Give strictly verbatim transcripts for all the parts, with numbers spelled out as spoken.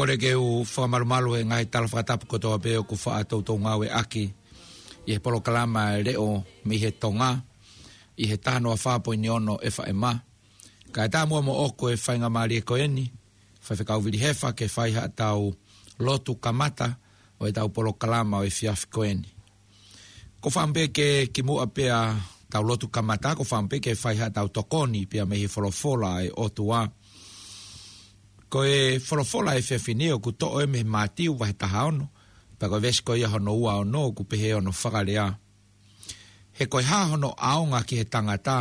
Kole ke u fakamalumalu he ngaahi tala fakatapu kotoa pē ʻoku faʻa toutou ngāueʻaki ʻi he polokalama e leʻo mei he Tonga, ʻi he taha noa fā poini ono FM. Kae ʻatā muʻa moʻoku e faingamālie ko eni, Faifekau Vili Hefa, ke fai haʻatau lotu kamata ʻo ʻetau polokalama ʻo e efiafi ko eni. ʻOku ou fakaʻamu pē ke kimuʻa pea tau lotu kamata, ʻoku ou fakaʻamu pē ke fai haʻatau tokoni pea mei he folofola ʻa e ʻOtua. Ko e folofola ʻo e efiafi ni ʻoku toʻo ia mei he Mātiu vahe taha ono, pea ko e veesi ko ia hono ua ono, ʻoku pehē hono fakalea: He ko e hā hono ʻaonga ki he tangata,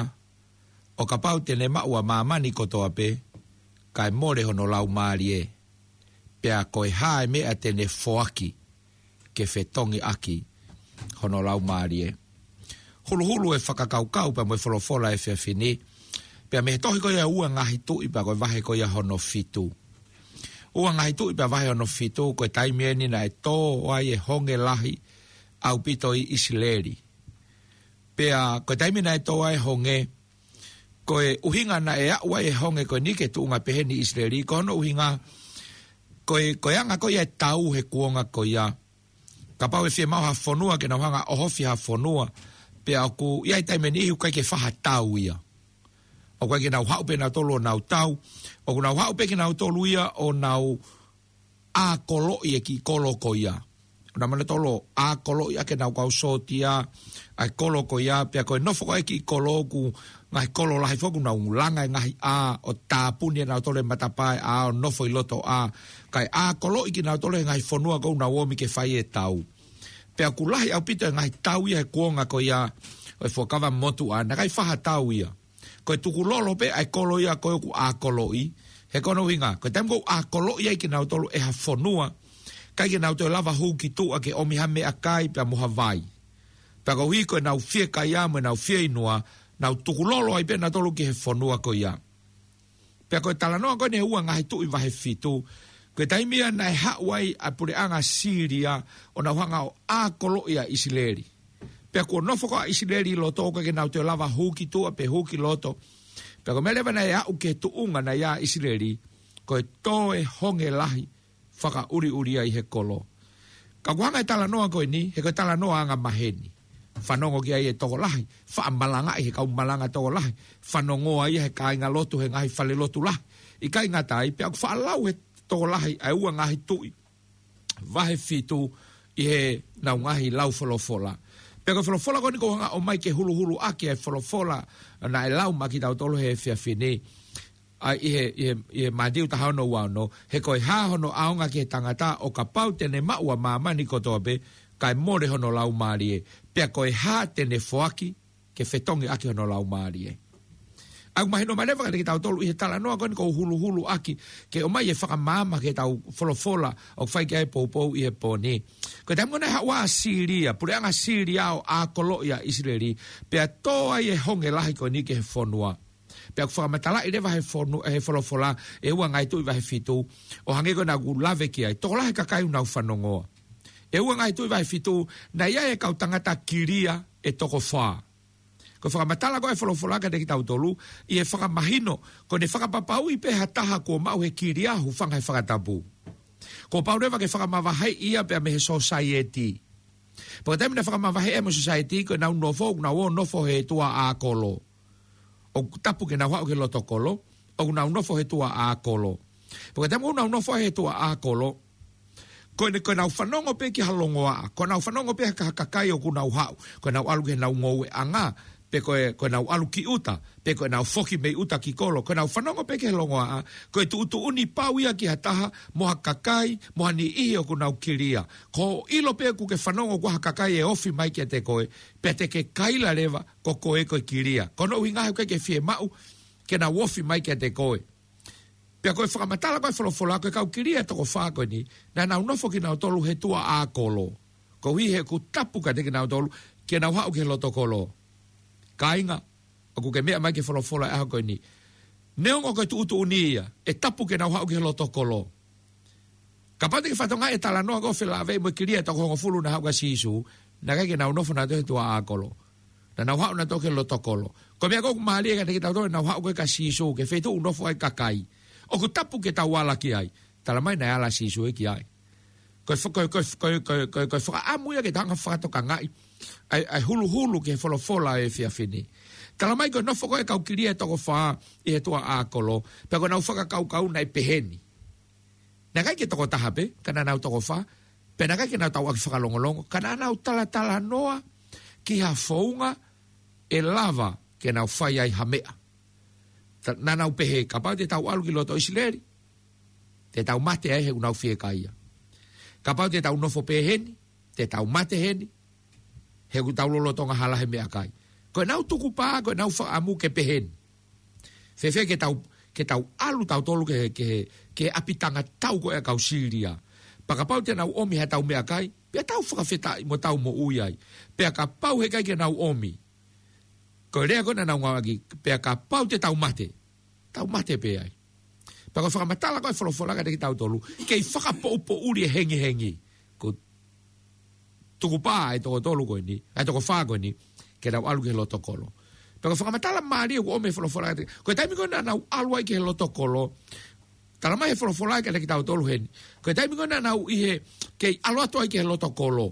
ʻo kapau te ne maʻu ʻa māmani kotoa pē, kae mole hono laumālie? Pea ko e hā e meʻa te ne foaki ke fetongi ʻaki hono laumālie? Huluhulu e fakakaukau pea mo e folofola ʻo e efiafi ni, pea mei he tohi ko ia Ua Ngaahi Tuʻi, pea ko e vahe ko ia hono fitu. Ua Ngaahi Tuʻi pea vahe hono fitu, ko e taimi eni naʻe tō ai e honge lahi ʻaupito ʻi ʻIsileli. Pea ko e taimi naʻe tō ai e honge, ko e ʻuhinga naʻe aʻu ai e honge ko eni ki he tuʻunga pehē ni ʻi ʻIsileli, ko hono ʻuhinga, ko e, ko e anga ko ia e tau he kuonga ko ia. Kapau ʻe fiemaʻu ha fonua ke nau hanga ʻo ʻohofi ha fonua, pea ʻoku ʻi ai e taimi ʻe niʻihi ʻoku ʻikai ke fai ha tau ia. ʻOku ʻikai ke nau haʻu pē nautolu ʻo nau tau, ʻoku nau haʻu pē kinautolu ia ʻo nau ʻākoloʻi e kiʻi kolo ko ia. ʻOku nau ō nautolu ʻo ʻākoloʻi ʻaki ʻenau kau sōtia ʻa e kolo ko ia, pea ko e nofo ko ia e kiʻi kolo, ko e ngaahi kolo lahi foki, ʻoku nau langa e ngaahi ʻā ʻo tāpuni ʻe nautolu e matapā ʻo e ʻā ʻo nofo ʻi loto ʻā, kae ʻākoloʻi kinautolu he ngaahi fonua ʻoku nau ō mai ke fai e tau. Pea ʻoku lahi ʻaupito e ngaahi tau ia he kuonga ko ia ʻo e Fuakava Motuʻa, naʻe ʻikai fai ha tau ia. Ko e tukulolo pē ʻa e kolo ia ko ē ʻoku ʻākoloʻi, he ko hono ʻuhinga, ko e taimi ʻoku ʻākoloʻi ai kinautolu ʻe ha fonua, ʻikai ke nau toe lava hū ki tuʻa ke ʻomi ha meʻakai pea mo ha vai. Pea koeʻuhi ko ʻenau fiekaia mo ʻenau fieinua, nau tukulolo ai pē nautolu ki he fonua ko ia. Pea ko e talanoa ko eni he Ua Ngaahi Tuʻi vahe fitu, ko e taimi ia naʻe haʻu ai ʻa e puleʻanga Sīlia ʻo nau hanga ʻo ʻākoloʻi ʻa ʻIsileli. Pea kuo nofo ko ia ʻa ʻIsileli ʻi loto, ʻikai ke nau toe lava hū ki tuʻa pe hū ki loto. Pea ko e meʻa leva naʻe aʻu ki he tuʻunga naʻe ʻi ai ʻa ʻIsileli, ko e tō e honge lahi fakaʻuliʻulia ʻi he kolo. Ka ʻoku hanga e talanoa ko eni, he ko e talanoa angamaheni. Fanongo ki ai e tokolahi, faʻa malangaʻi he kau malanga tokolahi, fanongoa ia he kāingalotu he ngaahi falelotu lahi. ʻIkai ngata ai, pea ʻoku faʻa lau he tokolahi ʻa e Ua Ngaahi Tuʻi vahe fitu ʻi heʻenau ngaahi lau folofola. Pea ko e folofola ko eni ʻoku ou hanga ʻo ʻomai ke huluhulu ʻaki e folofola naʻe lau maʻa kitautolu he efiafi ni. ʻA ia ʻi he, ʻi he, ʻi he Mātiu taha ono ua ono, he ko e hā hono ʻaonga ki he tangata ʻo kapau te ne maʻu ʻa māmani kotoa pē, kae mole hono laumālie? Pea ko e hā te ne foaki ke fetongi ʻaki hono laumālie? ʻOku mahino mai leva kiate kitautolu ʻi he talanoa ko eni ʻoku ou huluhulu ʻaki, ke ʻomai e fakamaama ki heʻetau folofola ʻoku fai ki ai e poupou ʻi he pō ni. Ko e taimi ko ē naʻe haʻu ai ʻa Sīlia, puleʻanga Sīlia ʻo ʻākoloʻi ʻa ʻIsileli, pea tō ai e honge lahi ko eni ki he fonua. Pea ʻoku fakamatalaʻi leva he fonu-, he folofola, ʻe Ua Ngaahi Tuʻi vahe fitu, ʻo hangē ko ena ʻoku lave ki ai, tokolahi e kakai ʻoku nau fanongoa. ʻE Ua Ngaahi Tuʻi vahe fitu, naʻe ʻi ai e kau tangata kilia ʻe toko fā. Ko e fakamatala ko ē ʻa e folofola kiate kitautolu, ʻi he fakamahino, ko ʻene fakapapauʻi pē ha taha kuo maʻu he kilia, hūfanga he fakatapu, kuo pau leva ke fakamavaheʻi ia pea mei he sōsaieti. Pea ko e taimi naʻe fakamavaheʻi ai mo e sōsaieti, ko ʻenau nofo, ʻoku nau ō ʻo nofo he tuʻa ʻākolo. ʻOku tapu ke nau haʻu ki he loto kolo, ʻoku nau nofo he tuʻa ʻākolo. Pea ko e taimi ʻoku nau nofo ai he tuʻa ʻākolo, ko ʻene, ko ʻenau fanongo pē ki ha longoaʻa, ko ʻenau fanongo pē ki ha kakai ʻoku nau haʻu, ko ʻenau ʻalu ki heʻenau ngoueʻanga, pe ko e, ko ʻenau ʻalu ki ʻuta, pe ko ʻenau foki mei ʻuta ki kolo, ko ʻenau fanongo pē ki he longoaʻa, ko e tuʻutuʻuni pau ia ki ha taha, mo ha kakai, mo ha niʻihi ʻoku nau kilia. Ko hoʻo ʻilo pē ʻoku ke fanongo ki ha kakai ʻe ofi mai kiate koe, pea te ke kaila leva, ko koe ko e kilia. Ko hono ʻuhinga he ʻoku ʻikai ke fiemaʻu ke nau ofi mai kiate koe. Pea ko e fakamatala ko ē ʻa e folofola, ko e kau kilia ʻe toko fā ko eni, naʻa nau nofo kinautolu he tuʻa ʻākolo. Koeʻuhi he ʻoku tapu kiate kinautolu ke nau haʻu ki he loto kolo. Kāinga, ʻoku ke meʻa mai ki he folofola he ʻaho ko eni. Neongo ko e tuʻutuʻuni ia, ʻe tapu ke nau haʻu ki he loto kolo. Kapau te ke fakatokangaʻi e talanoa ko ē ʻo felāveʻi mo e kilia ʻe toko hongofulu naʻe haʻu kia Sīsū, naʻe ʻikai ke nau nofo nautolu he tuʻa ʻākolo. Naʻa nau haʻu nautolu ki he loto kolo. Ko e meʻa ko ē ʻoku mālie kiate kitautolu, nau haʻu ko ē kia Sīsū, ki he feituʻu ʻoku nofo ai e kakai. ʻOku tapu ke tau ala ki ai. Talamai naʻe ala Sīsū ia ki ai. Ko e fa-, ko e, ko e, ko e, ko e, ko e, ko e fakaʻamu ia ke tau hanga fakatokangaʻi ʻa e, ʻa e huluhulu ki he folofola ʻo e efiafi ni. Talamai ko e nofo ko ē ʻa e kau kilia ʻe toko fā ʻi he tuʻa ʻakolo, pea ko ʻenau fakakaukau naʻe pehē ni. Naʻe ʻikai ke toko taha pē, ka naʻa nau toko fā, pea naʻe ʻikai ke nau tauʻaki fakalongolongo, ka naʻa nau talatalanoa ki ha founga ʻe lava ke nau fai ai ha meʻa. Ta-, naʻa nau pehē, kapau te tau ʻalu ki loto ʻIsileli, te tau mate ai he ʻoku nau fiekaia. Kapau te tau nofo pē heni, te tau mate heni, he ʻoku tau lolotonga hala he meʻakai. Ko ʻenau tukupā, ko ʻenau fakaʻamu ke pehē ni. Fēfē ke tau, ke tau ʻalu tautolu ke, ke, ke ʻapitanga tau ko ē ʻa e kau Sīlia. Pea kapau te nau ʻomi ha tau meʻakai, pea tau fakafetaʻi mo tau moʻui ai. Pea kapau heʻikai ke nau ʻomi, ko e lea ko ē naʻa nau ngāueʻaki, pea kapau te tau mate, tau mate pē ai. Pea ko e fakamatala ko ē ʻa e folofola kiate kitautolu, kei fakapoʻupoʻuli e hengihengi. Ko e tukupā ʻa e toko tolu ko eni, ʻa e toko fā ko eni, ke nau ʻalu ki he loto kolo. Pea ko e fakamatala mālie ʻoku ʻomai ʻe he folofola kiate, ko e taimi ko ē naʻa nau ʻalu ai ki he loto kolo, talamai ʻe he folofola kiate kitautolu heni, ko e taimi ko ē naʻa nau ʻi he, kei ʻalu atu ai ki he loto kolo.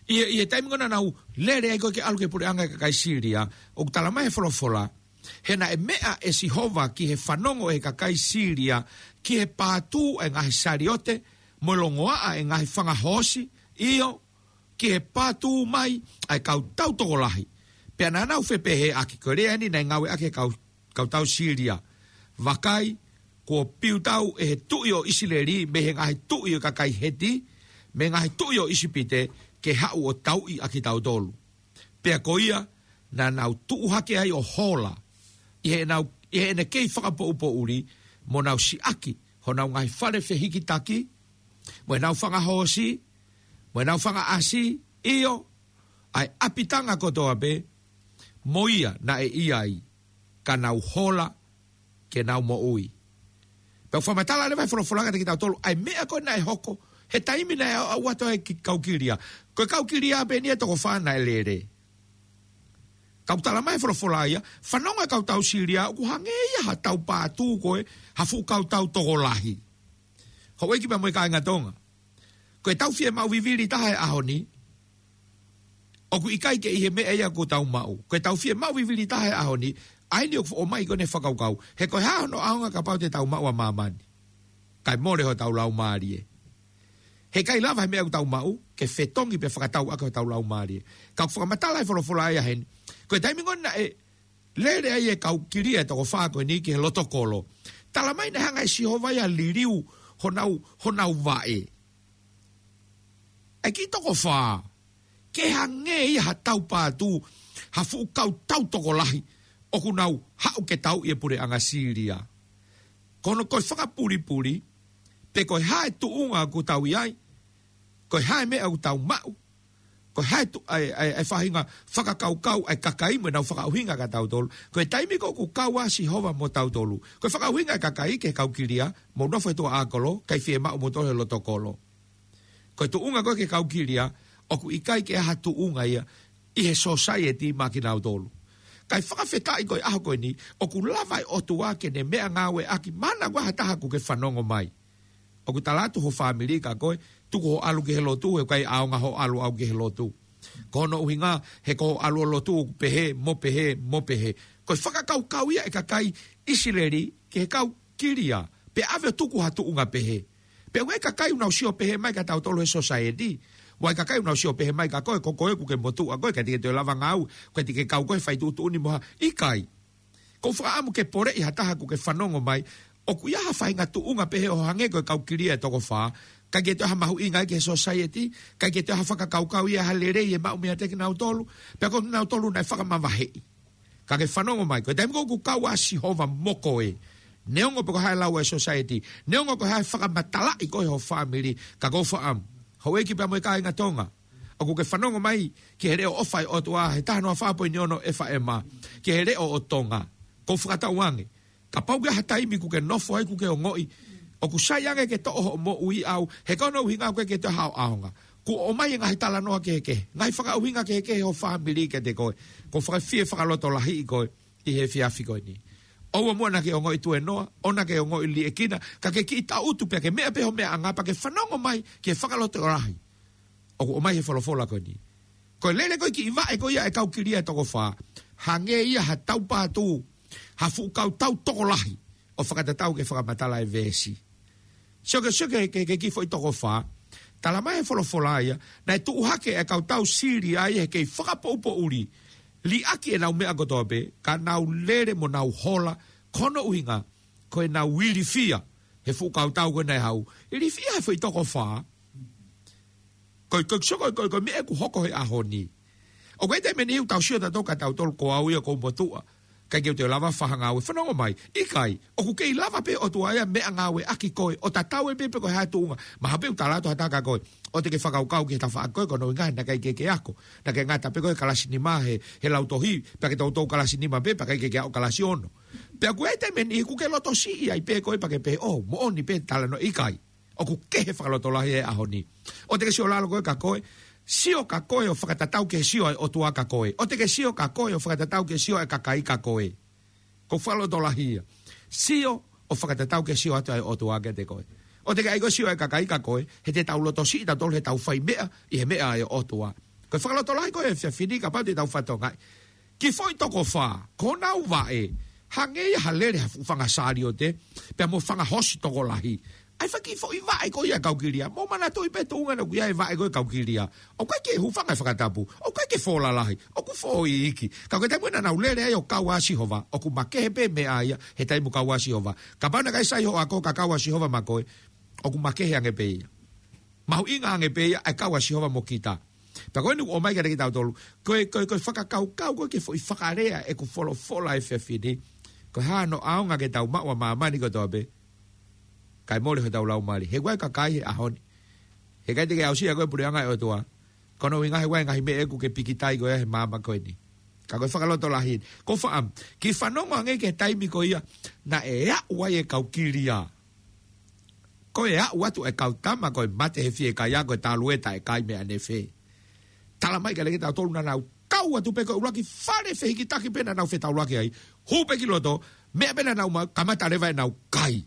ʻI he, ʻi he taimi ko ē naʻa nau lele ai ko ē ke ʻalu ki he puleʻanga ʻo e kakai Sīlia, ʻoku talamai ʻe he folofola, he naʻe meʻa ʻe Sihova ki he fanongo ʻo e kakai Sīlia, ki he pātū ʻa e ngaahi saliote, mo e longoaʻa ʻa e ngaahi fanga hoosi, ʻio, ki he pātū mai ʻa e kau tau tokolahi. Pea naʻa nau fepehēʻaki, ko e lea eni naʻe ngāueʻaki ʻe he kau kau tau Sīlia. Vakai, kuo piutau ʻe he tuʻi ʻo ʻIsileli mei he ngaahi tuʻi ʻo e kakai Heti, mei he ngaahi tuʻi ʻo ʻIsipite, ke haʻu ʻo tauʻi ʻa kitautolu. Pea ko ia, naʻa nau tuʻu hake ai ʻo hola, ʻi heʻenau, ʻi heʻene kei fakapoʻupoʻuli, mo nau siʻaki honau ngaahi fale fehikitaki, mo ʻenau fanga hoosi, mo ʻenau fanga ʻasi, ʻio, ʻa e ʻapitanga kotoa pē, mo ia naʻe ʻi ai, ka nau hola, ke nau moʻui. Pea ʻoku fakamatala leva ʻe he folofola kiate kitautolu, ʻa e meʻa ko ē naʻe hoko, he taimi naʻe aʻu atu ai ki he kau kilia. Ko e kau kilia pē eni ʻe toko fā naʻe lele. Ka ʻoku talamai ʻe he folofola ia, fanongo e kau tau Sīlia, ʻoku hangē ia ha tau pātū ko ē, ha fuʻu kau tau tokolahi. Houʻeiki pea mo e kāinga Tonga. Ko e tau fiemaʻu vivili taha he ʻaho ni, ʻoku ʻikai ke ʻi he meʻa ia ʻoku tau maʻu. Ko e tau fiemaʻu vivili taha he ʻaho ni, ʻa eni ʻoku ʻomai ko ē ʻene fakakaukau. He ko e hā hono ʻaonga kapau te tau maʻu ʻa māmani. Kae mole hotau laumālie. He ʻikai lava he meʻa ʻoku tau maʻu, ke fetongi pea fakatau ʻaki hotau laumālie. Ka ʻoku fakamatala ʻe he folofola ia heni. Ko e taimi ko ē naʻe lele ai e kau kilia ʻe toko fā ko eni ki he loto kolo. Talamai naʻe hanga ʻe Sihova ia ʻo liliu honau, honau vaʻe. ʻA e kiʻi toko fā, ke hangē ia ha tau pātū, ha fuʻu kau tau tokolahi, ʻoku nau haʻu ke tauʻi e puleʻanga Sīlia. Ko hono ko e fakapulipuli, pe ko e hā e tuʻunga ʻoku tau ʻi ai, ko e hā e meʻa ʻoku tau maʻu, ko e hā e tu-, ʻa e, ʻa e, ʻa e faʻahinga fakakaukau ʻa e kakai mo ʻenau fakaʻuhinga kia tautolu. Ko e taimi ko ē ʻoku kau ai Sihova mo tautolu. Ko e fakaʻuhinga ʻa e kakai ki he kau kilia, mou nofo he tuʻa ʻakolo, ʻikai fiemaʻu moutolu he loto kolo. Ko e tuʻunga ko ē ki he kau kilia, ʻoku ʻikai ke ʻi ai ha tuʻunga ia, ʻi he sōsaieti maʻa kinautolu. Kae fakafetaʻi ko e ʻaho ko eni, ʻoku lava ʻe he ʻOtua ke ne meʻangāueʻaki, mahalo ʻoku ʻi ai ha taha ʻoku ke fanongo mai. ʻOku tala atu ho fāmili kia koe, tuku hoʻo ʻalu ki he lotu, he ʻoku ʻikai ʻaonga hoʻo ʻalu ʻau ki he lotu. Ko hono ʻuhinga, he ko hoʻo ʻalu ʻo lotu, ʻoku pehē, mo pehē, mo pehē. Ko e fakakaukau ia ʻa e kakai ʻIsileli, ki he kau kilia, pea ʻave ʻo tuku ha tuʻunga pehē. Pea ʻoku ʻi ai e kakai ʻoku nau sio pehē mai kia tautolu he sōsaieti. ʻOku ʻi ai e kakai ʻoku nau sio pehē mai kia koe, ko koe ʻoku ke motuʻa koe, ʻikai te ke toe lava ngāue, ʻikai te ke kau koe he fai tuʻutuʻuni mo ha, ʻikai. ʻOku ou fakaʻamu ke poleʻi ha taha ʻoku ke fanongo mai, ʻoku ʻi ai ha faʻahinga tuʻunga pehē ʻo hangē ko e kau kilia ʻe toko fā, ʻikai ke toe ʻi ai ha mahuʻinga ia ki he sōsaieti, ʻikai ke toe ʻi ai ha fakakaukau ia ha lelei ʻe maʻu meiate kinautolu, pea ko kinautolu naʻe fakamavaheʻi. Ka ke fanongo mai, ko e taimi ko ē ʻoku kau ai Sihova mo koe, neongo pe ko e hā e lau ʻa e sōsaieti, neongo pe ko e hā e fakamatalaʻi ko ē ʻe ho fāmili, ka ʻoku ou fakaʻamu, houʻeiki pea mo e kāinga Tonga, ʻoku ke fanongo mai ki he leʻo ʻofa ʻa e ʻOtua, he taha noa fā poini ono F M, ki he leʻo ʻo Tonga. ʻOku ou fakatauange, kapau ʻoku ʻi ai ha taimi ʻoku ke nofo ai ʻoku ke ongoʻi ʻoku sai ange ke toʻo hoʻo moʻui ʻau, he ko hono ʻuhinga ʻoku ʻikai ke toe ʻi ai haʻo ʻaonga. Kuo ʻomai e ngaahi talanoa kehekehe, ngaahi fakaʻuhinga kehekehe ʻe ho fāmili kiate koe. ʻOku ou fakafie fakalotolahiʻi koe ʻi he efiafi ko eni. ʻOua muʻa naʻa ke ongoʻi tuēnoa, ʻoua naʻa ke ongoʻi liʻekina, ka ke kiʻi tangutu pea ke meʻa pē ho meʻangāue pea ke fanongo mai ki he fakalotolahi ʻoku ʻomai he folofola ko eni. Ko e lele ko ē kiʻi vaʻe ko ia ʻa e kau kilia ʻe toko fā, hangē ia ha taupātū, ha fuʻu kautau tokolahi ʻo fakatatau ki he fakamatala ʻa e veesi. Sio ke, sio ke, ke, ke kiʻi foʻi toko fā. Talamai he folofola ia, naʻe tuʻu hake ʻa e kautau Sīlia ia he kei fakapoʻupoʻuli, liʻaki ʻenau meʻa kotoa pē, ka nau lele mo nau hola, ko hono ʻuhinga, ko ʻenau ilifia he fuʻu kautau ko ē naʻe haʻu. Ilifia he foʻi toko fā. Ko e, ko e, sio ko e, ko e, ko e meʻa ʻoku hoko he ʻaho ni. ʻOku ʻi ai e taimi ʻe niʻihi ʻoku tau sio tautolu ka tautolu ko au ia ʻoku ou motuʻa, ʻikai ke u toe lava fai ha ngāue. Fanongo mai, ʻikai, ʻoku kei lava pē ʻOtua ia ʻo meʻangāueʻaki koe, ʻo tatau ai pē pe ko e hā e tuʻunga. Mahalo pē ʻoku tala atu ha taha kia koe, ʻoua te ke fakakaukau ki he tafaʻaki ko ē, ko hono ʻuhinga naʻe ʻikai ke ke ako, naʻa ke ngata pē koe he kalasi nima he, he lautohi, pea ke toutou kalasi nima pē, pea ʻikai ke ke aʻu kalasi ono. Pea ʻoku ʻi ai e taimi ʻe niʻihi ʻoku ke lotosiʻi ai pē koe pea ke pehē, ʻō, moʻoni pē talanoa. ʻIkai. ʻOku kehe fakalotolahi he ʻaho ni. ʻOua te ke sio lalo koe kia koe, sio kia koe ʻo fakatatau ki he sio ʻa e ʻOtua kia koe. ʻOua te ke sio kia koe ʻo fakatatau ki he sio ʻa e kakai kia koe. Ko e fakalotolahi ia. Sio ʻo fakatatau ki he sio atu ʻa e ʻOtua kiate koe. ʻOua te ke ʻai koe ʻo sio ʻa e kakai kia koe, he te tau lotosiʻi tautolu heʻetau fai meʻa ʻi he meʻa ʻa e ʻOtua. Ko e fakalotolahi ko ē he efiafi ni kapau te tau fakatokangaʻi. Kiʻi foʻi toko fā, ko honau vaʻe, hangē ia ha lele ha fuʻu fanga saliote, pea mo e fanga hosi tokolahi. ʻA e fanga kiʻi foʻi vaʻe ko ia ʻa e kau kilia. Mou manatuʻi pē tuʻunga naʻe ʻi ai e vaʻe ko ē ʻa e kau kilia. ʻOku ʻikai ke hūfanga he fakatapu, ʻoku ʻikai ke fō lalahi, ʻoku fō iiki. Ka ko e taimi naʻa nau lele ai ʻo kau ʻa Sihova, ʻoku makehe pē meʻa ia he taimi ʻoku kau ʻa Sihova. Kapau naʻe ʻikai sai hoʻo ako ka kau ʻa Sihova mo koe, ʻoku makehe ange pē ia. Mahuʻinga ange pē ia ʻa e kau ʻa Sihova mo kita. Pea ko eni ʻoku ʻomai kiate kitautolu, ko e, ko e, ko e fakakaukau ko ē ki he foʻi fakalea ʻeku folofola he efiafi ni. Ko e hā hano ʻaonga ke tau maʻu ʻa māmani kotoa pē, kae mole hotau laumālie? He ʻoku ʻi ai e kakai he ʻaho ni, he ʻikai te ke aʻusia koe ʻe he puleʻanga ʻo e ʻOtua. Ko hono ʻuhinga he ʻoku ʻi ai e ngaahi meʻa ʻoku ke pikitai ko ē he māmani ko eni. Ka ko e fakalotolahi eni. Ko e fā, kiʻi fanongo ange ki he taimi ko ia naʻe aʻu ai e kau kilia. Ko e aʻu atu e kau tama ko ē mate he fiekaia, ko e talu e taʻekai mei ʻanefe. Talamai kiate kitautolu naʻa nau kau atu pē ko e ʻuluaki fale fehikitaki pē naʻa nau fetaulaki ai. Hū pē ki loto, meʻa pē naʻa nau maʻu, kamata leva ʻenau kai.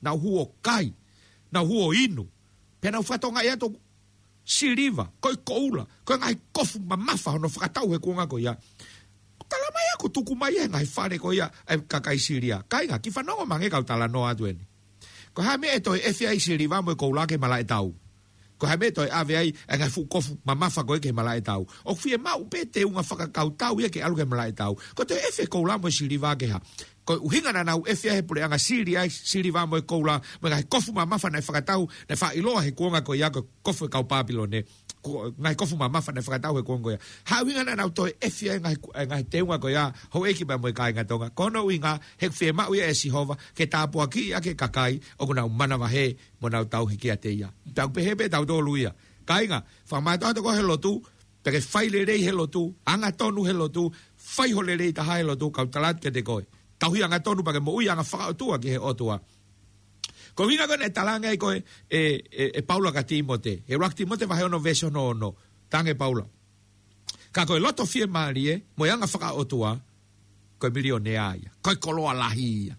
Nau hū ʻo kai. Nau hū ʻo inu. Pea nau fakatokangaʻi atu siliva, ko e koula, ko e ngaahi kofu mamafa hono fakatau he kuonga ko ia. Talamai ʻoku tuku mai he ngaahi fale ko ia ʻa e kakai Sīlia. Kāinga, kiʻi fanongo mai ange kau talanoa atu eni. Ko e hā e meʻa ʻe toe ʻefe ai e siliva mo e koula ki he malaʻe tau? Ko e hā e meʻa ʻe toe ʻave ai e ngaahi fuʻu kofu mamafa ko ē ki he malaʻe tau? ʻOku fiemaʻu pē teunga fakakautau ia ke ʻalu ki he malaʻe tau. Ko e toe ʻefe e koula mo e siliva ki he hā? Ko e ʻuhinga naʻa nau ʻefe ai he puleʻanga Sīlia e siliva mo e koula, mo e ngaahi kofu mamafa naʻe fakatau, naʻe faʻa ʻiloa he kuonga ko ia ko e kofu ʻa e kau Pāpilone. Ko e ngaahi kofu mamafa naʻe fakatau he kuonga ko ia. Hā e ʻuhinga naʻa nau toe ʻefe ai e ngaahi, e ngaahi teunga ko ia, houʻeiki pea mo e kāinga Tonga? Ko hono ʻuhinga he ʻoku fiemaʻu ia ʻe Sihova ke tāpuakiʻi ʻaki e kakai ʻoku nau manavahē mo nau tauhi kiate ia. Pea ʻoku pehē pē ʻe tautolu ia. Kāinga, fakamātoato koe he lotu, pea ke fai lelei he lotu, angatonu he lotu, fai ho lelei taha he lotu, kau tala atu kiate koe. Tauhi angatonu pea ke moʻui anga fakaʻotua ki he ʻOtua. Ko e ʻuhinga ko ē naʻe talaange ai ko ē ʻe, ʻe, ʻe Paula kia Tīmote. He ʻuluaki Tīmote vahe ono veesi hono ono. Talaange ʻe Paula, ka ko e loto fiemālie mo e anga fakaʻotua, ko e milionea ia. Ko e koloa lahi ia.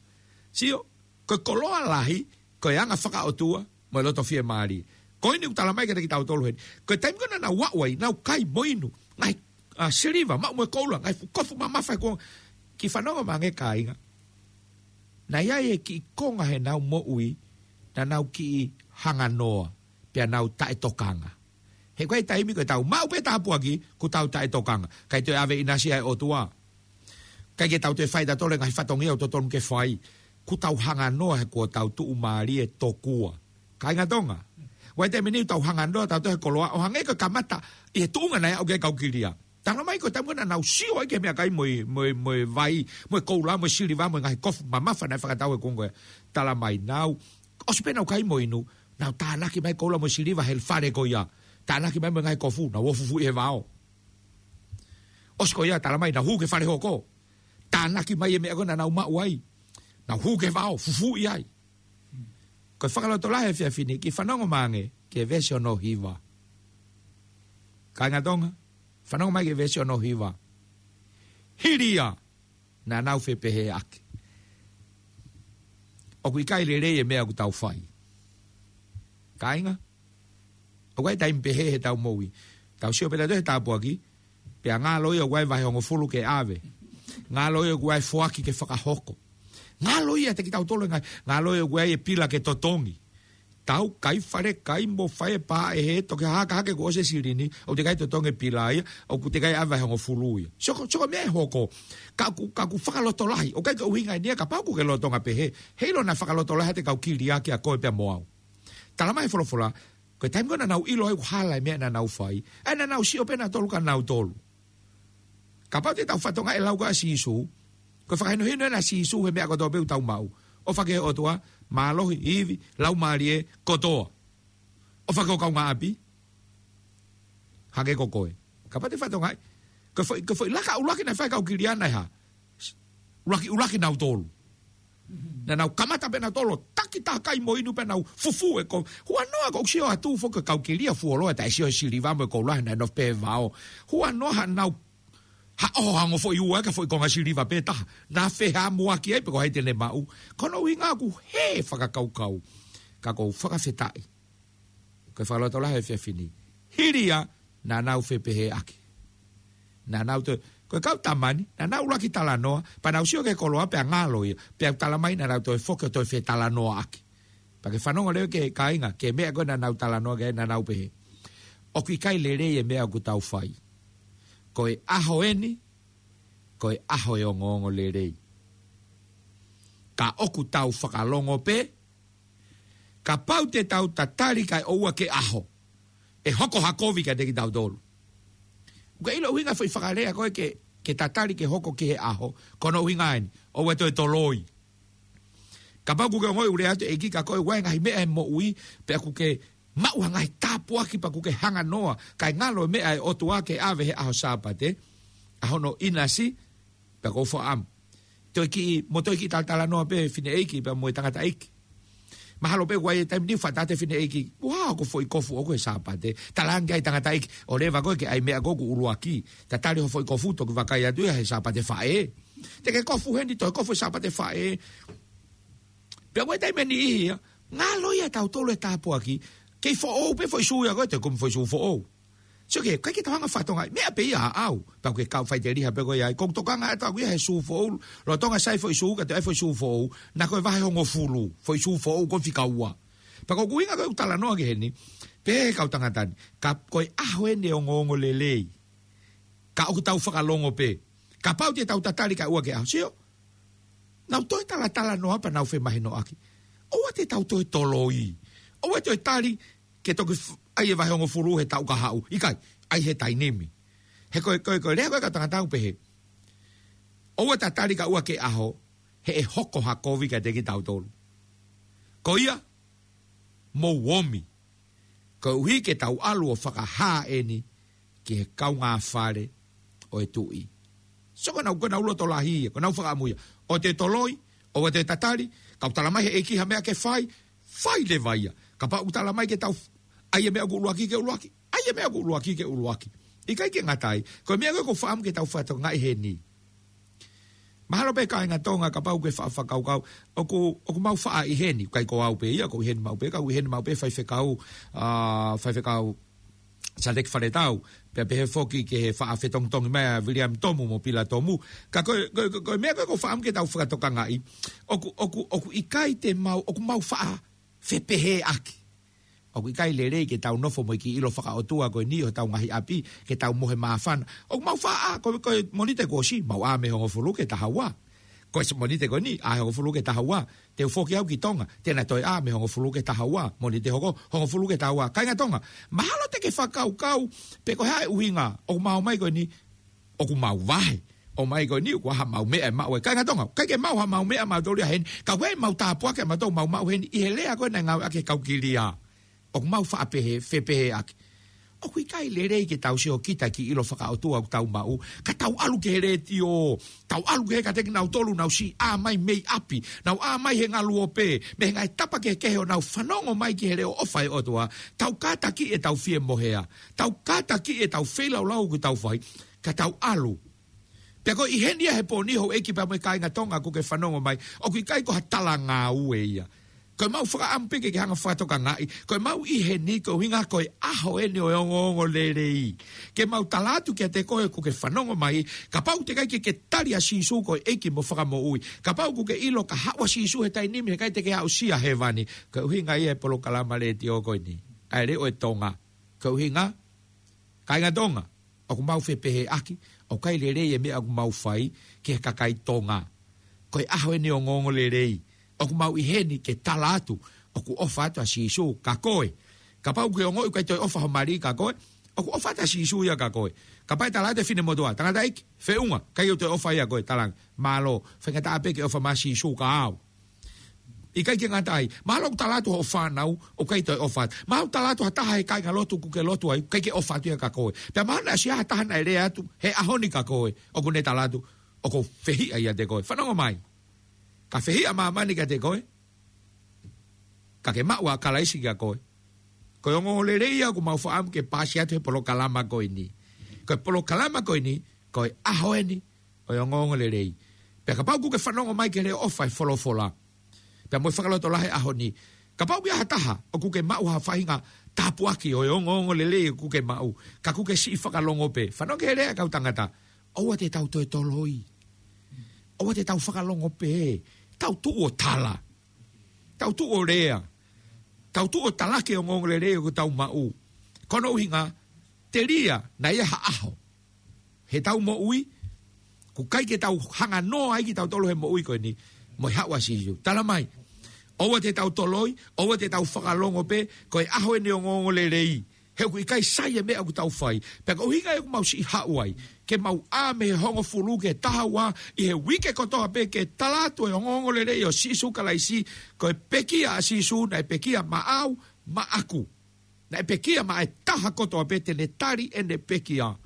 Sio, ko e koloa lahi, ko e anga fakaʻotua, mo e loto fiemālie. Ko eni ʻoku talamai kiate kitautolu heni. Ko e taimi ko ē naʻa nau aʻu ai, nau kai mo inu, ngaahi, ʻa, siliva, maʻu mo e koula, ngaahi fuʻu kofu mamafa he kuonga. Kiʻi fanongo mai ange kāinga. Naʻe ʻi ai e kiʻi konga heʻenau moʻui, naʻa nau kiʻi hanganoa, pea nau taʻetokanga. He ko e taimi ko ē tau maʻu pē tāpuaki, kuo tau taʻetokanga. ʻIkai toe ʻave ʻinasi ʻa e ʻOtua. ʻIkai ke tau toe fai ʻe tautolu e ngaahi fatongia ʻoku totonu ke fai. Kuo tau hanganoa he kuo tau tuʻumālie tokua. Kāinga Tonga, ʻoku ʻi ai e taimi ʻe niʻihi ʻoku tau hanganoa tautolu he koloa, ʻo hangē ko e kamata ʻi he tuʻunga naʻe aʻu ki ai e kau kilia. Talamai ko e taimi ko ē naʻa nau sio ai ki he meʻakai mo e, mo e, mo e vai, mo e koula, mo e siliva, mo e ngaahi kofu mamafa naʻe fakatau he kuonga ko ia. Talamai naʻa nau, ʻosi pē ʻenau kai mo inu, nau tānaki mai e koula mo e siliva he fale ko ia. Tānaki mai mo e ngaahi kofu, nau ō ʻo fufuuʻi he vao. ʻOsi ko ia, talamai nau hū ki he fale hoko. Tānaki mai e meʻa ko ē naʻa nau maʻu ai, nau hū ki he vao, fufuuʻi ai. Ko e fakalotolahi he efiafi ni, kiʻi fanongo mai ange ki he veesi hono hiva. Kāinga Tonga, fanongo mai ki he veesi hono hiva. Hili ia, naʻa nau fepehēʻaki. ʻOku ʻikai lelei e meʻa ʻoku tau fai. Kāinga, ʻoku ʻi ai e taimi pehē he tau moʻui. Tau sio pē tautolu he tāpuaki, pea ngalo ia ʻoku ʻi ai e vahe hongofulu ke ʻave. Ngalo ia ʻoku ʻi ai e foaki ke fakahoko. Ngalo ia ʻiate kitautolu e ngaahi, ngalo ia ʻoku ʻi ai e pila ke totongi. Tau kai fale kai mo fai e pā ʻe he toki hahake hake kuo ʻosi e silini, ʻoku teʻeki ai totongi e pila ia, ʻoku teʻeki ai ʻave e vahe hongofulu ia. Sio ko, sio ko e meʻa ʻe hoko, ka ʻoku, ka ʻoku fakalotolahi, ʻoku ʻikai ke ʻuhinga eni ia kapau ʻoku ke lolotonga pehē, heiʻilo naʻe fakalotolahi ʻa e kau kilia kia koe pea mo au. Talamai ʻe he folofola, ko e taimi ko ē naʻa nau ʻilo ai ʻoku hala e meʻa naʻa nau fai, ʻa ia naʻa nau sio pē nautolu kia nautolu. Kapau te tau fakatokangaʻi e lau ko ē ʻa Sīsū, ko e fakahinohino ena ʻa Sīsū he meʻa kotoa pē ʻoku tau maʻu. ʻOfa ki he ʻOtua, mālohi, ivi, laumālie, kotoa. ʻOfa ki ho kaungāʻapi, hangē ko koe. Kapau te fakatokangaʻi, ko e foʻi, ko e foʻi laka ʻuluaki naʻe fai ʻe he kau kilia naʻe hā? ʻUluaki, ʻuluaki nautolu. Naʻa nau kamata pē nautolu ʻo taki taha kai mo inu pea nau fufū e kovi. Huanoa ko ʻeku sio atu foki ki he kau kilia fuoloa, taʻe sio he siliva mo e koula, naʻe nofo pē he vao. Huanoa haʻanau haʻoho hango foʻi ua ki he foʻi konga siliva pē taha. Naʻa fehamuaki ai pe ko hai te ne maʻu. Ko hono ʻuhinga ʻoku hē e fakakaukau. Ka ʻoku ou fakafetaʻi, ko e fakalotolahi he efiafi ni, hili ia, naʻa nau fepehēʻaki. Naʻa nau toe, ko e kau tama ni, naʻa nau ʻuluaki talanoa, pea nau sio ki he koloa pea ngalo ia, pea talamai naʻa nau toe foki ʻo toe fetalanoaʻaki. Pea ke fanongo leva ki he kāinga, ki he meʻa ko ē naʻa nau talanoa ki ai, naʻa nau pehē, ʻoku ʻikai lelei e meʻa ʻoku tau fai. Ko e ʻaho eni, ko e ʻaho e ongoongolelei. Ka ʻoku tau fakalongo pē, kapau te tau tatali kae ʻoua ke ʻaho, ʻe hoko ha kovi kiate kitautolu. ʻOku ke ʻilo e ʻuhinga e foʻi fakalea ko ē ke, ke tatali ke hoko ki he ʻaho, ko hono ʻuhinga eni, ʻoua ʻe toe toloi. Kapau ʻoku ke ongoʻi ʻoku lea atu e ʻEiki kia koe, ʻoku ʻi ai e ngaahi meʻa he moʻui, pea ʻoku ke maʻu ha ngaahi tāpuaki pea ʻoku ke hanga noa, kae ngalo e meʻa ʻa e ʻOtua ke ʻave he ʻaho Sāpate, ʻa hono ʻinasi, pea ʻoku ou fakaʻamu. Toe kiʻi, mo toe kiʻi talatalanoa pē fineʻeiki pea mo e tangataʻeiki. Mahalo pē ʻoku ʻi ai e taimi ni ʻoku faʻa tala atu e fineʻeiki, ʻoku hā hoku foʻi kofu ʻoʻoku he Sāpate. Talaange ki ai e tangataʻeiki, ʻoua leva koe ke ʻai meʻa ko ē ʻoku ʻuluaki. Tatali hoʻo foʻi kofu, toki vakai atu ia he Sāpate Faʻē. Te ke kofu heni, toe kofu he Sāpate Faʻē. Pea ʻoku ʻi ai e taimi ʻe niʻihi ia, ngalo ia ʻia tautolu e tāpuaki, kei foʻou pē foʻi sū ia ko ē, toe kumi foʻi sū foʻou. Sio ki he, ʻikai ke tau hanga ʻo fakatokangaʻi, meʻa pē ia ʻaʻau. Pea ʻoku ke kau faʻiteliha pē koe ia, ʻoku ou tokanga atu au ia he sū foʻou, lolotonga sai foʻi sū, ka toe ʻai foʻi sū foʻou, naʻa ko e vahe hongofulu, foʻi sū foʻou ko e fika ua. Pea ko ʻeku ʻuhinga ko ē ʻeku talanoa ki heni, pehē ʻe he kau tangata ni, ka ko e ʻaho eni e ongoongolelei. Ka ʻoku tau fakalongo pē. Kapau te tau tatali kae ʻoua ke ʻaho, sio. Nau toe talatalanoa pea nau femahinoʻaki. ʻOua te tau toe toloi. ʻOua toe tali ke toki f-, ʻai e vahe hongofulu he taʻu kahaʻu. ʻIkai, ʻai he taimi ni. He ko e, ko e, ko e lea ko ē ʻa e kau tangata ʻoku pehē, ʻoua tatali kae ʻoua ke ʻaho, he ʻe hoko ha kovi kiate kitautolu. Ko ia, mou omi. Koeʻuhi ke tau ʻalu ʻo fakahā eni ki he kaungāfale ʻo e tuʻi. So ko ʻenau, ko ʻenau lotolahi ia, ko ʻenau fakaʻamu ia. ʻOua te toloi, ʻoua te tatali, ka ʻoku talamai ʻe he ʻEiki ha meʻa ke fai, fai leva ia. Kapau ʻoku talamai ke tau f-, ʻai e meʻa ʻoku ʻuluaki ke ʻuluaki, ʻai e meʻa ʻoku ʻuluaki ke ʻuluaki. ʻIkai ke ngata ai, ko e meʻa ko ē ʻoku ou fakaʻamu ke tau fakatokangaʻi heni. Mahalo pē kāinga Tonga kapau ʻoku ke fa-, fakakaukau, ʻoku, ʻoku mau faʻa ʻi heni, ʻikai ko au pē ia, ʻoku ou ʻi heni maʻu pē, ka ʻoku ou ʻi heni maʻu pē faifekau, ʻa, faifekau Saleki Faletau, pea pehē foki ki he faʻa fetongitongi mai ʻa Viliami Tomu mo Pila Tomu. Ka ko e, ko e, ko e, ko e meʻa ko ē ʻoku ou fakaʻamu ke tau fakatokangaʻi, ʻoku, ʻoku, ʻoku ʻikai te mau, ʻoku mau faʻa fepehēʻaki. ʻOku ʻikai lelei ke tau nofo mo e kiʻi ʻilo fakaʻotua ko eni ʻi hotau ngaahi ʻapi, ke tau mohe māfana. ʻOku mau faʻa, ko, ko e Mōnite kuo ʻosi, mau ʻā mei he hongofulu ki he taha ua. Ko e Mōnite ko eni, ʻā he hongofulu ki he taha ua. Te u foki au ki Tonga, te na toe ʻā mei he hongofulu ki he taha ua. Mōnite hoko, hongofulu ki he taha ua. Kāinga Tonga, mahalo te ke fakakaukau, pe ko e hā e ʻuhinga, ʻoku mau ō mai ko eni, ʻoku mau vahe. ʻOmai ko eni, ʻoku ʻi ai haʻamau meʻa ʻe maʻu ai. Kāinga Tonga, ʻikai ke maʻu haʻamau meʻa mautolu ia heni, ka ʻoku ʻi ai ʻemau tāpuaki ʻa mautolu ʻoku mau maʻu heni, ʻi he lea ko ē naʻe ngāueʻaki ʻe he kau kilia. ʻOku mau faʻa pehē, fepehēʻaki. ʻOku ʻikai lelei ke tau sio kita ki he ʻilo fakaʻotua ʻoku tau maʻu, ka tau ʻalu ki he letiō, tau ʻalu ki he, kiate kinautolu naʻa nau siʻi ʻā mai mei ʻapi, naʻa nau ʻā mai he ngaluope, mei he ngaahi tapa kehekehe ʻo nau fanongo mai ki he leʻo ʻofa ʻa e ʻOtua, tau kātakiʻi ʻetau fiemohea, tau kātakiʻi ʻetau feilaulau ʻoku tau fai, ka tau ʻalu Pea ko e ʻi heni ia he pō ni, houʻeiki pea mo e kāinga Tonga ʻoku ke fanongo mai, ʻoku ʻikai ko ha talangāue ia. Ko ʻemau fakaʻamu pē ke ke hanga fakatokangaʻi, ko ʻemau ʻi heni ko e ʻuhinga ko e ʻaho eni ʻo e ongoongolelei. Ke mau tala atu kiate koe ʻoku ke fanongo mai, kapau teʻeki ai ke ke tali ʻa Sīsū ko e ʻEiki mo Fakamoʻui, kapau ʻoku ke ʻilo ka haʻu ʻa Sīsū he taimi ni he ʻikai te ke aʻusia hēvani, ko e ʻuhinga ia e polokalama letiō ko eni, ʻa e Leʻo ʻo e Tonga. Ko e ʻuhinga, kāinga Tonga, ʻoku mau fepehēʻaki, ʻoku ʻikai lelei e meʻa ʻoku mau fai ki he kakai Tonga. Ko e ʻaho eni ʻo e ongoongolelei, ʻoku mau ʻi heni ke tala atu ʻoku ʻofa atu ʻa Sīsū kia koe. Kapau ʻoku ke ongoʻi ʻoku ʻikai toe ʻofa ho mali kia koe, ʻoku ʻofa atu ʻa Sīsū ia kia koe. Kapau ʻe tala atu e finemotuʻa, tangataʻeiki, feʻunga, ʻikai ʻoku toe ʻofa ia kia koe, talaange, mālō, faingataʻa pē ke ʻofa mai ʻa Sīsū kia au. ʻIkai ke ngata ai, mahalo ʻoku tala atu hoʻo fānau ʻoku ʻikai toe ʻofa atu. Mahalo ʻoku tala atu ha taha he kāingalotu ʻoku ke lotu ai, ʻikai ke ʻofa atu ia kia koe. Pea mahalo naʻe ʻosi ʻi ai ha taha naʻe lea atu he ʻaho ni kia koe, ʻoku ne tala atu ʻoku ou fehiʻa ʻiate koe. Fanongo mai. Ka fehiʻa māmani kiate koe, ka ke maʻu ʻa Kalaisi kia koe. Ko e ongoongolelei ia ʻoku mau fakaʻamu ke paasi atu he polokalama ko eni. Ko e polokalama ko eni, ko e ʻaho eni ʻo e ongoongolelei. Pea kapau ʻoku ke fanongo mai ki he leʻo ʻofa ʻa e folofola, pea mo e fakalotolahi he ʻaho ni, kapau ʻoku ʻi ai ha taha ʻoku ke maʻu ha faʻahinga tāpuaki ʻo e ongoongolelei ʻoku ke maʻu, ka ʻoku ke siʻi fakalongo pē, fanongo ki he lea ʻa e kau tangata, ʻoua te tau toe toloi. ʻOua te tau fakalongo pē. Tau tuʻu ʻo tala. Tau tuʻu ʻo lea. Tau tuʻu ʻo talaki e ongoongolelei ʻoku tau maʻu. Ko hono ʻuhinga, telia naʻe ʻi ai ha ʻaho heʻetau moʻui ʻoku ʻikai ke tau hanga noa ai kitautolu he moʻui ko eni mo e haʻu ʻa Sīsū. Tala mai, ʻoua te tau toloi, ʻoua te tau fakalongo pē, ko e ʻaho eni ʻo e ongoongolelei. He ʻoku ʻikai sai e meʻa ʻoku tau fai. Pea ko e ʻuhinga ia ʻoku mau siʻi haʻu ai, ke mau ʻā mei he hongofulu ki he taha ua ʻi he uike kotoa pē ke tala atu e ongoongolelei ʻo Sīsū Kalaisi, ko e pekia ʻa Sīsū naʻe pekia maʻau, maʻaku. Naʻe pekia maʻa e taha kotoa pē te ne tali ʻene pekia.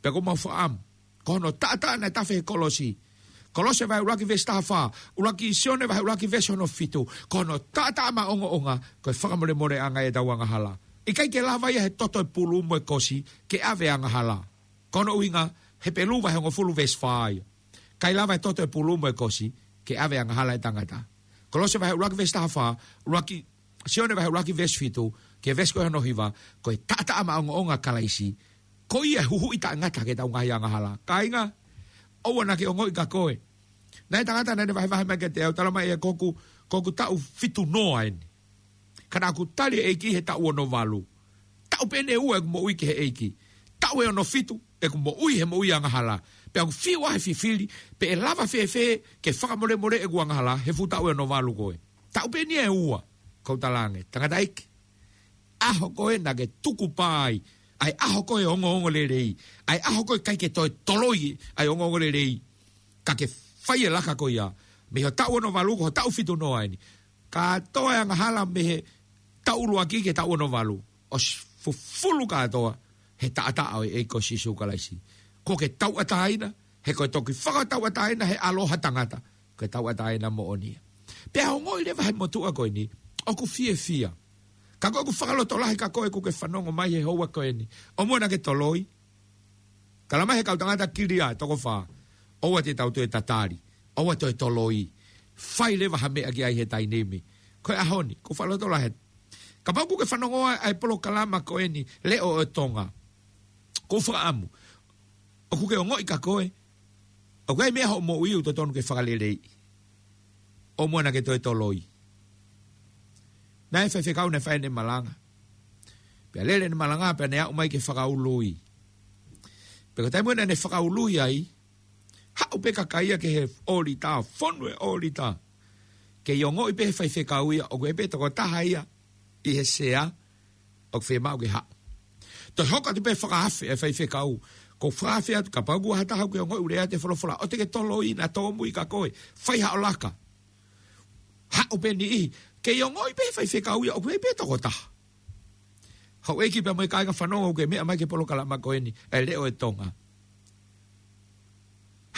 Pea ʻoku mau fakaʻamu, ko hono taʻataʻa naʻe tafe he kolosi. Kolose vahe ʻuluaki veesi taha fā, ʻuluaki Sione vahe ʻuluaki veesi hono fitu, ko hono taʻataʻa maʻongoʻonga, ko e fakamolemoleʻanga ʻetau angahala. ʻIkai ke lava ia he toto e pulu mo e kosi ke ʻave angahala. Ko hono ʻuhinga, Hepelū vahe hongofulu veesi fā ia. ʻIkai lava he toto e pulu mo e kosi ke ʻave angahala e tangata. Kolose vahe ʻuluaki veesi taha fā, ʻuluaki Sione vahe ʻuluaki veesi fitu, ki he veesi ko hono hiva, ko e taʻataʻa maʻongoʻonga ʻa Kalaisi, ko ia e huhuʻi taʻengata ki heʻetau ngaahi angahala. Kāinga, ʻoua naʻa ke ongoʻi kia koe. Naʻe tangata naʻa ne vahevahe mai kiate au, tala mai ʻe ia ko ʻeku, ko ʻeku taʻu fitu noa eni. Ka naʻa ku tali e ʻEiki he taʻu ono valu. Taʻu pē ʻe ua ʻeku moʻui ki he ʻEiki. Taʻu ʻe ono fitu ʻeku moʻui he moʻui angahala. Pea ʻoku fiu ʻa e fifili, pe ʻe lava fēfē ke fakamolemoleʻi ʻeku angahala he fuʻu taʻu ʻe ono valu ko ē. Taʻu pē ʻe ua, ʻoku ou talaange, tangataʻeiki, ʻaho ko ē naʻa ke tukupā ai ʻa e ʻaho ko ē ongoongolelei, ʻa e ʻaho ko ē ʻikai ke toe toloi ʻa e ongoongolelei, ka ke fai e laka ko ia mei ho taʻu ono valu ki ho taʻu fitu noa eni. Kātoa e angahala mei he taʻu ʻuluaki ki he taʻu ono valu, ʻosi fufulu kātoa he taʻataʻa ʻo e ʻEiki ko Sīsū Kalaisi. Kuo ke tauʻatāina, he ko e toki fakatauʻatāina he ʻaloʻofa ʻa e tangata, ko e tauʻatāina moʻoni ia. Pea ongoʻi leva he motuʻa ko eni ʻoku fiefia. Ka ko ʻeku fakalotolahi kia koe ʻoku ke fanongo mai he houa ko eni, ʻoua naʻa ke toloi. Tala mai he kau tangata kilia ʻe toko fā, ʻoua te tau toe tatali, ʻoua toe toloi. Fai leva ha meʻa ki ai he taimi ni. Ko e ʻaho ni, ʻoku ou fakalotolahi. Kapau ʻoku ke fanongo ai ʻa e polokalama ko eni, Leʻo ʻo e Tonga, ʻoku ou fakaʻamu ʻoku ke ongoʻi kia koe ʻoku ʻi ai e meʻa hoʻo moʻui ʻoku totonu ke fakaleleiʻi. ʻOua naʻa ke toe toloi. Naʻe faifekau naʻe fai ʻene malanga. Pea lele ʻene malanga pea ne aʻu mai ke fakaului. Pea ko e taimi naʻa ne fakaului ai, haʻu pē kakai ia ki he ʻōlita, fonu e ʻōlita. Kei ongoʻi pē he faifekau ia ʻoku ʻi ai pē tokotaha ia ʻi he sea ʻoku fiemaʻu ke haʻu. Toe hoko atu pē fakaafe e faifekau. ʻOku ou fakaafe atu kapau ʻoku ʻi ai ha taha ʻoku ke ongoʻi ʻoku lea atu e folofola, ʻoua te ke toloi, naʻa tōmui kia koe. Fai haʻo laka. Haʻu pē niʻihi. Kei ongoʻi pē he faifekau ia ʻoku ʻi ai pē tokotaha. Houʻeiki pea mo e kāinga fanongo ʻoku ke meʻa mai ki he polokalama ko eni, e Leʻo ʻo e Tonga.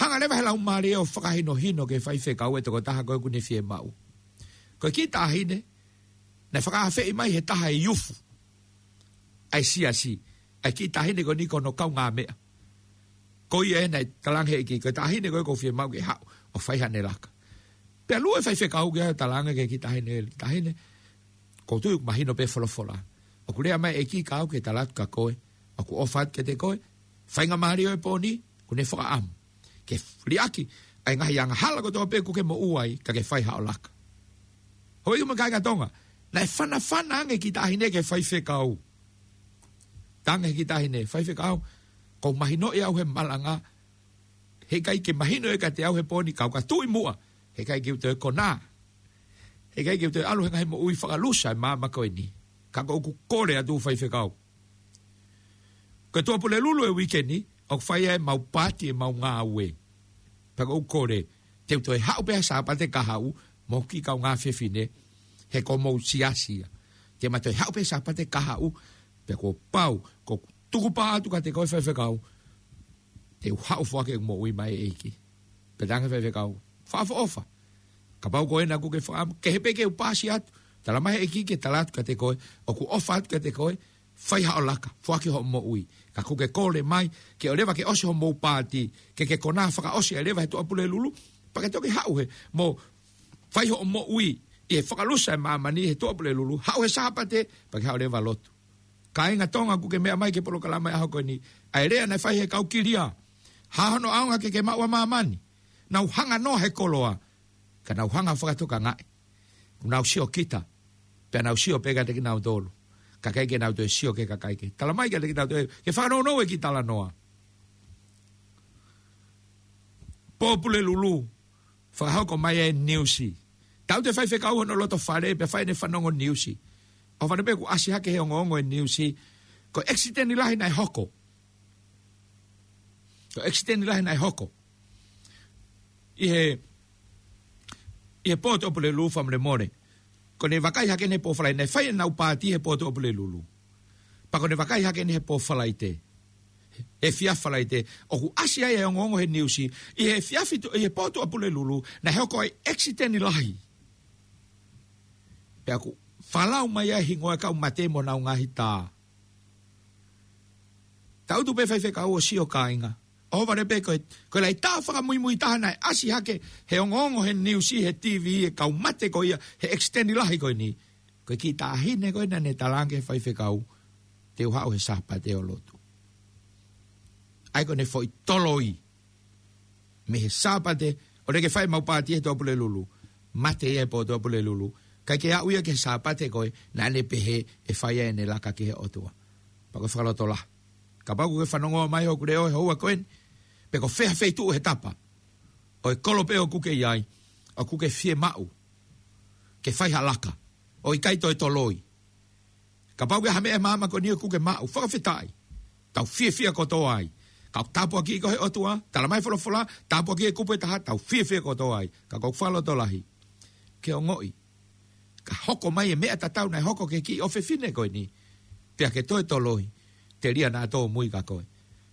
Hanga leva he Laumālie ʻo fakahinohino ki he faifekau e tokotaha ko ē ʻoku ne fiemaʻu. Ko e kiʻi taʻahine naʻe fakaafeʻi mai he taha e iufu ʻa e siasi, ʻa e kiʻi taʻahine ko eni ko hono kaungāmeʻa. Ko ia ē naʻe talaange ʻe he ʻEiki, ko e taʻahine ko ē ʻoku ou fiemaʻu ke haʻu ʻo fai haʻane laka. Pea lue faifekau ki ai ʻo talaange ki he kiʻi taʻahine, taʻahine, ʻoku ou tui ʻoku mahino pē folofola. ʻOku lea mai ʻEiki ka au ke tala atu kia koe, ʻoku ʻofa atu kiate koe, faingamālie ʻo e pō ni, ʻoku ne fakaʻamu ke liʻaki ʻa e ngaahi angahala kotoa pē ʻoku ke moʻua ai, ka ke fai haʻo laka. Hoi uma kāinga Tonga, naʻe fanafana ange kiʻi taʻahine ki he faifekau. Talaange kiʻi taʻahine, faifekau, ʻoku mahinoʻi au he malanga, heʻikai ke mahino ʻe kiate au he pō ni, kau ka tuʻi muʻa, heʻikai ke u toe konā. Heʻikai ke u toe ʻalu he ngaahi moʻui fakalusa ʻi māmani ko eni. Ka ʻoku ou kole atu faifekau. Ko e Tuʻapulelulu ʻi he uike ni, ʻoku fai ai ʻemau paati ʻemau ngāue. Pea ʻoku ou kole, te u toe haʻu pē he Sāpate kahaʻu, mo e kiʻi kaungā fefine, he ko homou siasi ia. Te ma toe haʻu pē he Sāpate kahaʻu, pea kuo pau, ʻoku ou tukupā atu kiate koe faifekau, te u haʻu ʻo foaki ʻeku moʻui maʻa e ʻEiki. Pea talaange faifekau, fakaʻofoʻofa. Kapau ko ena ʻoku ke fakaʻamu, kehe pē ke u paasi atu. Tala mai ʻEiki ke tala atu kiate koe, ʻoku ʻofa atu kiate koe, fai haʻo laka, foaki hoʻo moʻui. Ka ʻoku ke kole mai, ke ʻoua leva ke ʻosi hoʻomou paati, ke ke konā fakaʻosi ʻe leva he Tuʻapulelulu, pea ke toki haʻu he, mo fai hoʻo moʻui, ʻi he fakalusa ʻi māmani he Tuʻapulelulu, haʻu he Sāpate, pea ke haʻu leva ʻo lotu. Kāinga Tonga ʻoku ke meʻa mai ki he polokalama ʻi he ʻaho ko eni, ʻa e lea naʻe fai he kau kilia. Hā hono ʻaonga ke ke maʻu ʻa māmani. Nau hanga noa he koloa. Ka nau hanga fakatokangaʻi. ʻOku nau sio kita. Pea nau sio pē kiate kinautolu. Ka ʻikai ke nau toe sio ki he kakai kehe. Tala mai kiate kinautolu. Ke fakanounou e kiʻi talanoa. Pō Pulelulu. Fakahoko mai e niusi. Taʻu ʻe taha faifekau hono loto fale, pea fai ʻene fanongo niusi. ʻOfa pē kuo ʻasi hake he ongoongo e niusi. Ko e ʻekisiteni lahi naʻe hoko. Ko e ʻekisiteni lahi naʻe hoko. ʻI he, ʻi he pō Tuʻapulelulu fakamolemole. Ko ʻene vakai hake ʻene pō Falaite, naʻe fai ʻenau paati he pō Tuʻapulelulu. Pea ko ʻene vakai hake ʻeni he pō Falaite. He efiafi Falaite, ʻoku ʻasi ai e ongoongo he niusi, ʻi he efiafi Tuʻa-, ʻi he pō Tuʻapulelulu, naʻe hoko ai ʻekisiteni lahi. Pea ʻoku falau mai ai e hingoa e kau mate mo honau ngaahi tā. Tangutu pē faifekau ʻo sio kāinga. ʻOfa pē ko e, ko e laʻi tā fakamuimui taha naʻe ʻasi hake, he ongoongo he niusi, he T V, e kau mate ko ia, he ʻekisiteni lahi ko eni. Ko e kiʻi taʻahine ko ē naʻa ne talaange ki he faifekau, te u haʻu he Sāpate ʻo lotu. ʻA ia ko ʻene foʻi toloi. Mei he Sāpate, ʻo lele ke fai ʻemau paati he Tuʻapulelulu. Mate ia he pō Tuʻapulelulu. ʻIkai ke aʻu ia ki he Sāpate ko ē, naʻa ne pehē ʻe fai ai ʻene laka ki he ʻOtua. Pea ko e fakalotolahi. Kapau ʻoku ke fanongo mai hoku leʻo he houa ko eni. Pe ko fē ha feituʻu he tapa. ʻO e kolo pē ʻoku ke ʻi ai. ʻOku ke fiemaʻu. Ke fai ha laka. ʻO ʻikai toe toloi. Kapau ʻoku ʻi ai ha meʻa ʻi māmani ko eni ʻoku ke maʻu, fakafetaʻi. Tau fiefia kotoa ai. Ka ʻoku tāpuakiʻi koe he ʻOtua, tala mai folofola, tāpuakiʻi e kupu ʻe taha, tau fiefia kotoa ai. Ka ʻoku ou fakalotolahi. Ke ongoʻi. Ka hoko mai e meʻa tatau naʻe hoko ki he kiʻi ʻofefine ko eni. Pea ke toe toloi. Telia naʻa tōmui kia koe.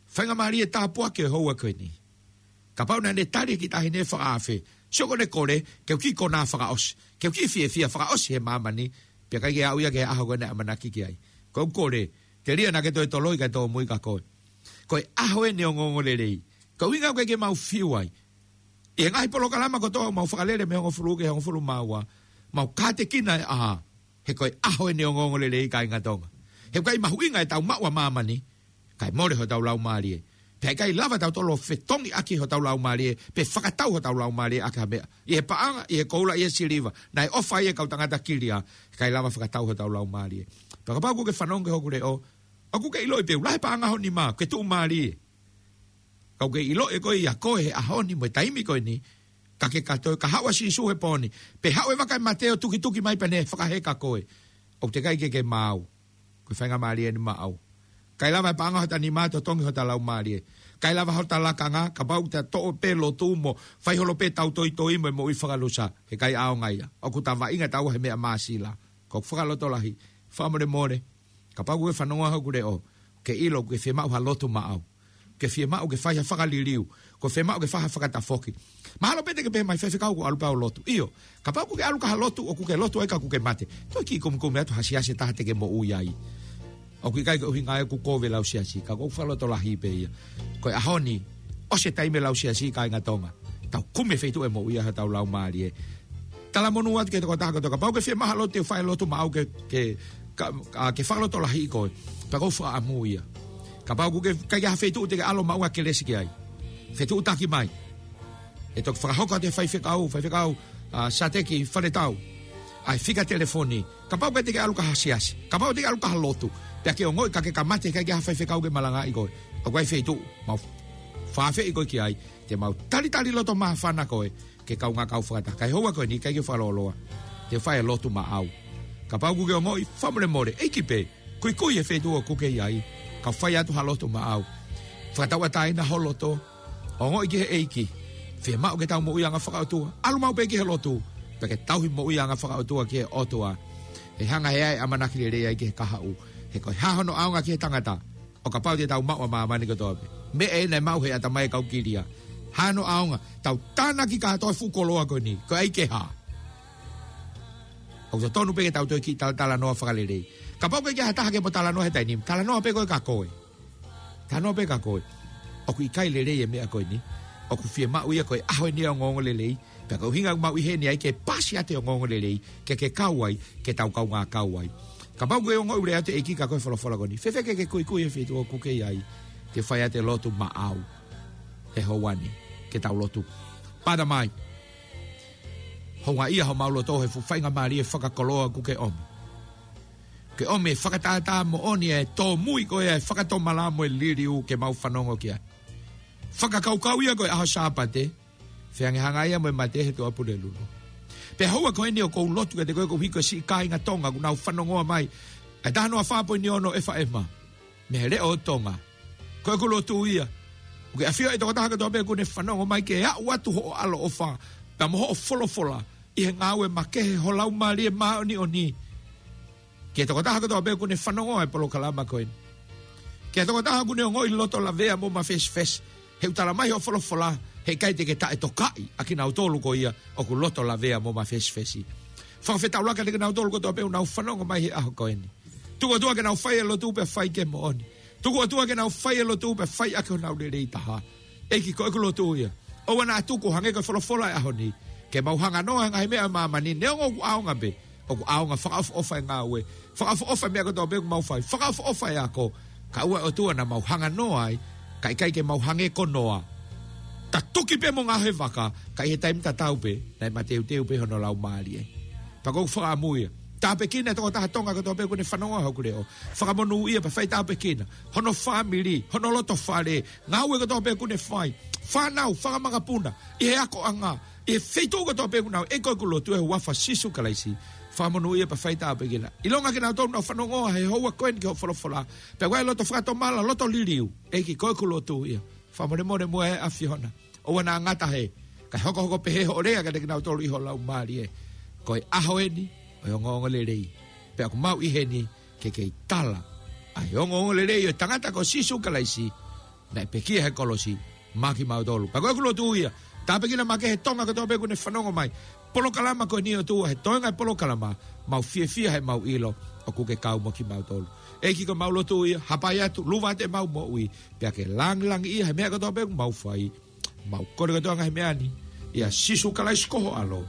Faingamālie tāpuaki ʻo e houa ko eni. Kapau naʻa ne tali e kiʻi taʻahine fakaafe. Sio ko ʻene kole, ke u kiʻi konā fakaʻosi. Ke u kiʻi fiefia fakaʻosi he māmani. Pea ʻikai ke aʻu ia ki he ʻaho ko ē naʻe ʻamanaki ki ai. Ko ʻeku kole, telia naʻa ke toe toloi kae tōmui kia koe. Ko e ʻaho eni ʻo e ongoongolelei. Ko e ʻuhinga ʻoku ʻikai ke mau fiu ai. ʻI he ngaahi polokalama kotoa ʻoku mau fakalele mei he hongofulu ki he hongofulu mā ua. Mau kātekina e ʻaho. He ko e ʻaho eni ʻo e ongoongolelei kāinga Tonga. He ʻoku ʻikai mahuʻinga ʻetau maʻu ʻa māmani. Kae mole hotau laumālie. Pea ʻikai lava tautolu ʻo fetongi ʻaki hotau laumālie. Pe fakatau hotau laumālie ʻaki ha meʻa. ʻI he paʻanga, ʻi he koula, ʻi he siliva. Naʻe ʻofa ai e kau tangata kilia. ʻIkai lava fakatau hotau laumālie. Pea kapau ʻoku ke fanongo ki hoku leʻo. ʻOku ke ʻiloʻi pē ʻoku lahi e paʻanga ho nima. Ke tuʻumālie. Ka ʻoku ke ʻiloʻi ʻe koe ia ko e he ʻaho ni mo e taimi ko eni. Ka ke kātoi, ka haʻu ʻa Sīsū he pō ni. Pe haʻu e vaka ʻo e mate ʻo tukituki mai pea ne fakaheka koe. ʻOku teʻeki ai ke ke maau. Ko e faingamālie eni maʻau. ʻIkai lava e paʻanga hota nima ʻo totongi hota laumālie. ʻIkai lava hota lakanga, kapau te ta toʻo pē lotu mo fai holo pē ʻetau toitoi mo e moʻui fakalusa. He ʻikai ʻaonga ia. ʻOku ta vaʻinga taua he meʻa māsila. Ko ʻeku fakalotolahi. Fakamolemole. Kapau ʻoku ke fanongo hoku leʻo. Ke ʻilo, ʻoku ke fiemaʻu ha lotu maʻau. Ke fiemaʻu ke fai ha fakaliliu. ʻOku ke fiemaʻu ke fai ha fakatafoki. Mahalo pē te ke pehē mai faifekau ʻoku ou ʻalu pē au ʻo lotu. ʻIo, kapau ʻoku ke ʻalu ki ha lotu, ʻoku ke lotu ai ka ʻoku ke mate. Toe kiʻi kumikumi atu ha siasi ʻe taha te ke moʻui ai. ʻOku ʻikai ke ʻuhinga ia ʻoku kovi e lau siasi, ka ʻoku ou fakalotolahi pē ia. Ko e ʻaho ni, ʻOsi e taimi e lau siasi, kāinga Tonga. Tau kumi e feituʻu ʻe moʻui ai hotau laumālie. Talamonū atu ki he tokotaha kotoa. Kapau ʻoku ke fiemaʻu ha lotu, te u fai e lotu maʻau ke, ke, ka, a, ke fakalotolahiʻi koe. Pea ʻoku ou fakaʻamu ia. Kapau ʻoku ke ʻikai ke ʻi ai ha feituʻu te ke ʻalu maʻu ha kelesi ki ai, fetuʻutaki mai. ʻE toki fakahoko atu e faifekau, faifekau, a, Sateki Faletau, ʻa e fika telefoni. Kapau ʻoku ʻikai te ke ʻalu ki ha siasi, kapau ʻoku ʻikai te ke ʻalu ki ha lotu, pea ke ongoʻi ka ke kamata ʻikai ke ʻi ai ha faifekau ke malangaʻi koe, ʻoku ʻi ai e feituʻu, mau fakaafeʻi koe ki ai, te mau talitali loto māfana koe ki he kaungā kau fakataha. Ka ʻi he houa ko eni, ʻikai ke fakalōloa, te u fai e lotu maʻau. Kapau ʻoku ke ongoʻi, fakamolemole, ʻEiki pē, kuikui e feituʻu ʻoku ke ʻi ai, kau fai atu ha lotu maʻau. Fakatauʻatāina ho loto, ongoʻi ki he ʻEiki, fiemaʻu ke tau moʻui anga fakaʻotua, ʻalu maʻu pē ki he lotu, pea ke tauhi moʻui anga fakaʻotua ki he ʻOtua. ʻE hanga ʻe he ʻamanaki lelei ai ki he kahaʻu, he ko e hā hono ʻaonga ki he tangata, ʻo kapau te tau maʻu ʻa māmani kotoa pē. Meʻa ē naʻe maʻu ʻe he ʻatamai ʻo e kau kilia. Hā hono ʻaonga, tau tānaki kātoa e fuʻu koloa ko eni, ko e ʻai ke hā? ʻOku totonu pē ke tau toe kiʻi talatalanoa fakalelei. Kapau ʻoku ʻikai ke ʻi ai ha taha ke mo talanoa he taimi ni, talanoa pē koe kia koe. Talanoa pē kia koe. ʻOku ʻikai lelei e meʻa ko eni. ʻOku fiemaʻu ia ko e ʻaho eni ʻo e ongoongolelei. Pea ko e ʻuhinga ʻoku mau ʻi heni ai ke paasi atu e ongoongolelei, ke ke kau ai, ke tau kaungā kau ai. Kapau ʻoku ke ongoʻi ʻoku lea atu e ʻEiki kia koe he folofola ko eni, fēfē ke ke kuikui e feituʻu ʻoku ke ʻi ai, te u fai atu e lotu maʻau he houa ni, ke tau lotu. Pata mai. Houngaʻia homau loto he fuʻu faingamālie fakakoloa ʻoku ke ʻomi. Ke ʻomi e fakatātā moʻoni e tōmui ko ia e fakatomala mo e liliu ke mau fanongo ki ai. Fakakaukau ia ko e ʻaho Sāpate, feangai hangē ia mo e mate he Tuʻapulelulu. Pea houa ko eni ʻoku ou lotu kiate koe koeʻuhi ko e siʻi kāinga Tonga ʻoku nau fanongoa mai, ʻa e taha noa fā poini ono F M mei he Leʻo ʻo Tonga. Ko ʻeku lotu ia, ʻoku ke ʻafioʻi e tokotaha kotoa pē ʻoku ne fanongo mai ke aʻu atu hoʻo ʻaloʻofa pea mo hoʻo folofola ʻi he ngāue makehe ho Laumālie Māʻoniʻoni ki he tokotaha kotoa pē ʻoku ne fanongoa e polokalama ko eni. Ki he tokotaha ʻoku ne ongoʻi loto lavea mo mafesifesi, he ʻoku talamai ʻe hoʻo folofola, heʻikai te ke taʻetokaʻi ʻa kinautolu ko ia ʻoku loto lavea mo mafesifesi. Fakafetaulaki kiate kinautolu kotoa pē ʻoku nau fanongo mai he ʻaho ko eni. Tuku atu ke nau fai e lotu pea fai ke moʻoni. Tuku atu ke nau fai e lotu pea fai ʻaki honau lelei taha. ʻEiki, ko ʻeku lotu ia. ʻOua naʻa tuku, hangē ko e folofola e ʻaho ni, ke mau hanganoa he ngaahi meʻa ʻa māmani, neongo ʻoku ʻaonga pē, ʻoku ʻaonga, fakaʻofoʻofa e ngāue, fakaʻofoʻofa e meʻa kotoa pē ʻoku mau fai, fakaʻofoʻofa e ako, kae ʻoua ʻe ʻOtua naʻa mau hanganoa ai, kae ʻikai ke mau hangē ko Noa, tatuki pē mo ngaohi e vaka, ka ʻi he taimi tatau pē, naʻe mateuteu pē hono laumālie. Pea ʻoku ou fakaʻamu ia, tāpuekina e tokotaha Tonga kotoa pē ʻoku ne fanongoa hoku leʻo. Fakamonūʻia pea fai tāpuekina hono fāmili, hono loto fale, ngāue kotoa pē ʻoku ne fai, fānau, fanga makapuna, ʻi he akoʻanga, ʻi he feituʻu kotoa pē ʻoku nau ʻi ai, ko ʻeku lotu ʻi he huafa ʻo Sīsū Kalaisi. Fakamonūʻia pea fai tāpuekina. ʻIlonga kinautolu ʻoku nau fanongoa he houa ko eni ki hoʻo folofola, pea ʻoku ʻi ai e loto fakatomala, loto liliu. ʻEiki, ko ʻeku lotu ia. Fakamolemole muʻa ʻe ʻAfiona. ʻOua naʻa ngata he, kae hokohoko pehē hoʻo lea kiate kinautolu ʻi ho laumālie. Ko e ʻaho eni ʻo e ongoongolelei. Pea ʻoku mau ʻi heni ke kei tala ʻa e ongoongolelei ʻo e tangata ko Sīsū Kalaisi, naʻe pekia he kolosi maʻa kimautolu. Pea ko ʻeku lotu ia, tāpuekina makehe e Tonga kotoa pē ʻoku ne fanongo mai. Polokalama ko eni ʻOtua, he toenga e polokalama, mau fiefia he mau ʻilo ʻoku ke kau mo kimautolu. ʻEiki, ko ʻemau lotu ia, hapai atu, luva atu ʻemau moʻui, pea ke langilangiʻia he meʻa kotoa pē ʻoku mau fai. Mau kole kotoa e ngaahi meʻa ni ʻia Sīsū Kalaisi ko ho ʻAlo,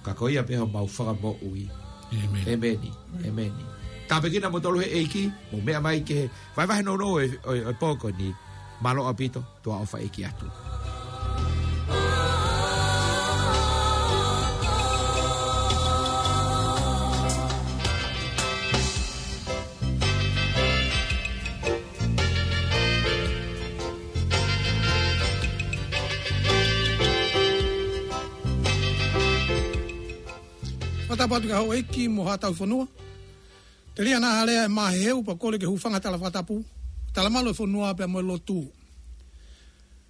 ka ko ia pē homau Fakamoʻui. ʻĒmeni. ʻĒmeni. ʻĒmeni. Tāpuekina kimoutolu ʻe he ʻEiki, mou meʻa mai ki he vahevahe nounou ʻo e, ʻo e, ʻo e pō ko eni. Mālō ʻaupito, tuʻa ʻofa ʻeiki atu. Fakatapu atu ki houʻeiki mo haʻa tauhi fonua. Telia naʻa alea e māheu pea kole ke hūfanga he tala fakatapu, talamalu e fonua pea mo e lotu.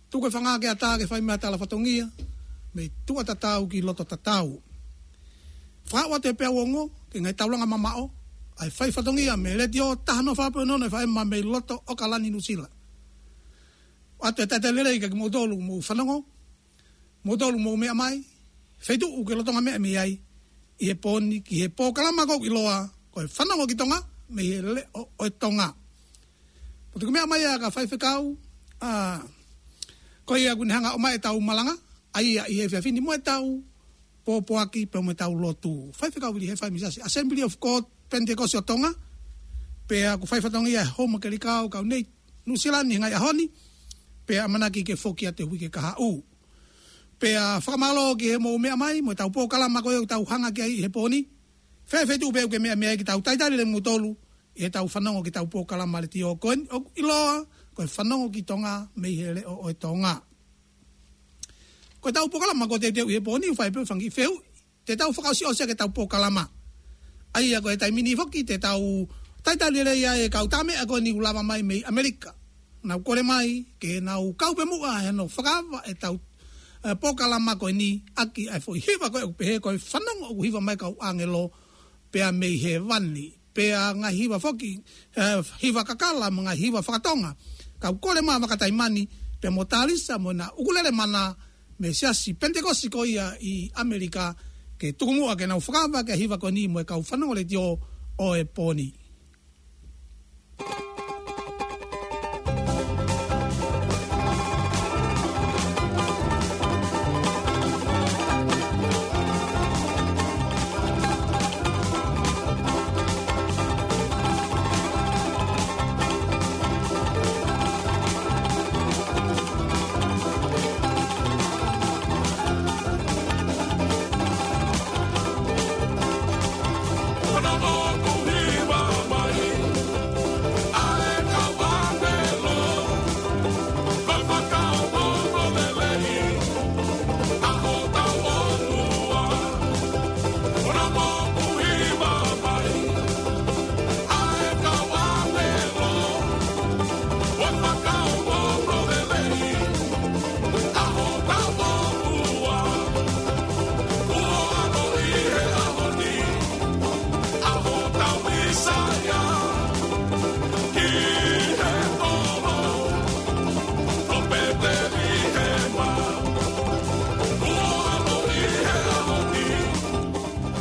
Tuku e fanga ke ata ke fai mei he tala fatongia, mei tuʻa tatau ki loto tatau. Fakaʻau atu e peau ongo ki he ngaahi taulanga mamaʻo ʻa e fai fatongia mei he Letiō taha noa fā poini ono F M mei loto ʻAokalani, Nuʻusila. ʻOatu e talitali lelei kiate kimoutolu ʻoku mou fanongo, kimoutolu ʻoku mou meʻa mai, feituʻu ʻoku ke lolotonga meʻa mei ai ʻi he pō ni, ki he polokalama ʻoku ʻiloa ko e Fanongo ki Tonga mei he Leʻo ʻo Tonga. Pea tuku meʻa mai ʻa e kau faifekau, ʻa, Ko ia ʻoku ne hanga ʻo ʻomai ʻetau malanga, ʻa ia ʻi he efiafi ni mo ʻetau pōpoaki pea mo ʻetau lotu. Faifekau Vili Hefai mei he Siasi Assembly of God Pentecost ʻo Tonga, pea ʻoku fai fatongia he Home Kelikao kau nei Nuʻusila ni he ngaahi ʻaho ni, pea ʻamanaki ke foki atu he uike kahaʻu. Pea fakamālō ki he mou meʻa mai, mo ʻetau polokalama ko ē ʻoku tau hanga ki ai he pō ni. Fēfē tuʻu pē ʻoku ke meʻa meʻa ai ke tau talitali lelei kimoutolu, ʻi heʻetau fanongo ki heʻetau polokalama letiō ko eni, ʻoku ʻiloa ko e Fanongo ki Tonga mei he Leʻo ʻo e Tonga. Ko ʻetau polokalama ko ē teuteu ʻi he pō ni, ʻoku fai pē ʻo fanga kiʻi fehuʻi, te tau fakaʻosiʻosi ʻaki ʻetau polokalama. ʻA ia ko e taimi ni foki, te tau talitali lelei ai e kau tā meʻa ko eni ʻoku lava mai mei ʻAmelika. Nau kole mai, ke nau kau pē muʻa he hono fakaava ʻetau, ē, polokalama ko eni, ʻaki ʻa e foʻi hiva ko ē ʻoku pehē ko e Fanongo ʻoku hiva mai kau ʻāngelo, pea mei hēvani. Pea ngaahi hiva foki, ē, hiva kakala mo e ngaahi hiva fakatonga. Kau kole mai Vaka Taimani, pea mo Talisa mo ʻena ʻukulele mana mei he Siasi Pentekosi ko ia ʻi ʻAmelika, ke tuku muʻa ke nau fakaava ʻaki e hiva ko eni mo e kau fanongo letiō ʻo e pō ni.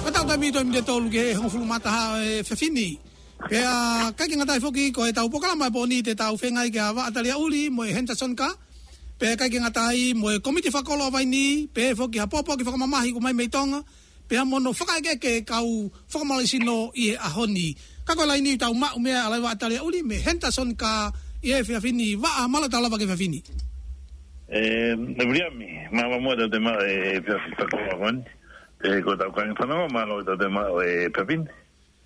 Ko ʻetau taimi ʻi he miniti ʻe tolu ki he hongofulu mā taha ʻo e efiafi ni. Pea ʻikai ke ngata ai foki, ko ʻetau polokalama he pō ni te tau feinga ai ke ʻave ʻa Taliaʻuli mo e Henderson Ka. Pea ʻikai ke ngata ai mo e komiti fakakoloa vaini, pea foki ha pōpoaki fakamamahi ʻoku ʻomai mei Tonga. Pea mo hono fakaʻekeʻeke e kau fakamālohisino ʻi he ʻaho ni. Ka ko e laini ʻoku tau maʻu meʻa ʻa Laiva ʻa Taliaʻuli mo e Henderson Ka ʻi he efiafi ni. Vaʻa, mālō e tau lava ki he efiafi ni. Ē, ʻe Viliami, mālō muʻa ʻetau toe maʻu e efiafi fakakoloa ko eni. Ē, ko ʻetau kāinga fanongo, mālō ʻetau toe maʻu e efiafi ni.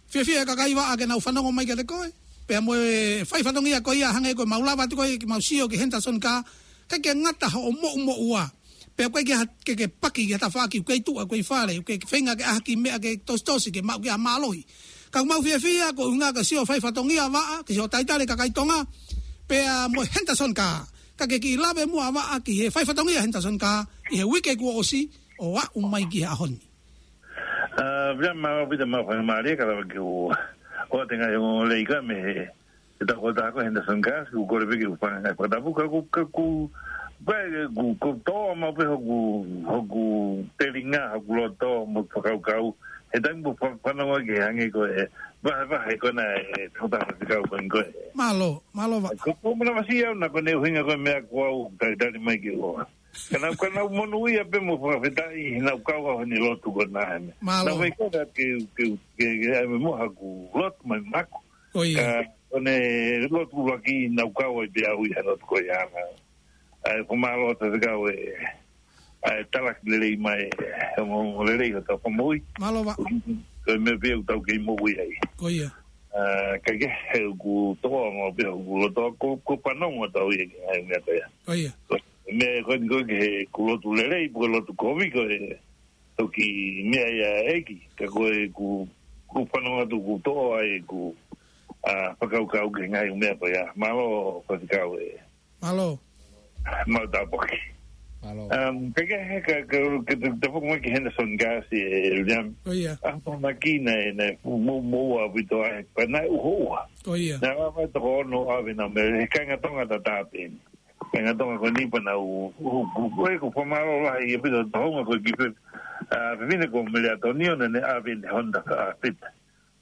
Fiefia e kakai Vaʻa ke nau fanongo mai kiate koe. Pea mo e fai fatongia ko ia hangē ko ʻemau lava atu ko ē ke mau sio ki he Henderson Ka. ʻIkai ke ngata hoʻo moʻumoʻua. Pea ʻoku ʻikai ke ha-, ke, ke paki ki ha tafaʻaki, ʻoku ʻikai tuʻa, ʻoku ʻikai fale, ʻoku ʻikai feinga ke ʻaʻahi ki he meʻa ke tositosi, ke maʻu ki ai ha mālohi. Ka ʻoku mau fiefia ko e ʻuhinga ke sio fai fatongia Vaʻa, ke sio talitali e kakai Tonga. Pea mo e Henderson Ka. Ka ke kiʻi lave muʻa Vaʻa ki he fai fatongia Henderson Ka ʻi he uike kuo ʻosi ʻo aʻu mai ki he ʻaho ni. ʻA, pea mālō Pita, mālō faingamālie ke lava ke u ʻoatu e ngaahi ongoongolelei ko ē mei he, he taʻu ko ē ʻa Henderson Ka, ʻoku kole pē ke u fai ha ngaahi fakatapu, ka ʻoku, ka ʻoku, ka ʻoku, ʻoku toʻo maʻu pē hoku, hoku telinga, hoku loto, mo e fakakaukau, he taimi ʻoku fa-, fanongo ki ai hangē ko e vahevahe ko ena ʻe he faifekau ko eni ko ē. Mālō, mālō Vaʻa. Ko, ko e manavasiʻi au naʻa ko ʻene ʻuhinga ko e meʻa ko au talitali mai ke u ʻoatu. Ka naʻa, ka naʻa ku monūʻia pē mo fakafetaʻi heʻenau kau au heʻene lotu ko ena he meʻa. Mālō. Naʻa ku ʻai ke, ke, ke, ke ʻai mo haku lotu mai maku. Ko ia. Ka ko ʻene lotu ʻuluaki naʻa ku kau ai pē au ʻi he lotu ko ia na. ʻA e fakamālō atu ki he kau ē, ʻa e talaki lelei mai, ʻa e ongoongolelei ʻo hotau fakamoʻui. Mālō Vaʻa. Ko e meʻa pē ʻoku tau kei moʻui ai. Ko ia. ʻA, ka ke he ʻoku toʻo maʻu pē hoku loto ko, ko e fanongo atu au ʻi he ngaahi meʻa ko ia. Ko ia. Ko e meʻa ko eni ko e ke he ʻoku lotu lelei, pe ko e lotu kovi ko e toki meʻa ia ʻEiki. Ka ko e ʻoku, ʻoku fanongo atu ʻoku toʻo ai ʻeku, ʻa, fakakaukau ki he ngaahi meʻa ko ia. Mālō faifekau ē. Mālō. Mālō e tāpuaki. Mālō. Um, ka ke he ka, ka, ka, ka, ka foki mai ki he Henderson Ka, ē, William. Ko ia. ʻA, pea naʻe ʻikai ke ne, ne, mo, mo, ua, pito ai, pea naʻe uho ua. Ko ia. Naʻe ʻave toko ono ʻave na mei he kāinga Tonga tatau pē. Kāinga Tonga ko eni pea nau, u, u, u, ko e, ko e fakamālō lahi ʻaupito ʻa e tohunga ko e kiʻi fe-, ʻa, fefine ko Mele Atonio naʻa ne ʻave ʻene Honda, ʻa, Fit.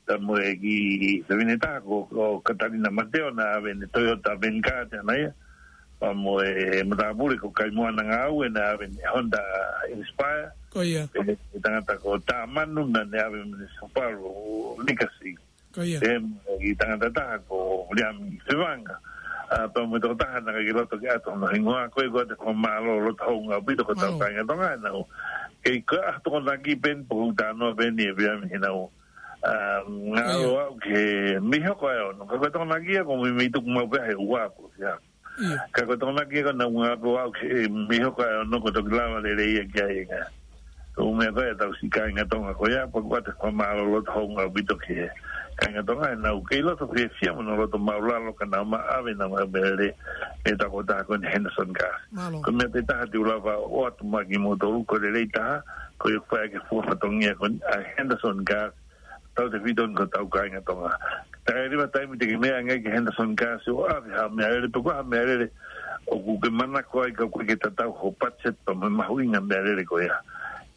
Pea mo e kiʻi fefine taha ko, ko Katalina Mateo naʻe ʻave ʻene Toyota Venza ʻana ia. Pea mo e matāpule ko Kaimoana Ngāue naʻe ʻave mei he Honda Inspire. Ko ia. Pea mo e tangata ko Tāmanu naʻa ne ʻave mei he Subaru Legacy. Ko ia. Pea mo e tangata taha ko Viliami Fevanga. ʻA, pea mo e tokotaha naʻe ʻikai ke loto ke ʻatu hono hingoa, ko ia ʻoku ʻoatu e fakamālō loto houngaʻia ʻaupito ki hotau kāinga Tonga ʻenau kei ko e ʻaho Tokonaki pē eni pe ko e ʻaho Tuʻapulelulu pē eni ʻe Viliami heʻenau, ʻa, ngalo ʻaʻau ki he mei hoko ʻa e ono. Ka ko e Tokonaki ia ʻoku meimei tuku maʻu pē he ua pē ia. Ia. Ka ko e Tokonaki ia ʻoku nau ngalo ʻaʻau ki he mei hoko ʻa e ono, ko e toki lava lelei ia ki ai e ngaahi. Ko e meʻa ko ia ʻetau siʻi kāinga Tonga ko ia, pea ʻoku ʻoatu e fakamālō loto houngaʻia ʻaupito ki he kāinga Tonga heʻenau kei loto fiefia mo nau loto māʻulalo ka nau maʻu ʻa ʻenau meʻalele mei he tokotaha ko eni Henderson Gas. Mālō. Ko e meʻa pē taha te u lava ʻo ʻoatu maʻa kimoutolu, ko e lelei taha, ko e fai ʻaki e fua fatongia ko eni ʻa e Henderson Gas, tautefito ni ki hotau kāinga Tonga. Taimi ʻe leva taimi te ke meʻa ange ki he Henderson Gas ʻo ʻave ha meʻalele pe ko ha meʻalele ʻoku ke manako ai ka ʻoku ʻikai ke tatau ho budget pea mo e mahuʻinga e meʻalele ko ia.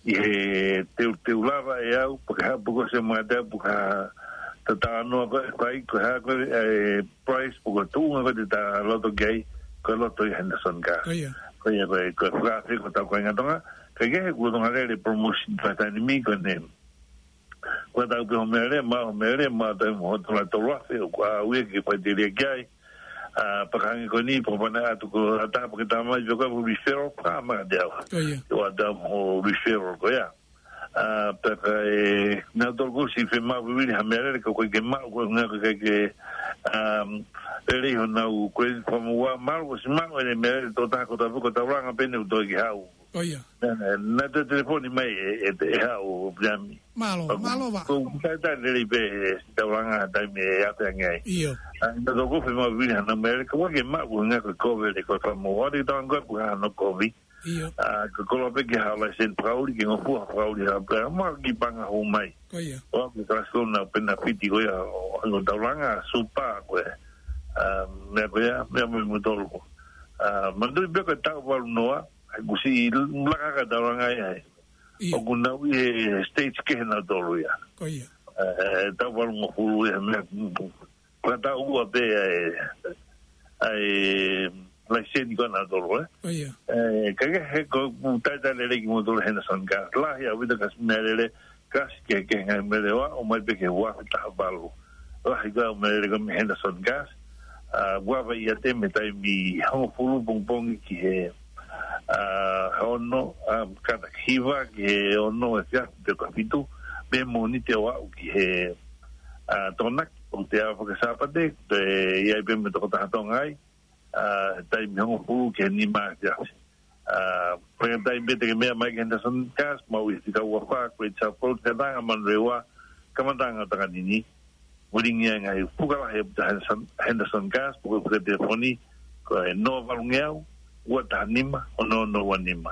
ʻI he te u, te u lava ʻe au, pe ko ha, pe ko e se mate, pe ko ha tatau noa ko e fai, ko e hā ko e, e price, pe ko e tuʻunga ko ē te ta loto ki ai, ko e loto ʻi he Henderson Gas. Ko ia. Ko ia, ko e, ko e fakaafe ki hotau kāinga Tonga, kae kehe ʻoku Tonga Lele promotion fakataimi ko eni. Ko e tau pē ho meʻalele, maʻu ho meʻalele, maʻu taimi mo ho tola tolu afe, ʻoku ʻaʻau ia ke fai tēlia ki ai. ʻA, pea ka hangē ko eni, pea pehē atu ko ha taha pē ke tala mai, pea ko e referral, pea maʻu ʻe au. Ko ia. ʻOatu mo e referral ko ia. ʻA, pea ka ʻi ai ha taha ʻoku siʻi fiemaʻu vivili ha meʻalele ka ʻoku ʻikai ke maʻu, ko e ʻuhinga ʻoku ʻikai ke, um, lelei honau, ko e fakamuʻa, mahalo kuo ʻosi maʻu ʻene meʻalele, tokotaha ko e tau, ko e taulanga pē eni ʻoku toe ke haʻu. Ko ia. Naʻa, naʻa, naʻa toe telefoni mai ʻe, ʻe, ʻe haʻu ʻo Viliami. Mālō, mālō ʻaupito. Ko e talitali lelei pē he siʻi taulanga taimi ʻe ʻave ange ai. ʻIo. ʻA, naʻa tau ʻoku fiemaʻu vivili haʻanau meʻalele, ka ʻoku ʻikai ke maʻu, ko e ʻuhinga ko e kovi, ko e fakamuʻa, ʻoku ʻikai ke tau ange ko e ʻuhinga hono kovi. ʻIo. ʻA, ko e koloa pē ke haʻu e laiseni fakaʻuli, ke ngofua fakaʻuli ha pē, ma ki panga hou mai. Ko ia. ʻO ke kalasi ko ena pē naʻe fiti ko ia ʻo, ʻo taulanga, super ko e. ʻA, meʻa ko ia, meʻa mo kimoutolu. ʻA, manatuʻi pē ko e taʻu valu noa, he kuo siʻi laka ʻa e taulanga ia. ʻIo. ʻOku nau ʻi he stage kehe nautolu ia. Ko ia. ʻE, taʻu valungofulu ia, meʻa, fakataʻu ua pē ʻa e, ʻa e laiseni ko ē nautolu, ē? Ko ia. ʻE, ka ke he ko e talitali lelei kimoutolu Henderson Gas. Lahi ʻaupito e ngaahi meʻalele, kasi kehekehe e ngaahi meʻalele, ʻomai pē ki he ua afe taha valu. Lahi e ngaahi meʻalele ko ē mei Henderson Gas. ʻA, ua vai ia te mei he taimi hongofulu pongipongi ki he, ʻa, ono, ʻa, kātaki hiva ki he ono efiafi pe ko e fitu, mei he Mōnite ʻo aʻu ki he, ʻa, Tokonaki, ʻoku te ʻave ki he Sāpate, te ʻi ai pē mo e tokotaha Tonga ai, ʻa, taimi hongofulu ki he nima efiafi. ʻA, pea taimi pē te ke meʻa mai ki he Henderson Gas, maʻu ʻi he fika ua fā, Great South Road, Kātanga, Manurewa, Kamataʻanga ʻo Takanini. Ulingi e ngaahi fuka lahi ʻa Henderson, Henderson Gas, pe ko e fuka telefoni, ko e noa valungeau, ua taha nima, ono ono ua nima.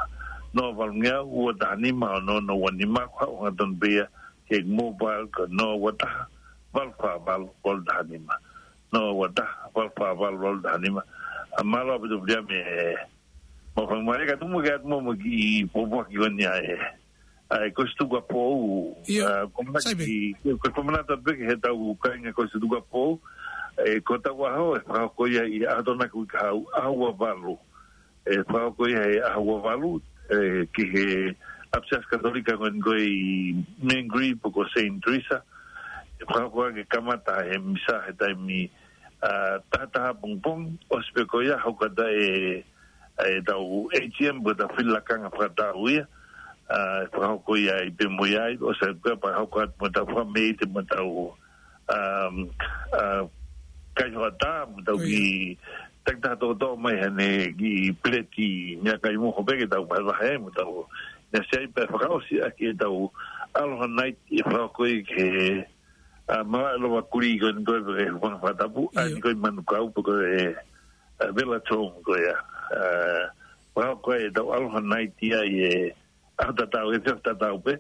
Noa valungeau, ua taha nima, ono ono ua nima, ko e haʻu hangatonu pē ia ki he mobile, ko e noa ua taha, valu fā valu, valu taha nima. Noa ua taha, valu fā valu, valu taha nima. ʻA, mālō ʻaupito Viliami, ē, mo e fakamolemole ka tuku muʻa ke ʻatu muʻa mo e kiʻi pōpoaki ko eni ʻa e, ʻa e Kolisi Tukuʻapou. ʻIo. ʻA, ko e manatu Sai pē. ki, ko e fakamanatu pē ki he tau kāinga Kolisi Tukuʻapou, ē, ko hotau ʻaho, ʻe fakahoko ia ʻi he ʻaho Tokonaki uike kahaʻu, ʻaho ua valu. ʻE fakahoko ia he ʻaho ua valu, ē, ki he ʻapisiasi Katolika ko eni ko ē ʻi Mangere pe ko Saint Teresa. ʻE fakahoko ia ke kamata he misa he taimi, ʻa, taha taha pongipongi, ʻosi pē ko ia hoko atu e, e tau A G M pe ko e tau fili lakanga fakataʻu ia, ʻa, ʻe fakahoko ia ʻi pē mo ia ai, ʻosi pē pea hoko atu mo e tau fakameʻite mo e tau, um, ʻa, kai hoʻatā, mo e tau Ko ia. kiʻi takitaha tokotoʻo mai haʻane kiʻi peleti meʻakai moho pē ke tau vahevahe ai mo e tau. Naʻe sai pē fakaʻosi ʻaki e tau Aloha Night ʻe fakahoko ia ki he, ʻa, malaʻe lova kulī ko eni ko ē pe ko e Hūfanga Fakatapu, ʻa ʻIo. eni ko ē ʻi Manukau pe ko e, ʻa, Vela Tong ko ia. ʻA, fakahoko e tau Aloha Night ia ʻi he ʻaho tatau, efiafi tatau pē.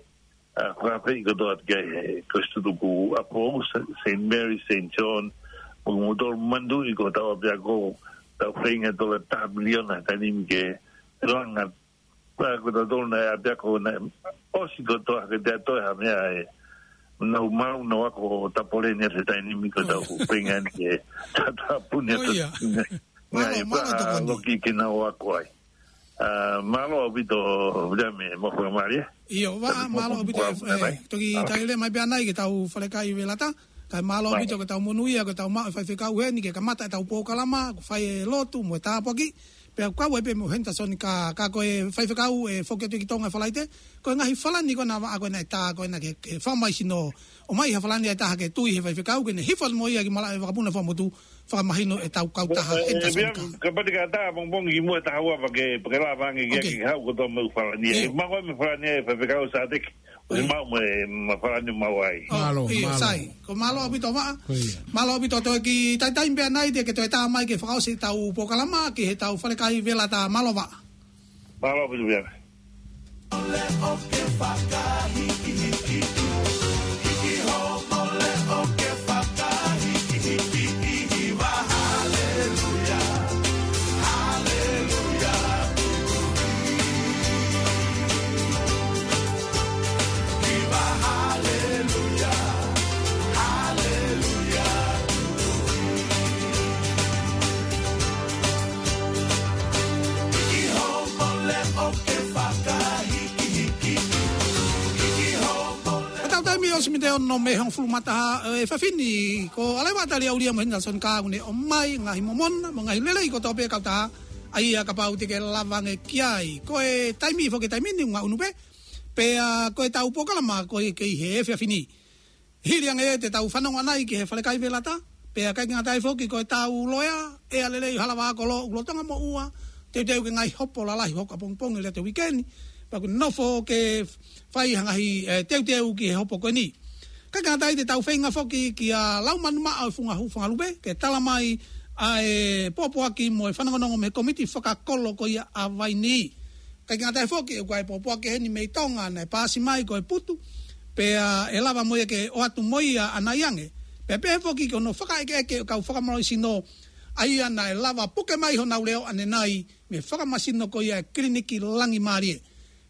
ʻA, fakaafeʻi kotoa atu ki ai he Kolisi Tukuʻapou, Sa-, Saint Mary, Saint John, mo kimoutolu manatuʻi ko hotau ʻapiako, tau feinga tola taha miliona he taimi ni ke langa. Pea ko tautolu naʻe ʻapiako naʻe ʻosi kotoa ke te ʻai ʻe ha meʻa ē. Nau maʻu, nau ako tapole ni he taimi ni ko tau Ko ia. feinga ni ke tatapuni Ko atu ia. Mālō, mālō tokoni. Loki ke nau ako ai. Mālō ʻaupito, Viliami, mo fakamālō. ʻIo, Vaʻa, mālō ʻaupito, ʻe, toki tali leva mai pē ʻanai ki he tau falekai velata. Kae mālō ʻaupito ki he tau monūʻia, ki he tau maʻu e faifekau heni ke kamata e tau polokalama, ko e fai e lotu mo e tāpuaki. Pea kau ai pē mo Henderson ka, ka ko e faifekau ʻe foki atu ki Tonga Falaite. Ko e ngaahi falani ko ena Vaʻa ko ena ʻe tā ko ena ke, ke fakamālohisino. ʻOmai ha falani ʻe taha ke tui he faifekau ke ne hifo mo ia ki malaʻe vakapuna fakamotu. Fakamahino e tau kautaha Henderson ka. Kapau te ke ʻatā pongipongi ki muʻa ʻe taha ua pea ke, pea ke lava ange ke haʻu kotoa mo e falani. ʻE maʻu mo e falani ʻe faifekau Sateki. ʻOsi maʻu mo e, mo e falani maʻu ai. Mālō, mālō. Sai. Ko e mālō ʻaupito Vaʻa. Mālō ʻaupito, toe kiʻi taimi pē ʻanai te ke toe tā mai ke fakaʻosi e tau polokalama ki he tau falekai velata. Mālō Vaʻa. Mālō ʻaupito Viliami. Ko e tau taimi ʻosi mei he ono mei he hongofulu mā taha, ʻe, efiafi ni, ko ʻAleva Taliaulia mo Henderson ka ʻoku ne ʻomai ngaahi momona, mo e ngaahi lelei kotoa pē kautaha, ʻa ia kapau te ke lava ange ki ai. Ko e taimi foki taimi ni ʻoku ngaʻunu pē, pea ko e tau polokalama ko e kei he efiafi ni. Hili ange ʻe te tau fanongo ʻanai ki he falekai velata, pea ʻikai ke ngata ai foki ko e tau loea, ʻEa Lelei Halavā Kolo, ʻoku lolotonga moʻua, teuteu ke ngaahi hopo lalahi hoko ʻapongipongi lea te uikeni, pea ʻoku nofo ke fai ha ngaahi, ʻe, teuteu ki he hopo ko eni. ʻIkai ke ngata ai te tau feinga foki kia Laumanu Maʻa ʻo e Funga Hu-, Funga Lupe, ke tala mai ʻa e pōpoaki mo e fanongonongo mei he komiti fakakolo ko ia ʻa Vaini. ʻIkai ke ngata ai foki, ʻoku ʻi ai e pōpoaki heni mei Tonga naʻe paasi mai ko e putu, pea ʻe lava mo ia ke ʻoatu mo ia ʻanai ange. Pea pehē foki ki hono fakaʻekeʻeke ʻo e kau fakamālohisino, ʻa ia naʻe lava puke mai honau leʻo ʻanenai, mei he fakamasino ko ia ʻa e Kiliniki Langi Mālie.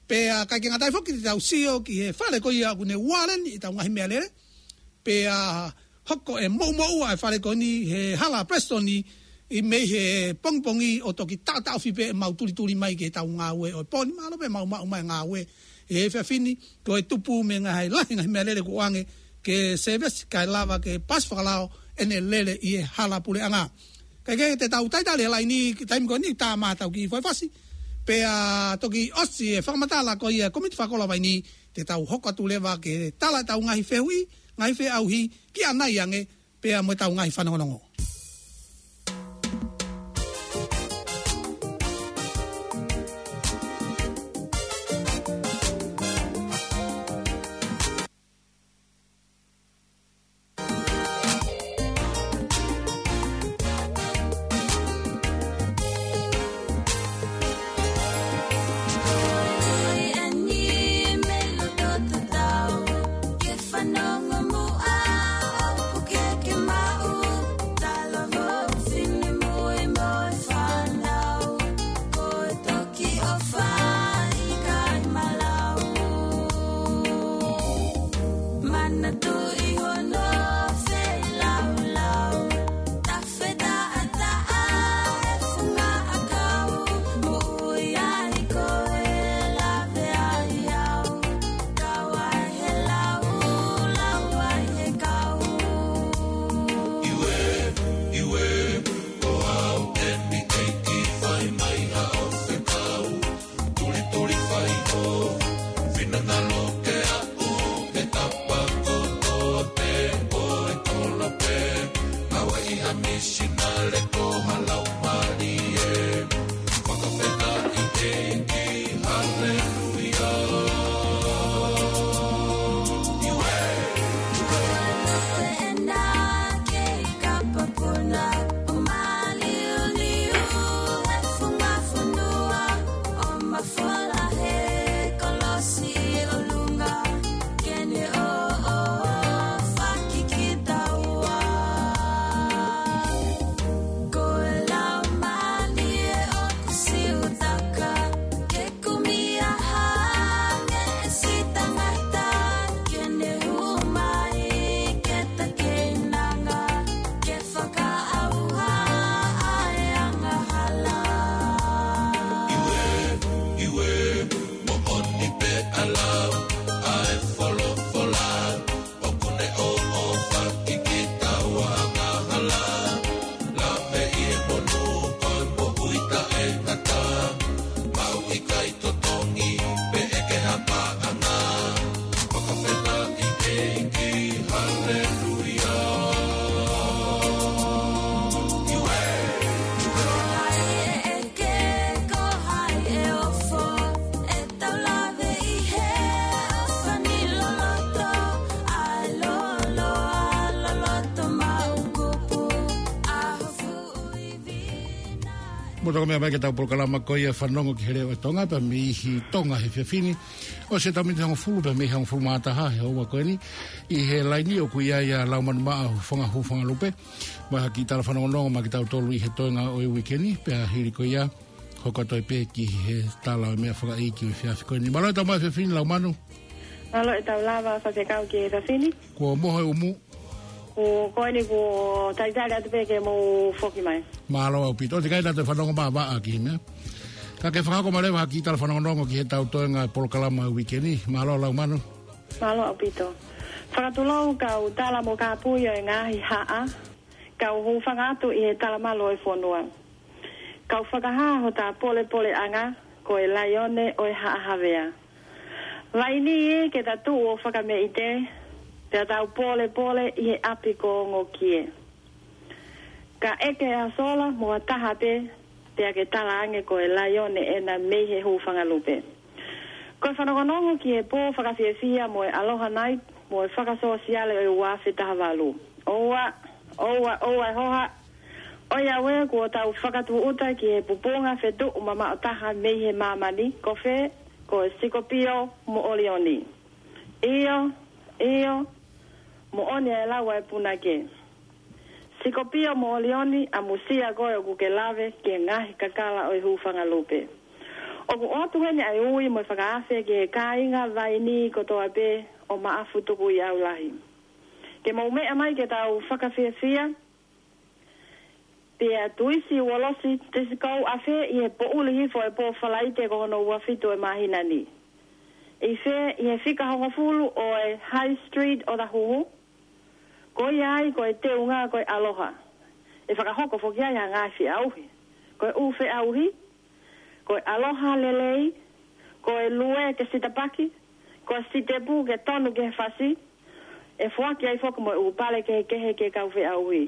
Pea ʻikai ke ngata ai foki te tau sio ki he fale ko ia ʻoku ne ualeni e tau ngaahi meʻalele. Pea hoko e moʻumoʻua e fale ko eni he hala Preston ʻi mei he pongipongi ʻo toki taʻotaʻofi pē ʻemau tulituli mai ki he tau ngāue ʻo e pō ni, mālō pē ʻemau maʻu mai e ngāue he efiafi ni, ko e tupu mei he ngaahi lahi ngaahi meʻalele kuo ʻoange ke sēvesi kae lava ke paasi fakalao ʻene lele ʻi he hala puleʻanga. Kae kehe te tau talitali he laini ki he taimi ko eni tā mai ʻetau kiʻi foʻi fasi. Pea toki ʻosi e fakamatala ko ia e komiti fakakolo ʻa Vaini, te tau hoko atu leva ke tala ʻetau ngaahi fehuʻi, ngaahi feʻauhi, ki ʻanai ange, pea mo ʻetau ngaahi fanongonongo. Mo toka meʻa mai ki heʻetau polokalama ko ia Fanongo ki he Leʻo ʻo Tonga, pea mei he Tonga he efiafi ni. ʻOsi ʻetau miniti hongofulu pea mei he hongofulu mā taha he houa ko eni. ʻI he laini ʻoku ʻi ai ʻa Laumanu Maʻa, Hufanga, Hufanga Lupe, mo ha kiʻi tala fanongonongo maʻa kitautolu ʻi he toenga ʻo e uike ni, pea hili ko ia, hoko atu ai pē ki he tala ʻo e meʻa fakaʻeiki ʻo e efiafi ko eni. Mālō e tau mai he efiafi ni, Laumanu. Mālō e tau lava, Faifekau, ki he efiafi ni. Kuo moho e ʻumu? Kuo, ko eni kuo talitali atu pē ke mou foki mai. Mālō ʻaupito. ʻOku teʻeki ai ke tau fanongo maʻa Vaʻa ki he meʻa. Ka ke fakahoko mai leva ha kiʻi tala fanongonongo ki heʻetau toenga polokalama uike ni. Mālō, Laumanu. Mālō ʻaupito. Fakatulou kau tala mo kāpui ʻo e ngaahi haʻa, kau hūfanga atu ʻi he talamalu ʻo e fonua. Kau fakahā hota polepoleʻanga ko e laione ʻo e Haʻa Havea. Vainī, ke ta tuʻu ʻo fakameʻite, pea tau polepole ʻi he ʻapi ko Ongokie. Ka ʻeke ʻa Sola mo ha taha pē, pea ke talaange ko e laione ʻena mei he Hufanga Lupe. Ko e fanongonongo ki he pō fakafiefia mo e Aloha Night mo e fakasōsiale ʻo e ua afe taha valu. ʻOua, ʻoua, ʻoua e hoha, ʻoiauē kuo tau fakatūʻuta ki he pupunga fetuʻu mamaʻo taha mei he māmani, ko fē? Ko e Sikopio mo ʻOlioni. ʻIo, ʻio, moʻoni e lau ʻa e punake. Sikopio mo ʻOlioni, ʻamusia koe ʻoku ke lave ki he ngaahi kakala ʻo e Hufanga Lupe. ʻOku ʻoatu heni ʻa e ui mo e fakaafe ki he kāinga Vainī kotoa pē ʻo Maʻafu Tukuʻiʻaulahi. Ke mou meʻa mai ke tau fakafiefia, pea tuisi uolosi tesikou afe ʻi he poʻuli hifo ʻo e pō Falaite ko hono ua fitu ʻo e māhina ni. ʻI fē? ʻI he fika hongofulu ʻo e High Street ʻo Tahuhu. Ko ia ai ko e teunga ko e ʻaloha. ʻE fakahoko foki ai ha ngaahi feʻauhi. Ko e ʻū feʻauhi, ko e ʻaloha lelei, ko e lue ke sitapaki, ko e sitepu ke tonu ki he fasi, ʻe foaki ai foki mo e ʻū pale kehekehe ki he kau feʻauhi.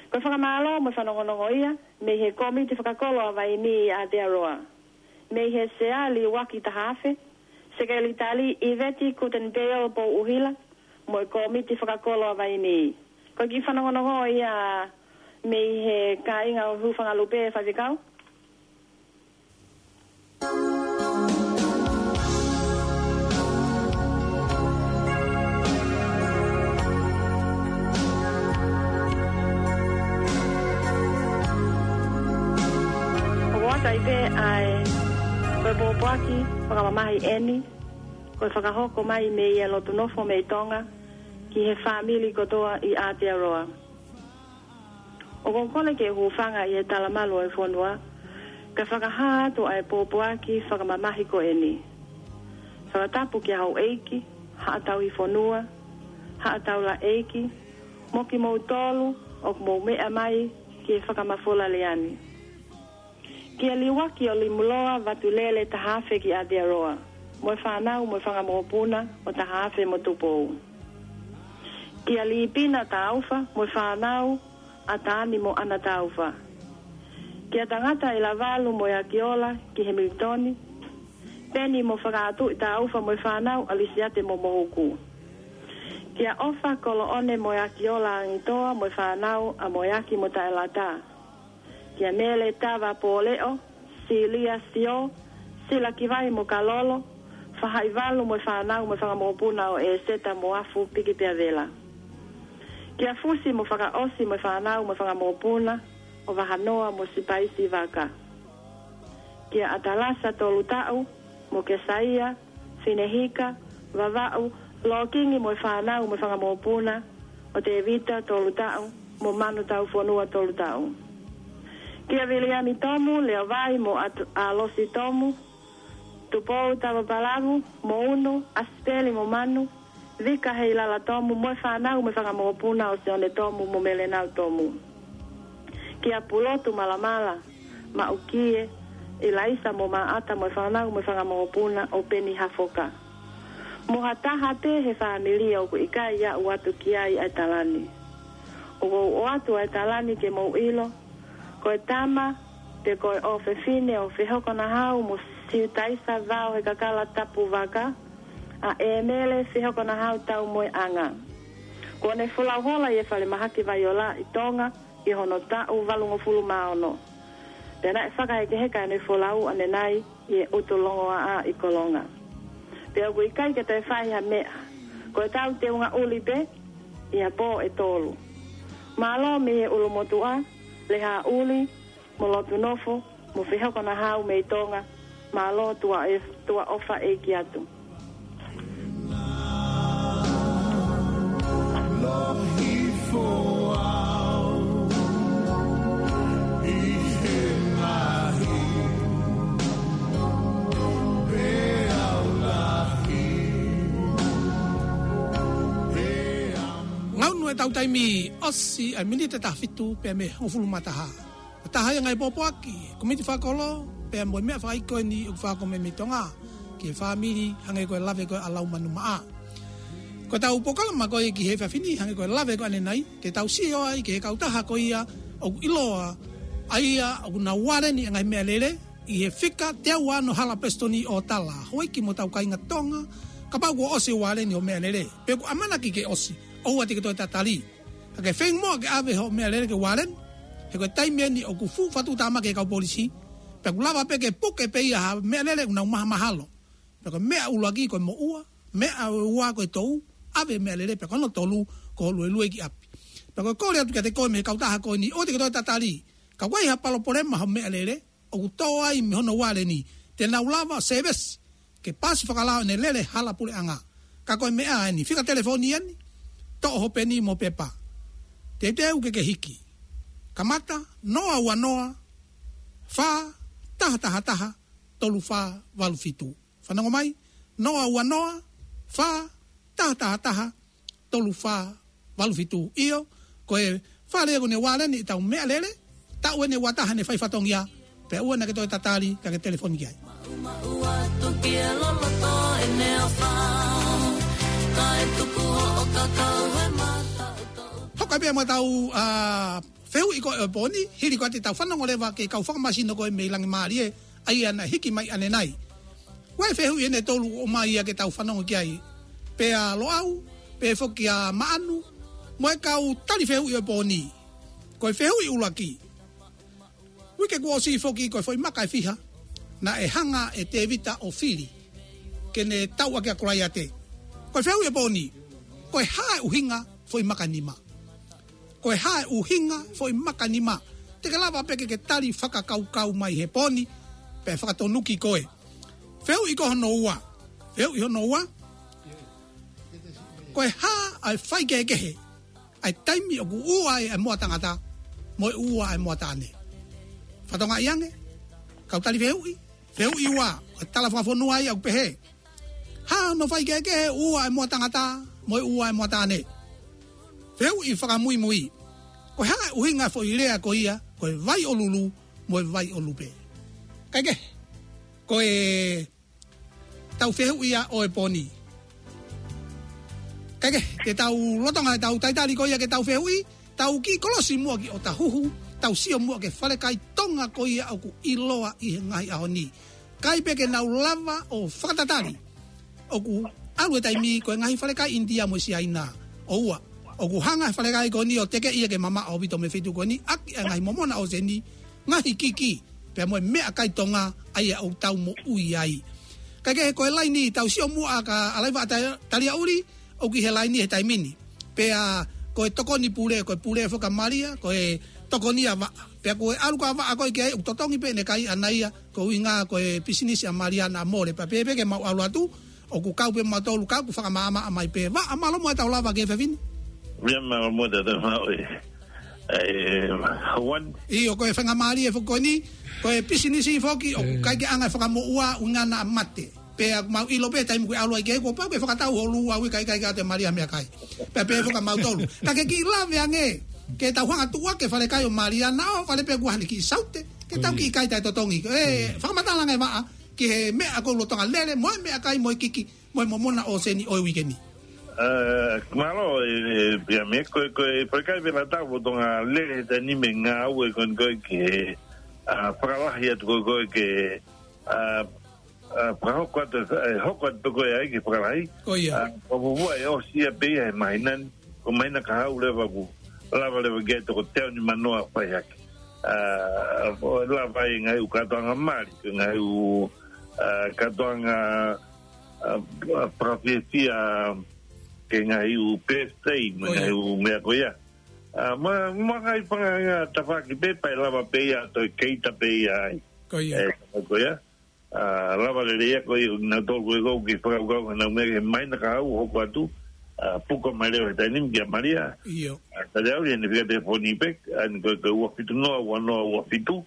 Ko e fakamālō mo e fanongonongo ia mei he Kōmiti Fakakolo ʻa Vainī ʻi Aotearoa. Mei he Sea Liuaki Tahaafe, Sekelitali ʻIveti Kutenipeo Pouʻuhila, mo e Kōmiti Fakakolo ʻa Vainī. Ko e kiʻi fanongonongo ia mei he kāinga ʻo Hufanga Lupe, Faifekau. ʻOku ʻoatu ai pē ʻa e, ko e pōpoaki fakamamahi eni, ko e fakahoko mai mei he Lotu Nofo mei Tonga ki he fāmili kotoa ʻi Aotearoa. ʻOku ou kole ke hūfanga ʻi he talamalu ʻo e fonua, ka fakahā atu ʻa e pōpoaki fakamamahi ko eni. Fakatapu kia Houʻeiki, Haʻa Tauhi Fonua, Haʻa Taulaʻeiki, mo kimoutolu ʻoku mou meʻa mai ki he fakamafola lea ni. Kia Liuaki ʻo Limuloa Vatulele Tahaafe ki Aotearoa, mo e fānau mo e fanga mokopuna ʻo Tahaafe mo Tupou. Kia Lipina Taufa mo e fānau ʻa Tani mo ʻAna Taufa. Kia Tangata ʻi Lavalu mo e Akiola ki Hemilitoni, Peni mo Fakaʻatuʻi Taufa mo e fānau ʻa Lisiate mo Mohuku. Kia ʻOfa Koloʻone mo e Akiola Angitoa mo e fānau ʻa Moeaki mo Taʻelata. Kia Mele Tava Pōleʻo, Silia Sio, Sila Kivai mo Kalolo, Fahaʻivalu mo e fānau mo e fanga mokopuna ʻo ʻEseta mo Afu Piki Peavela. Kia Fusi mo Fakaʻosi mo e fānau mo e fanga mokopuna ʻo Vahanoa mo Sipaisi Vaka. Kia ʻAtalasa Tolutaʻu mo Kesaia, Finehika, Vavaʻu, Lokingi mo e fānau mo e fanga mokopuna ʻo Tevita Tolutaʻu mo Manu Taufonua Tolutaʻu. Kia Viliami Tomu, Leovai mo At-, ʻAlosi Tomu, Tupou Tavapalavu mo Unu, ʻAsipeli mo Manu, Vika Heilala Tomu mo e fānau mo e fanga mokopuna ʻo Sione Tomu mo Melenau Tomu. Kia Pulotu Malamala, Maʻukie, ʻIlaisa mo Maʻata mo e fānau mo e fanga mokopuna ʻo Peni Hafoka. Mo ha taha pē he fāmili ʻoku ʻikai aʻu atu ki ai ʻa e tala ni. ʻOku ou ʻoatu ʻa e tala ni ke mou ʻilo, ko e tama, pe ko e ʻofefine ʻo Fehokonahau mo Siutaisa Vao he kakala Tapu Vaka, ʻa ʻEmele Fehokonahau Taumoeʻanga. Kuo ne folau hola ʻi he falemahaki Vaiola ʻi Tonga ʻi hono taʻu valungofulu mā ono. Pea naʻe fakahekeheka ʻene folau ʻanenai ʻi he ʻutu longoaʻa ʻi Kolonga. Pea ʻoku ʻikai ke toe fai ha meʻa. Ko e tau teunga ʻuli pē ʻi ha pō ʻe tolu. Mālō mei he ʻulumotuʻa, Lehaʻuli, mo Lotunofo, mo Fehokonahau mei Tonga, mālō tuʻa e-, tuʻa ʻofa ʻeiki atu. Ngaunu e tau taimi ʻosi ʻa e miniti ʻe taha fitu pea mei he hongofulu mā taha. ʻO taha ia ngaahi pōpoaki, komiti fakakolo, pea mo e meʻa fakaʻeiki ko eni ʻoku fakakoloa mei Tonga, ki he fāmili, hangē ko e lave ko ē ʻa Laumanu Maʻa. Ko e tau polokalama ko ē ki he efiafi ni, hangē ko e lave ko ē ʻanenai, te tau sio ai ki he kautaha ko ia ʻoku ʻiloa, ʻa ia ʻoku nau ualeni e ngaahi meʻalele, ʻi he fika teau ono hala pesitoni ʻo tala, houʻeiki mo hotau kāinga Tonga, kapau kuo ʻosi ualeni hoʻo meʻalele, pe ʻoku ʻamanaki ke ʻosi, ʻoua te ke toe tatali. Ka ke feinga muʻa ke ʻave hoʻo meʻalele ke ualeni, he ko e taimi eni ʻoku fuʻu fatu tāmaki e kau polisi, pea ʻoku lava pē ke puke pē ia ha meʻalele ʻoku nau mahamahalo. Pea ko e meʻa ʻuluaki ko e moʻua, meʻa ʻe ua ko e tou, ʻave meʻalele pea ko hono tolu ko e luelue ki ʻapi. Pea ko e kole atu kiate koe mei he kautaha ko eni, ʻoua te ke toe tatali, ka ʻoku ʻi ai ha palopalema hoʻo meʻalele, ʻoku tō ai mei hono ualeni, te nau lava service, ke paasi fakalao ʻene lele hala puleʻanga. Ka ko e meʻa eni, fika telefoni eni, toʻo ho peni mo e pepa. Teuteu ke ke hiki. Kamata, noa ua noa, fā, taha taha taha, tolu fā valu fitu. Fanongo mai, noa ua noa, fā, taha taha taha, tolu fā valu fitu. ʻIo, ko e fale ʻoku ne ualeni ʻetau meʻalele, taʻu eni ua taha ne fai fatongia, pea ʻoua naʻa ke toe tatali, ka ke telefoni ki ai. Hoko pē mo ʻetau, ʻa, fehuʻi ko ē ʻo e pō ni, hili ko ē ʻetau fanongo leva ki he kau fakamasino ko ē mei Langimālie, ʻa ia naʻe hiki mai ʻanenai. Ko e fehuʻi eni ʻe tolu ʻoku ʻomai ia ke tau fanongo ki ai. Pea Loʻau, pea foki ʻa Maʻanu, mo e kau tali fehuʻi ʻo e pō ni. Ko e fehuʻi ʻuluaki. Uike kuo ʻosi foki ko e foʻi maka ʻe fiha, naʻe hanga ʻe Tēvita ʻo fili, ke ne tauʻaki ʻa Kolaiate. Ko e fehuʻi ʻo e pō ni. Ko e hā e ʻuhinga foʻi maka nima. Ko e hā e ʻuhinga foʻi maka nima. Te ke lava pē ke ke tali fakakaukau mai he pō ni, pea fakatonuki koe. Fehuʻi ko hono ua. Fehuʻi hono ua. Ko e hā ʻa e faikehekehe ʻa e taimi ʻoku ua ai ʻa e moa tangata, mo e ua ʻa e moa taʻane. Fakatokangaʻi ange, kau tali fehuʻi, fehuʻi ua, ʻa e tala fakafonua ia ʻoku pehē. Hā hono faikehekehe ua ʻa e moa tangata, mo e ua ʻa e moa taʻane. Fehuʻi fakamuimui. Ko e hā e ʻuhinga foʻi lea ko ia, ko e vai ʻo Lulu, mo e vai ʻo Lupe. Kae kehe, ko e tau fehuʻi ia ʻo e pō ni. Kae kehe, te tau lolotonga ʻetau talitali ko ia ke tau fehuʻi, tau kiʻi kolosi muʻa ki ʻOtahuhu, tau sio muʻa ki he falekai Tonga ko ia ʻoku ʻiloa ʻi he ngaahi ʻaho ni. Kae pē ke nau lava ʻo fakatatali. ʻOku ʻalu e taimi ko e ngaahi falekai ʻInitia mo Siaina. ʻOua. ʻOku hanga e falekai ko eni ʻo tekeʻi ia ke mamaʻo ʻaupito mei he feituʻu ko eni, ʻaki ʻa e ngaahi momona ʻōseni, ngaahi kiki, pea mo e meʻakai Tonga, ʻa ia ʻoku tau moʻui ai. Kae kehe ko e laini, tau sio muʻa kia Alaiva ʻa Ta-, Taliaʻuli, ʻoku ʻi he laini he taimi ni. Pea ko e tokoni pule, ko e pule foki ʻa Malia, ko e tokoni ʻa Vaʻa. Pea ko e ʻalu ko ē ʻa Vaʻa ko ē ki ai, ʻoku totongi pē ʻene kai ʻana ia, ko e ʻuhinga ko e pisinisi ʻa Malia naʻa mole. Pea pehē pē ke mau ʻalu atu, ʻoku kau pē mautolu, kau ʻoku fakamaʻamaʻa mai pē. Vaʻa, mālō muʻa ʻetau lava ki he efiafi ni. Ia, mālō muʻa ʻetau maʻu e, e, hauan. ʻIo, ko e faingamālie foki ko eni, ko e pisinisi foki, ʻoku ʻikai ke ʻi ai ha fakamoʻua, ʻuhinga naʻa mate. Pea mau ʻilo pē taimi ko ē ʻalu ai ki ai, kuo pau ke fakatau ho lū ʻa ui kai kai ka te Malia meʻakai. Pea pehē foki ʻa mautolu. Ka ke kiʻi lave ange, ke tau hanga tuʻu ake falekai ʻo Malia naʻa ʻoho fale pē kuo ʻi ai haʻane kiʻi saute, ke tau kiʻi kai taʻetotongi. E, fakamatala ange Vaʻa, ki he meʻa ʻoku lolotonga lele, mo e meʻakai, mo e kiki, mo e momona ʻōseni ʻo e uike ni. E, mālō, e, e, pea mei ko e, ko e, falekai pē naʻa tau lolotonga lele he taimi ni mo e ngāue ko eni ko ē ki he, a, fakalahi atu ko ē ko ē ke, a, a, fakahoko atu, e, hoko atu ko ē ai ke fakalahi. Ko ia. A, ko e fuofua ʻe ʻosi ia pē ia he māhina ni, ko e māhina ka hau leva kuo lava leva ke toko teau nimanoa fai hake. ʻa, ʻo lava ʻi he ngaahi ʻū kātoanga mali, ko e ngaahi ʻū, ʻa, kātoanga, ʻa, ʻa, fakafiefia, ki he ngaahi ʻū birthday, mo e Ko ia. ngaahi ʻū meʻa ko ia. ʻA, mo, mo e ngaahi fanga ngaahi tafaʻaki pē, pea lava pē ia, toe keita pē ia ai. Ko ia. ʻE, ko ia. ʻA, lava lelei ia ko ia, naʻa tau ko e kau ki he fakakaukau, naʻa mea ke mai na ka au, hoko atu, ʻa, puka mai leva he taimi ni kia Malia. ʻIo. ʻA, tali au, ʻi heʻene fika telefoni pē, ʻa, ko e, ko e ua fitu noa, ua noa, ua fitu,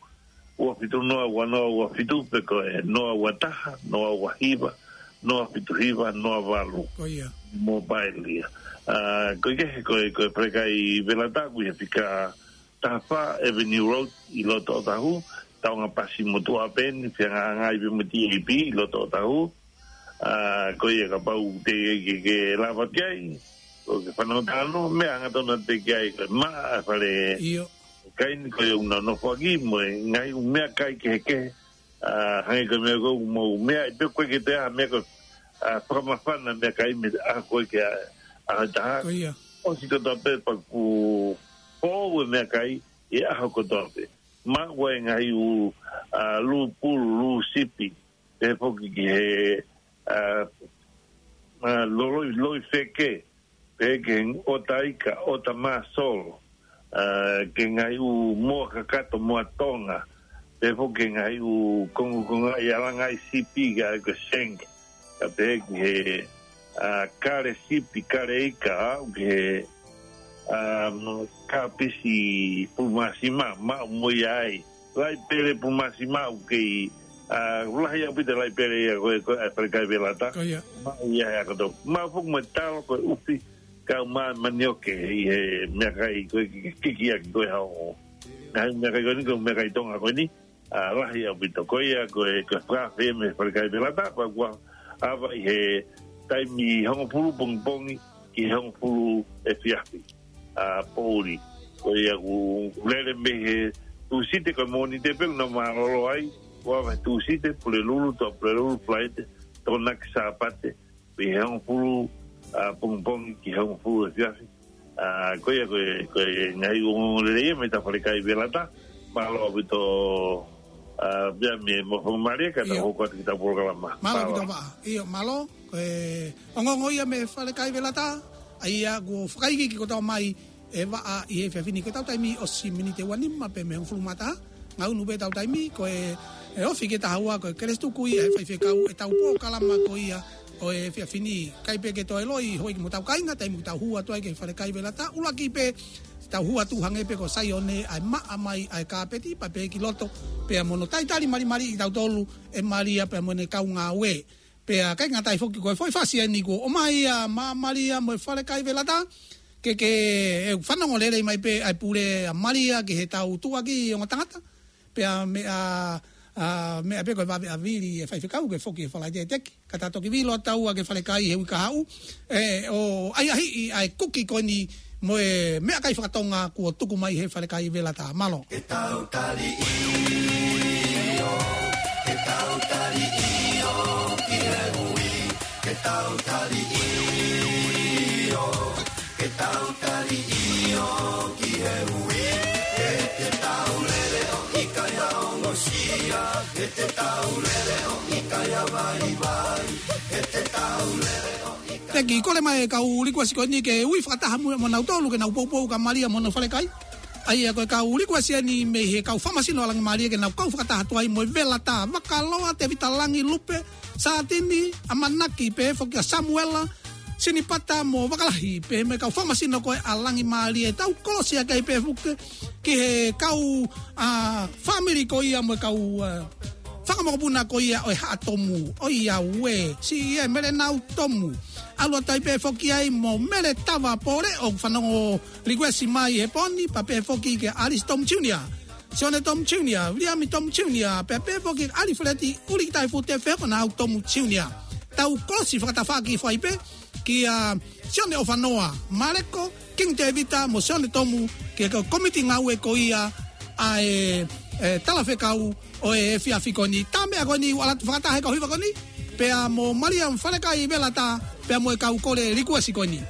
ua fitu noa, ua noa, ua fitu, pe ko e noa ua taha, noa ua hiva, noa fitu hiva, noa valu. Ko ia. Mobile ia. ʻA, ko e kehe, ko e, ko e Falekai Velata, ko ia fika taha fā Avenue Road ʻi loto Otahu, taunga pasi mo Tuʻapeni, fehangahangai pē mo T A P ʻi loto Otahu. ʻA, ko ia kapau te ke, ke lava ki ai, ʻo ke fanongo talanoa, meʻa hangatonu te ke ʻai, ko e maʻa fale ʻIo. kai ni ko ia ʻoku nau nofoʻaki mo e ngaahi ʻū meʻakai kehekehe, ʻa, hangē ko e meʻa ko ʻū mo e meʻa, ʻe pehē ko e ke te ʻai ha meʻa ko e, ʻa, fakamafana meʻakai mei he ʻaho ko ē ki he ʻaho ʻe taha. Ko ia. ʻOsi kotoa pē pea kuo foʻou e meʻakai ʻi he ʻaho kotoa pē. Maʻu ai e ngaahi ʻū, ʻa, lū pulu, lū sipi, pehē foki ki he, ʻa, ʻa, loloi, loi feke, pehē ki he ʻota ika, ʻota māsolo, ʻa, ki he ngaahi ʻū moa kakato, moa Tonga, pehē foki ki he ngaahi ʻū kongokonga ʻi he ʻalanga ʻi sipi ka ko e sink, ka pehē ki he, ʻa, kale sipi, kale ika, aʻu ki he, ʻa, kapisi pulu māsima, maʻu mo ia ai. Laipele pulu māsima ʻoku kei, ʻa, lahi ʻaupito laipele ia ko e, ko e Falekai Velata. Ko ia. Maʻu ia he ako tau. Maʻu foki mo e talo ko e ʻufi, kau mā manioke ʻi he meʻakai ko e ki, ki, ki, ki, ki ko e hao. Ngaahi meʻakai ko eni, ko e meʻakai Tonga ko eni, ʻa, lahi ʻaupito. Ko ia ko e, ko e fakaafe mei he Falekai Velata, pea kuo ʻave ʻi he taimi hongofulu pongipongi ki he hongofulu efiafi. ʻA, poʻuli. Ko ia ʻoku lele mei he Tūsite, ko e Mōnite pē ʻoku nau mālōlō ai, kuo ʻave Tūsite, Pulelulu, Toa Pulelulu, Falaite, Tokonaki, Sāpate, mei he hongofulu, ʻa, pongipongi ki he hongofulu efiafi. ʻA, ko ia ko e, ko e ngaahi ongoongo lelei ia mei he Falekai Velata, mālō ʻaupito, ʻa, pea mei he mo fo mare ka ta Io. Hoko atu ki heʻetau polokalama. Mālō Mālō. ʻaupito Vaʻa. ʻIo, mālō, ko e ongoongo ia mei he Falekai Velata, ʻa ia kuo fakaikiiki kotoa mai ʻe Vaʻa ʻi he efiafi ni. Ko ʻetau taimi ʻosi miniti ʻe ua nima pē mei he hongofulu mā taha. Ngaʻunu pē ʻetau taimi, ko e, ʻe ofi ki he taha ua, ko e kelesi tuku ia ʻe he faifekau ʻetau polokalama ko ia ʻo e efiafi ni. ʻIkai pē ke toe loi, houʻeiki mo hotau kāinga, taimi ʻoku tau hū atu ai ki he Falekai Velata, ʻuluaki pē, tau hū atu hangē pē ko Saione, ʻa e maʻa mai ʻa e kāpeti, pea pehē ki loto, pea mo hono talitali malimali ʻi tautolu ʻe Malia pea mo ʻene kau ngāue. Pea ʻikai ngata ai foki ko e foʻi fasi eni kuo ʻomai ʻa Malia mo e Falekai Velata, ke, ke, ʻe fanongo lelei mai pē ʻa e pule ʻa Malia ki heʻetau tuʻuaki ongo tangata. Pea meʻa, ʻa, meʻa pē ko e vave ʻa Vili ʻe faifekau ke foki he Falaite Teki. Ka ta toki vilo taua ki he Falekai he uike kahaʻu. ʻE, ʻo ʻahiʻahiʻi ʻa e kuki ko eni mo e meʻakai fakatonga kuo tuku mai he Falekai Velata. Mālō. Ke tau tali ʻio, ke tau tali ʻio ki he ui, ke tau tali ʻio, ke tau tali ʻio ki he ui, ke te tau lele ʻo ʻikai ha ongosia, ke te tau lele ʻo ʻikai ha vaivai, ke te tau lele ʻo Teki, kole mai e kau likuasi ko eni ke ui fakataha mo, mo nautolu ke nau poupou kia Malia mo hono falekai. ʻA ia ko e kau likuasi eni mei he kau fakamasino ʻa Langimālie ke nau kau fakataha atu ai mo e Velata, Vakaloa, Tevita Langi, Lupe, Sātini, ʻAmanaki, pehē foki kia Samuela, Sinipata mo Vakalahi, pehē mo e kau fakamasino ko ē ʻa Langimālie, tau kolosi ʻaki ai pē foki ki he kau, ʻa, fāmili ko ia mo e kau, ʻa, fakamokopuna ko ia ʻo e Haʻa Tomu, ʻo ia ue, siʻi ē Mele Nau Tomu. ʻAlu atu ai pē foki ai mo Mele Tava Pole ʻoku fanongo likuesi mai he pō ni, pea pehē foki kia Alice Tomu Junior, Sione Tomu Junior, Viliami Tomu Junior, pea pehē foki kia Alifeleti Ulikitaifute Fehokonau Tomu Junior. Tau kolosi fakatafaʻaki fai pē kia Sione ʻOfanoa, Maleko, Kingi Tevita mo Sione Tomu, ki he kau komiti ngāue ko ia ʻa e, e, talafekau ʻo e efiafi ko eni. Tā meʻa ko eni ʻoku ʻalu atu fakataha he kau hiva ko eni, pea mo Malia mo e falekai Velata, pea mo e kau kole likuesi ko eni.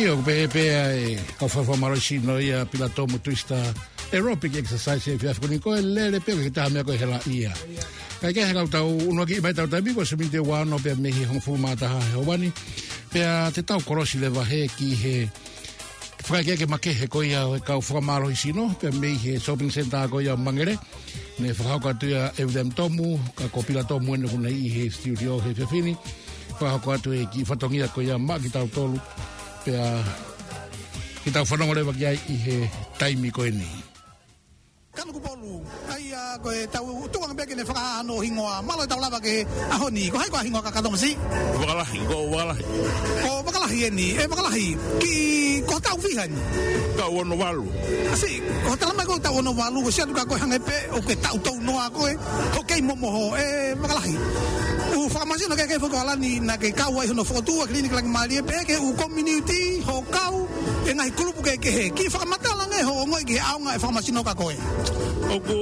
ʻIo, ʻoku pehē pē ʻa e kau fakamālohisino ia Pilatomu Twister Aerobic Exercise he efiafi ko eni, ko e lele pē, ʻikai ke taha meʻa ko e hela ia. Kae kehe, ka tau ʻunuaki mai ʻetau taimi ko e miniti ua ono pea mei he hongofulu mā taha he ʻaho ni. Pea te tau kolosi leva heni ki he fakaʻekeʻeke makehe ko ia ʻo e kau fakamālohisino pea mei he shopping centre ko ia Mangere. Ne fakahoko atu ia ʻe William Tomu, ka ko Pilatomu eni ʻoku ne ʻi he studio he efiafi ni. Fakahoko atu e kiʻi fatongia ko ia maʻa kitautolu, pea ke tau fanongo leva ki ai ʻi he taimi ko eni. Kanu Kupolu, ʻa ia ko e tau tukuange pē ke ne fakahā hono hingoa, mālō e tau lava ki he ʻaho ni. Ko hai koā ho hingoa kakato, masiʻi? Vakalahi, ko Vakalahi. Ko Vakalahi eni, ʻe Vakalahi, ki, ko e taʻu fiha eni? Taʻu ono valu. Siʻi, ko e talamai ko e taʻu ono valu, ko e sio atu ka ko e hangē pē ʻoku ke taʻu tounoa koe hoʻo kei momoho, ʻe Vakalahi. ʻOku fakamālohisino kehekehe foki ʻa Lani naʻa ke kau ai hono fokotuʻu ʻa e Kiliniki Langimālie pea ki he ʻū community, hoʻo kau e ngaahi kulupu kehekehe. Kiʻi fakamatala ange hoʻo ongoʻi ki he ʻaonga e fakamālohisino kia koe. ʻOku,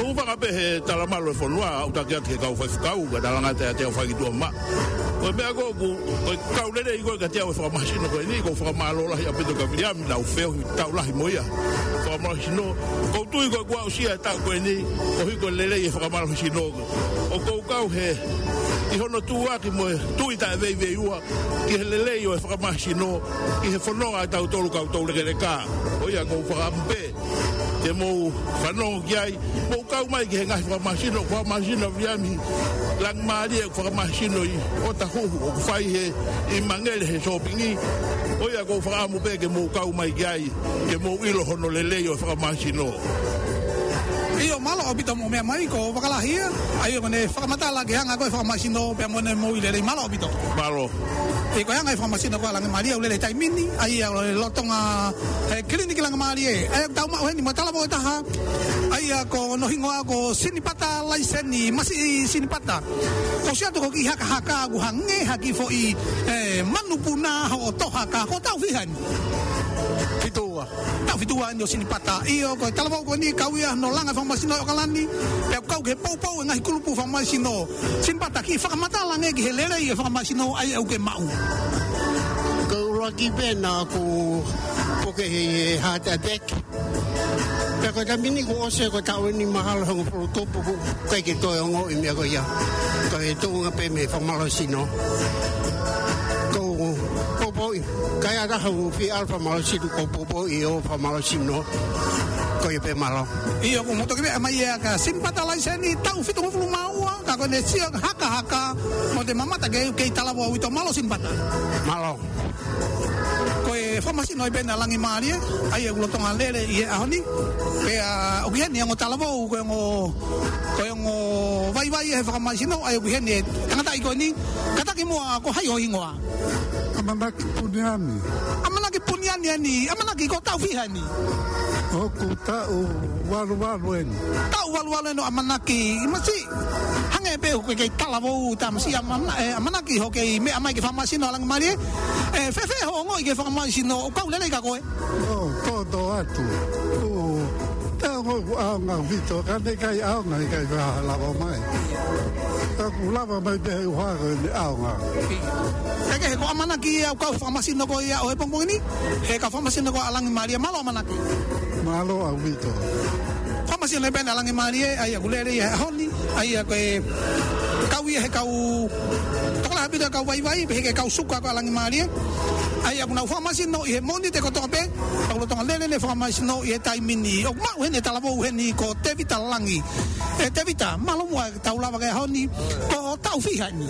ʻoku fanga pē he talamalu e fonua, ʻoku taki atu ki he kau faifekau, ka talangata ʻiate au fai ki tuʻa mā. Ko e meʻa ko ē ʻoku, ko e kau lelei ko ē kiate au e fakamālohisino ko eni, ʻoku ou fakamālō lahi ʻaupito kia Viliami, naʻa ku feohi taʻu lahi mo ia. Fakamālohisino, ʻoku ou tui ko ē kuo aʻusia e taʻu ko eni, koeʻuhi ko e lelei e fakamālohisino. ʻOku ou kau he, ʻi hono tuʻuaki mo e tui taʻeveiveiua ki he lelei ʻo e fakamālohisino ʻi he fononga ʻa tautolu kau toulekeleka. Ko ia ʻoku ou fakaʻamu pē ke mou fanongo ki ai, mou kau mai ki he ngaahi fakamālohisino, fakamālohisino ʻa Viliami Langimālie, ʻoku fakamālohisino ʻi ʻOtahuhu, ʻoku fai he, ʻi Mangere he sōpingi. Ko ia ʻoku ou fakaʻamu pē ke mou kau mai ki ai, ke mou ʻilo hono lelei ʻo e fakamālohisino. ʻIo, mālō ʻaupito hoʻomou meʻa mai, ko Vakalahi ia, ʻa ia ʻoku ne fakamatala ki he anga ko ē e fakamālohisino pea mo ʻene moʻui lelei. Mālō ʻaupito. Mālō. ʻIo, ko e anga e fakamālohisino ko ē ʻa Langimālie ʻoku lele he taimi ni, ʻa ia ʻoku lolotonga he Kiliniki Langimālie. ʻA ia ʻoku tau maʻu heni mo e talavou ʻe taha, ʻa ia ko hono hingoa ko Sinipata Laiseni, masiʻi Sinipata. Ko e sio atu ko e kiʻi hakahaka ʻoku hangē ha kiʻi foʻi, ʻe, manupuna hoʻo tohaka, ko e taʻu fiha eni? Fitu ua. Taʻu fitu ua eni ʻo Sinipata. ʻIo, ko e talavou ko eni kau ia hono langa e fakamālohisino ʻi ʻAokalani, pea kau ki he poupou e ngaahi kulupu fakamālohisino. Sinipata, kiʻi fakamatala ange ki he lelei e fakamālohisino ʻa ia ʻoku ke maʻu. Ko e ʻuluaki pē naʻa ku puke he, he heart attack. Pea ko e taimi ni kuo ʻosi ko e taʻu eni mahalo hongofulu tupu ʻoku ʻikai ke toe ongoʻi e meʻa ko ia. Ko e tuʻunga pē mei he fakamālohisino. Ko e poupouʻi. Ka ʻi ai ha taha ʻoku fie ʻalu fakamālohisino, ko e poupouʻi ʻo e fakamālohisino. Ko ia pē, mālō. ʻIo, ʻoku mou toki meʻa mai ia kia Sinipata Laiseni, taʻu fitungofulu mā ua, ka ko ʻene sio hakahaka, mo e mamata ke, kei talavou ʻaupito. Mālō Sinipata. Mālō. Ko e fakamālohisino ia pē eni ʻa Langimālie, ʻa ia ʻoku lolotonga lele ʻi he ʻaho ni. Pea ʻoku ʻi heni ʻa e ongo talavou, ko e ongo, ko e ongo vaivai he fakamālohisino, ʻa ia ʻoku ʻi heni e tangataʻi ko eni. Kātaki muʻa, ko hai ho hingoa? ʻAmanaki Puniani. ʻAmanaki Puniani eni, ʻAmanaki, ko e taʻu fiha eni? ʻOku taʻu valu valu eni. Taʻu valu valu eni ʻo ʻAmanaki, masiʻi. Hangē pē ʻoku ke kei talavou, tamasiʻi ʻa ʻAmana-, ʻe, ʻAmanaki, hoʻo kei meʻa mai ki he fakamālohisino ʻa Langimālie. ʻE, fēfē hoʻo ongoʻi ki he fakamālohisino, ʻoku kau lelei kia koe? ʻOku tōtōatu. ʻOku, te ongo ʻoku ʻaonga ʻaupito, ka naʻe ʻikai ʻaonga, ʻikai ke lava mai. Ka kuo lava mai pē he ʻuhinga ko ʻene ʻaonga. Kae kehe, ko ʻAmanaki ia ʻoku kau he fakamālohisino ko ia ʻo e pongipongi ni, he kau fakamālohisino ko ia ʻa Langimālie. Mālō ʻAmanaki. Mālō ʻaupito. Fakamālohisino ia pē eni ʻa Langimālie, ʻa ia ʻoku lele ia he ʻaho ni, ʻa ia ko e kau ia he kau, tokolahi ʻaupito e kau vaivai, pehē ki he kau suka ko ē ʻa Langimālie. ʻA ia ʻoku nau fakamālohisino ʻi he Mōnite kotoa pē, ʻoku lolotonga lele ʻene fakamālohisino ʻi he taimi ni. ʻOku maʻu heni e talavou heni ko Tevita Langi. ʻE Tevita, mālō muʻa tau lava ki he ʻaho ni, ko e taʻu fiha eni?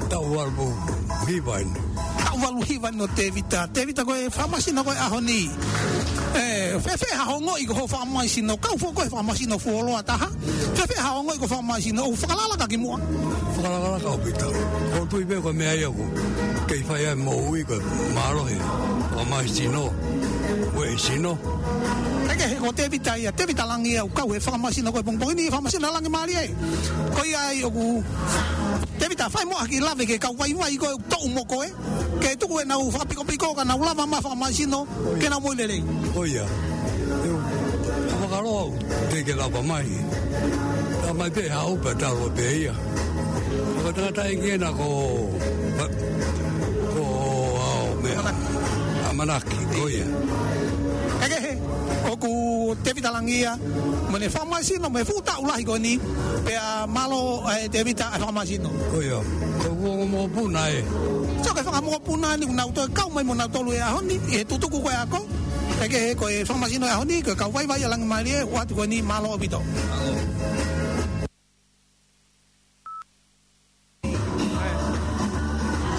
Taʻu valu hiva eni. Taʻu valu hiva eni ʻo Tevita. Tevita, ko e fakamālohisino ko ē he ʻaho ni. ʻE, fēfē hoʻo ongoʻi ki hoʻo fakamālohisino, kau foki koe he fakamālohisino fuoloa taha. Fēfē hoʻo ongoʻi ki hoʻo fakamālohisino, ʻoku fakalakalaka ki muʻa? Fakalakalaka ʻaupito. ʻOku ou tui pē ko e meʻa ia ʻoku kei fai ai e moʻui, ko e mālohi e fakamālohisino, ueʻi sino. Kae kehe, ko Tevita ia, Tevita Langi ia ʻoku kau he fakamālohisino ko ē he pongipongi ni, fakamālohisino ʻa Langimālie. Ko ia ai ʻoku, Tevita, fai muʻa ha kiʻi lave ki he kau vaivai ko ē ʻoku toʻu mo koe, ke tuku ʻenau fakapikopiko ka nau lava mai e fakamālohisino ke nau moʻui lelei. Ko ia. ʻE, fakamālō, teʻeki ke lava mai. Lava mai pē haʻu pē, talu pē ia. Ko e tangataʻeiki ena ko, ko, ʻa, meʻa. ʻAmanaki, ko ia. Kae kehe, ʻoku Tevita Langi ia, mo ʻene fakamālohisino, mo e fuʻu taʻu lahi ko eni, pea mālō, ē, Tevita, ʻa e fakamālohisino. Ko ia, ko e ongo mokopuna ē. So, ko e fanga mokopuna ni, ʻoku nau toe kau mai mo nautolu he ʻaho ni, ʻi he tutuku ko ē ako, kae kehe ko e fakamālohisino he ʻaho ni, ko e kau vaivai ʻa Langimālie, ʻoatu ko eni mālō ʻaupito.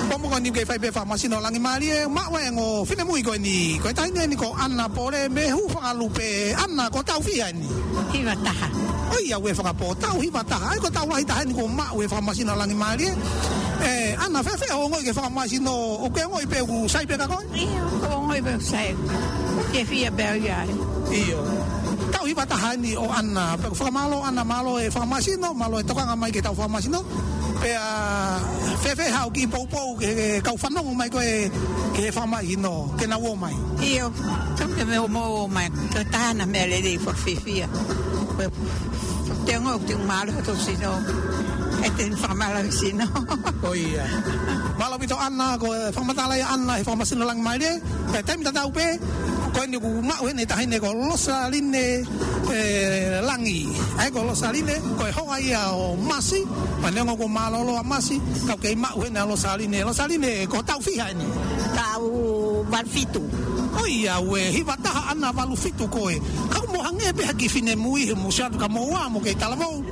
Pongipongi ni ke fai pē fakamālohisino Langimālie, maʻu e ongo finemui ko eni, ko e taʻahine ni ko ʻAna Pole mei Hūfangalupe. ʻAna, ko e taʻu fiha eni? Hiva taha. ʻOi, ʻa e fakapō, taʻu hiva taha. ʻA ia ko e taʻu lahi taha eni kuo maʻu e fakamālohisino Langimālie. Ē, ʻAna, fēfē hoʻo ongoʻi ki he fakamālohisino, ʻoku ke ongoʻi pē ʻoku sai pē kia koe? ʻIo, ʻoku ou ongoʻi pē ʻoku sai. Ke fiefia pē au ia ai. ʻIo. Taʻu hiva taha eni ʻo ʻAna, pea ʻoku fakamālō ʻAna, mālō e fakamālohisino, mālō e tokanga mai ki heʻetau fakamālohisino. Pea fēfē haʻo kiʻi poupou ki he kau fanongo mai ko ē ki he fakamālohisino, ke nau ō mai? ʻIo, tau ke mou ō mai. Ko e taha e meʻa lelei, fakafiefia. Ko e te ongo te mālō ʻa hoto sino. ʻE te fakamālohisino. Ko ia. Mālō ʻaupito ʻAna, ko e fakamatala ia ʻa ʻAna he fakamālohisino Langimālie. Pea taimi tatau pē, ko eni ʻoku maʻu heni e taʻahine ko Losaline, ē, Langi. ʻA ia ko Losaline, ko e hoa ia ʻo Masi, pea neongo kuo mālōlō ʻa Masi, ka ʻoku kei maʻu heni ʻa Losaline. Losaline, ko e taʻu fiha eni? Taʻu valu fitu. ʻOi, ʻa e hiva taha ʻAna, valu fitu koe. Ka ʻoku mou hangē pē ha kiʻi finemui, he mou siʻi atu ka mou ō mo kei talavou.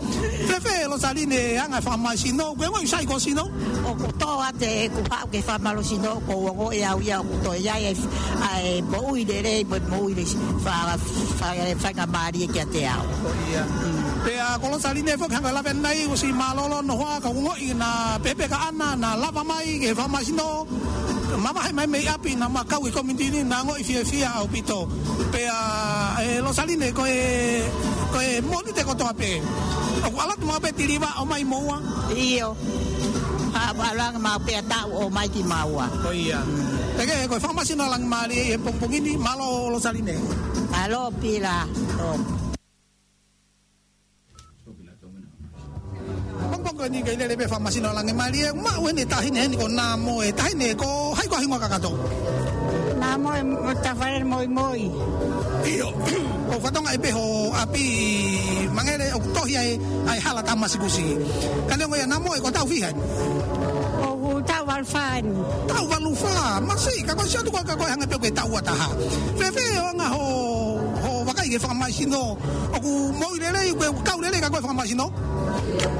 Fēfē Losaline, anga e fakamālohisino, ʻoku ke ongoʻi sai ki hoʻo sino? ʻOku tō atu ʻeku haʻu ki he fakamālohisino, ʻoku ou ongoʻi au ia ʻoku toe ʻi ai e, ʻa e moʻui lelei, mo e moʻui lelei, fa-, fa-, faingamālie kiate au. Ko ia. Mm. Pea ko Losaline foki, hangē ko e lave ʻanenai, ʻosi mālōlō hono hoa, ka ʻoku ou ongoʻi naʻa pehē pē kia ʻAna, naʻa lava mai ki he fakamālohisino, mavahe mai mei ʻapi, naʻa ma kau ʻi he committee ni, naʻa ongoʻi fiefia ʻaupito. Pea, ē, Losaline, ko e, ko e Mōnite kotoa pē ʻoku ʻalu atu maʻu pē e tiliva ʻo ʻomai moua? ʻIo. ʻA, ʻalu ange maʻu pē ʻa taʻu ʻo ʻomai kimaua. Ko ia. Kae kehe, ko e fakamālohisino Langimālie he pongipongi ni, mālō Losaline. Mālō Pila. ʻO. Pongipongi ni kei lele pē fakamālohisino Langimālie, maʻu heni e taʻahine heni ko Namoe, taʻahine ko hai ko e hingoa kakato? Namoe, mo Tafale Moimoi. ʻIo, ʻoku fatongia pē hoʻo ʻapi Mangele ʻoku tohi ai ʻa e hala Tamasikusi. Ka neongo ia Namoe ko e taʻu fiha eni? ʻOku ou taʻu valu fā eni. Taʻu valu fā, masiʻi, ka ko e siʻi atu ko ē ka ko e hangē pē ko e taʻu ua taha. Fēfē hoʻo anga hoʻo, hoʻo vakai ki he fakamālohisino, ʻoku moʻui lelei, ʻoku kau lelei kia koe e fakamālohisino?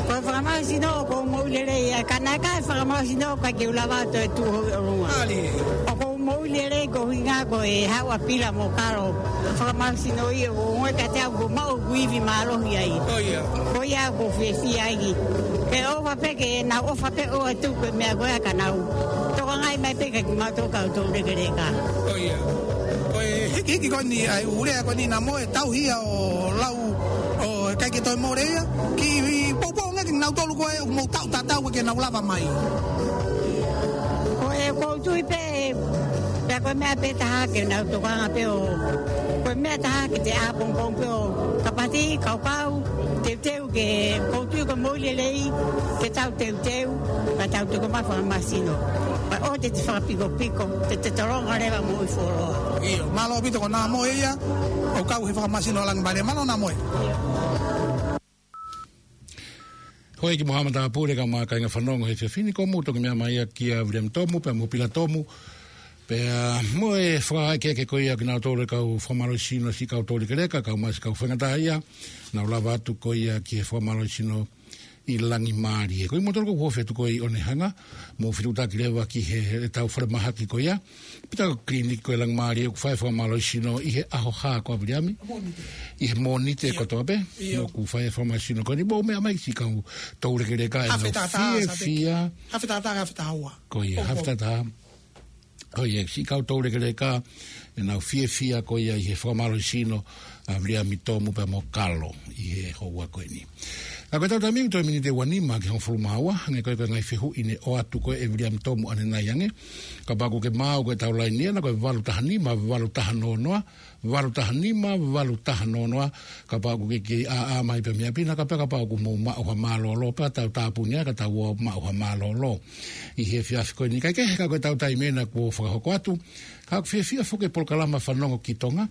Ko e fakamālohisino ʻoku moʻui lelei, ʻa e ka naʻe ʻikai ha fakamālohisino ʻikai ke u lava ʻo toe tuʻu holo ʻi ʻolunga. ʻAli. ʻOku moʻui lelei koeʻuhinga ko e haʻu ʻa Pila mo Kalo. Fakamālohisino ia ʻoku ongoʻi kiate au ʻoku maʻu ʻeku ivi mālohi ai. Ko ia. Ko ia ʻoku ou fiefia ai. Ke ʻofa pē ke nau ʻofa pē ʻo atu ko e meʻa ko ē ka nau tokangaʻi mai pē kiate kimautolu kau toulekeleka. Ko ia. Ko e hikihiki ko eni ʻa e ʻū lea ko eni Namoe, tauhi ia ʻo lau ʻo ʻikai ke toe mole ia. Kiʻi poupou ange kia nautolu ko ē ʻoku mou taʻu tatau ke nau lava mai. Ko e ʻoku ou tui pē, pea ko e meʻa pē taha ke nau tokanga pē ʻo, ko e meʻa taha ke te ʻā pongipongi pē ʻo kapati, kaukau, teuteu ke, ʻoku ou tui ko e moʻui lelei, ke tau teuteu, ka tau tuku mai fakamālohisino. Pea ʻoua te te fakapikopiko, te te tolonga leva moʻui fuoloa. ʻIo, mālō ʻaupito ko Namoe ia, ʻoku kau he fakamālohisino Langimālie. Mālō Namoe. Houʻeiki mo haʻa matāpule kae ʻumaʻā e kāinga fanongo he efiafi ni, ko mou toki meʻa mai ia kia Viliami Tomu, pea mo Pila Tomu. Pea mo e fakaʻekeʻeke ko ia kinautolu e kau fakamālohisino siʻi kau toulekeleka, kae ʻumaʻā siʻi kau faingataʻaʻia, nau lava atu ko ia ki he fakamālohisino ʻi Langimālie. Ko kimoutolu ʻoku ofi atu ko ē ʻi ʻOnehunga, mou fetuʻutaki leva ki he, heʻetau falemahaki ko ia. Pea ko e kiliniki ko ē Langimālie ʻoku fai e fakamālohisino ʻi he ʻaho hā ko ē Viliami? ʻI he Mōnite kotoa pē. ʻIo. ʻOku fai e fakamālohisino ko eni, mou meʻa mai siʻi kau toulekeleka ʻe nau fiefia. Hafe tātā, hafe tātā, hafe tāua. Ko ia, hafe tātā. Ko ia, siʻi kau toulekeleka ʻe nau fiefia ko ia ʻi he fakamālohisino ʻa Viliami Tomu pea mo Kalo ʻi he houa ko eni. Ka ko ʻetau taimi ʻoku toe miniti ua nima ki he hongofulu mā ua, hangē ko e, ko e ngaahi fehuʻi ne ʻoatu ko ē ʻe Viliami Tomu ʻanenai ange. Kapau ʻoku ke maʻu ko ʻetau laini ʻena ko e valu taha nima, valu taha noa noa, valu taha nima, valu taha noa noa, kapau ʻoku ke kei ʻā mai pē mei ʻapi na, ka pea kapau ʻoku mou maʻu ha mālōlō, pea tau tāpuni ai, ka tau ō maʻu ha mālōlō. ʻI he efiafi ko eni, kae kehe ka ko ʻetau taimi ʻena kuo fakahoko atu, ka ʻoku fiefia foki e polokalama Fanongo ki Tonga,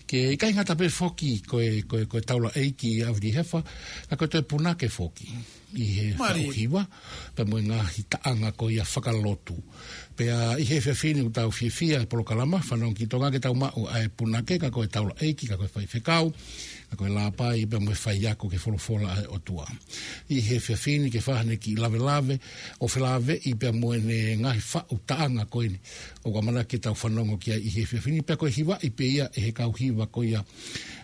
ke ʻikai ngata pē foki ko e, ko e, ko e taulaʻeiki ʻa Vilihefa, ka ko e toe punake foki ʻi he Mālie. Faʻu hiva, pea mo e ngaahi taʻanga ko ia fakalotu. Pea ʻi he efiafi ni ʻoku tau fiefia e polokalama Fanongo ki Tonga ke tau maʻu ʻa e punake, ka ko e taulaʻeiki, ka ko e faifekau, ka ko e lāpai, pea mo e faiako ki he folofola ʻa e ʻOtua. ʻI he efiafi ni ke fai haʻane kiʻi lavelave, ʻo felāveʻi pea mo ʻene ngaahi faʻu taʻanga ko eni ʻoku ʻamanaki ke tau fanongo ki ai ʻi he efiafi ni, pea ko e hivaʻi pē ia ʻe he kau hiva ko ia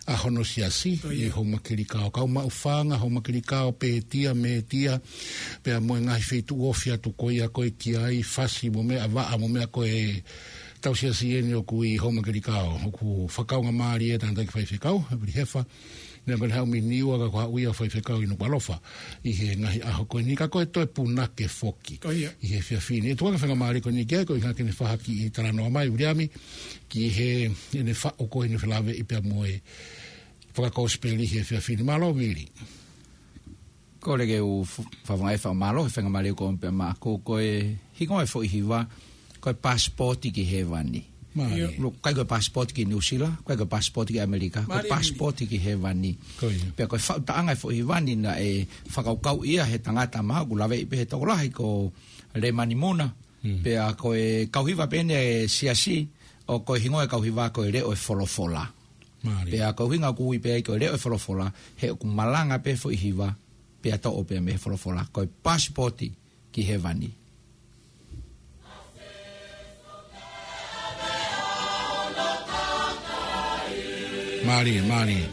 ʻa hono siasi, Ko ia. ʻi Houmakelikao. Kau Maʻufanga, Houmakelikao, Pētia, Mētia, pea mo e ngaahi feituʻu ofi atu ko ia ko ē ki ai, Fasi mo meʻa, Vaʻa mo meʻa, ko ʻetau siasi eni ʻoku ʻi Houmakelikao, ʻoku fakakaungāmālie e tangataʻeiki faifekau, Vilihefa, neongo ʻene haʻu mei Niua ka ko e haʻu ia ʻo faifekau ʻi Nukuʻalofa ʻi he ngaahi ʻaho ko eni, ka ko e toe punake foki Ko ia. ʻi he efiafi ni. ʻE tuku ange e faingamālie ko eni ki ai, ko e ʻuhinga ke ne fai ha kiʻi talanoa mai Viliami ki heʻene faʻu ko eni ʻo felāveʻi pea mo e fakakosipeli he efiafi ni. Mālō Vili. Kole ke u f-, fakafetaʻi fakamālō he faingamālie ʻoku ʻomi pē maʻaku. Ko e hingoa e foʻi hiva, ko e Pasipoti ki Hēvani. Mālie. ʻIo. ʻOku ʻikai ko e pasipoti ki New Zealand, ʻikai ko e pasipoti ki ʻAmelika, ko e Mālie. pasipoti ki Hēvani. Ko ia. Pea ko e faʻu taʻanga e foʻi hiva ni naʻe fakakaukau ia he tangata mahalo ʻoku laveʻi pē he tokolahi ko Lēmani Muna. Mm. Pea ko e kau hiva pē eni e siasi, ʻo ko e hingoa e kau hiva ko e Leʻo e Folofola. Mālie. Pea ko e ʻuhinga ʻoku ui pē ai ko e Leʻo e Folofola, he ʻoku malanga pē foʻi hiva, pea toʻo pē mei he folofola, ko e Pasipoti ki Hēvani. Mālie, mālie.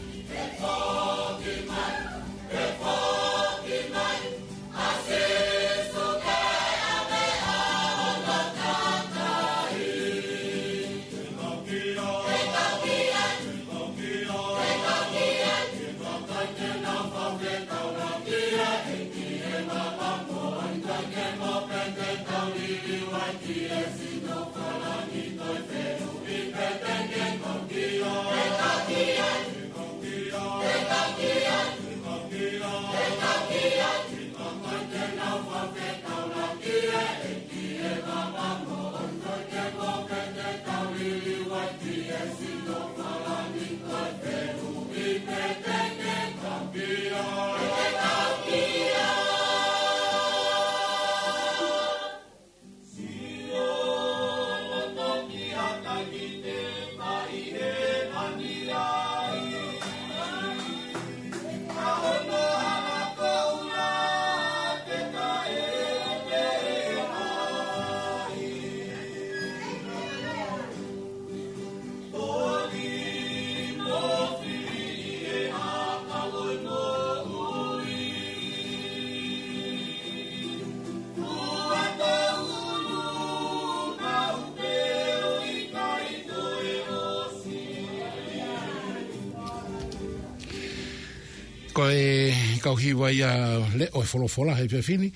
Ko e kau hiva ia Leʻo e Folofola he efiafi ni,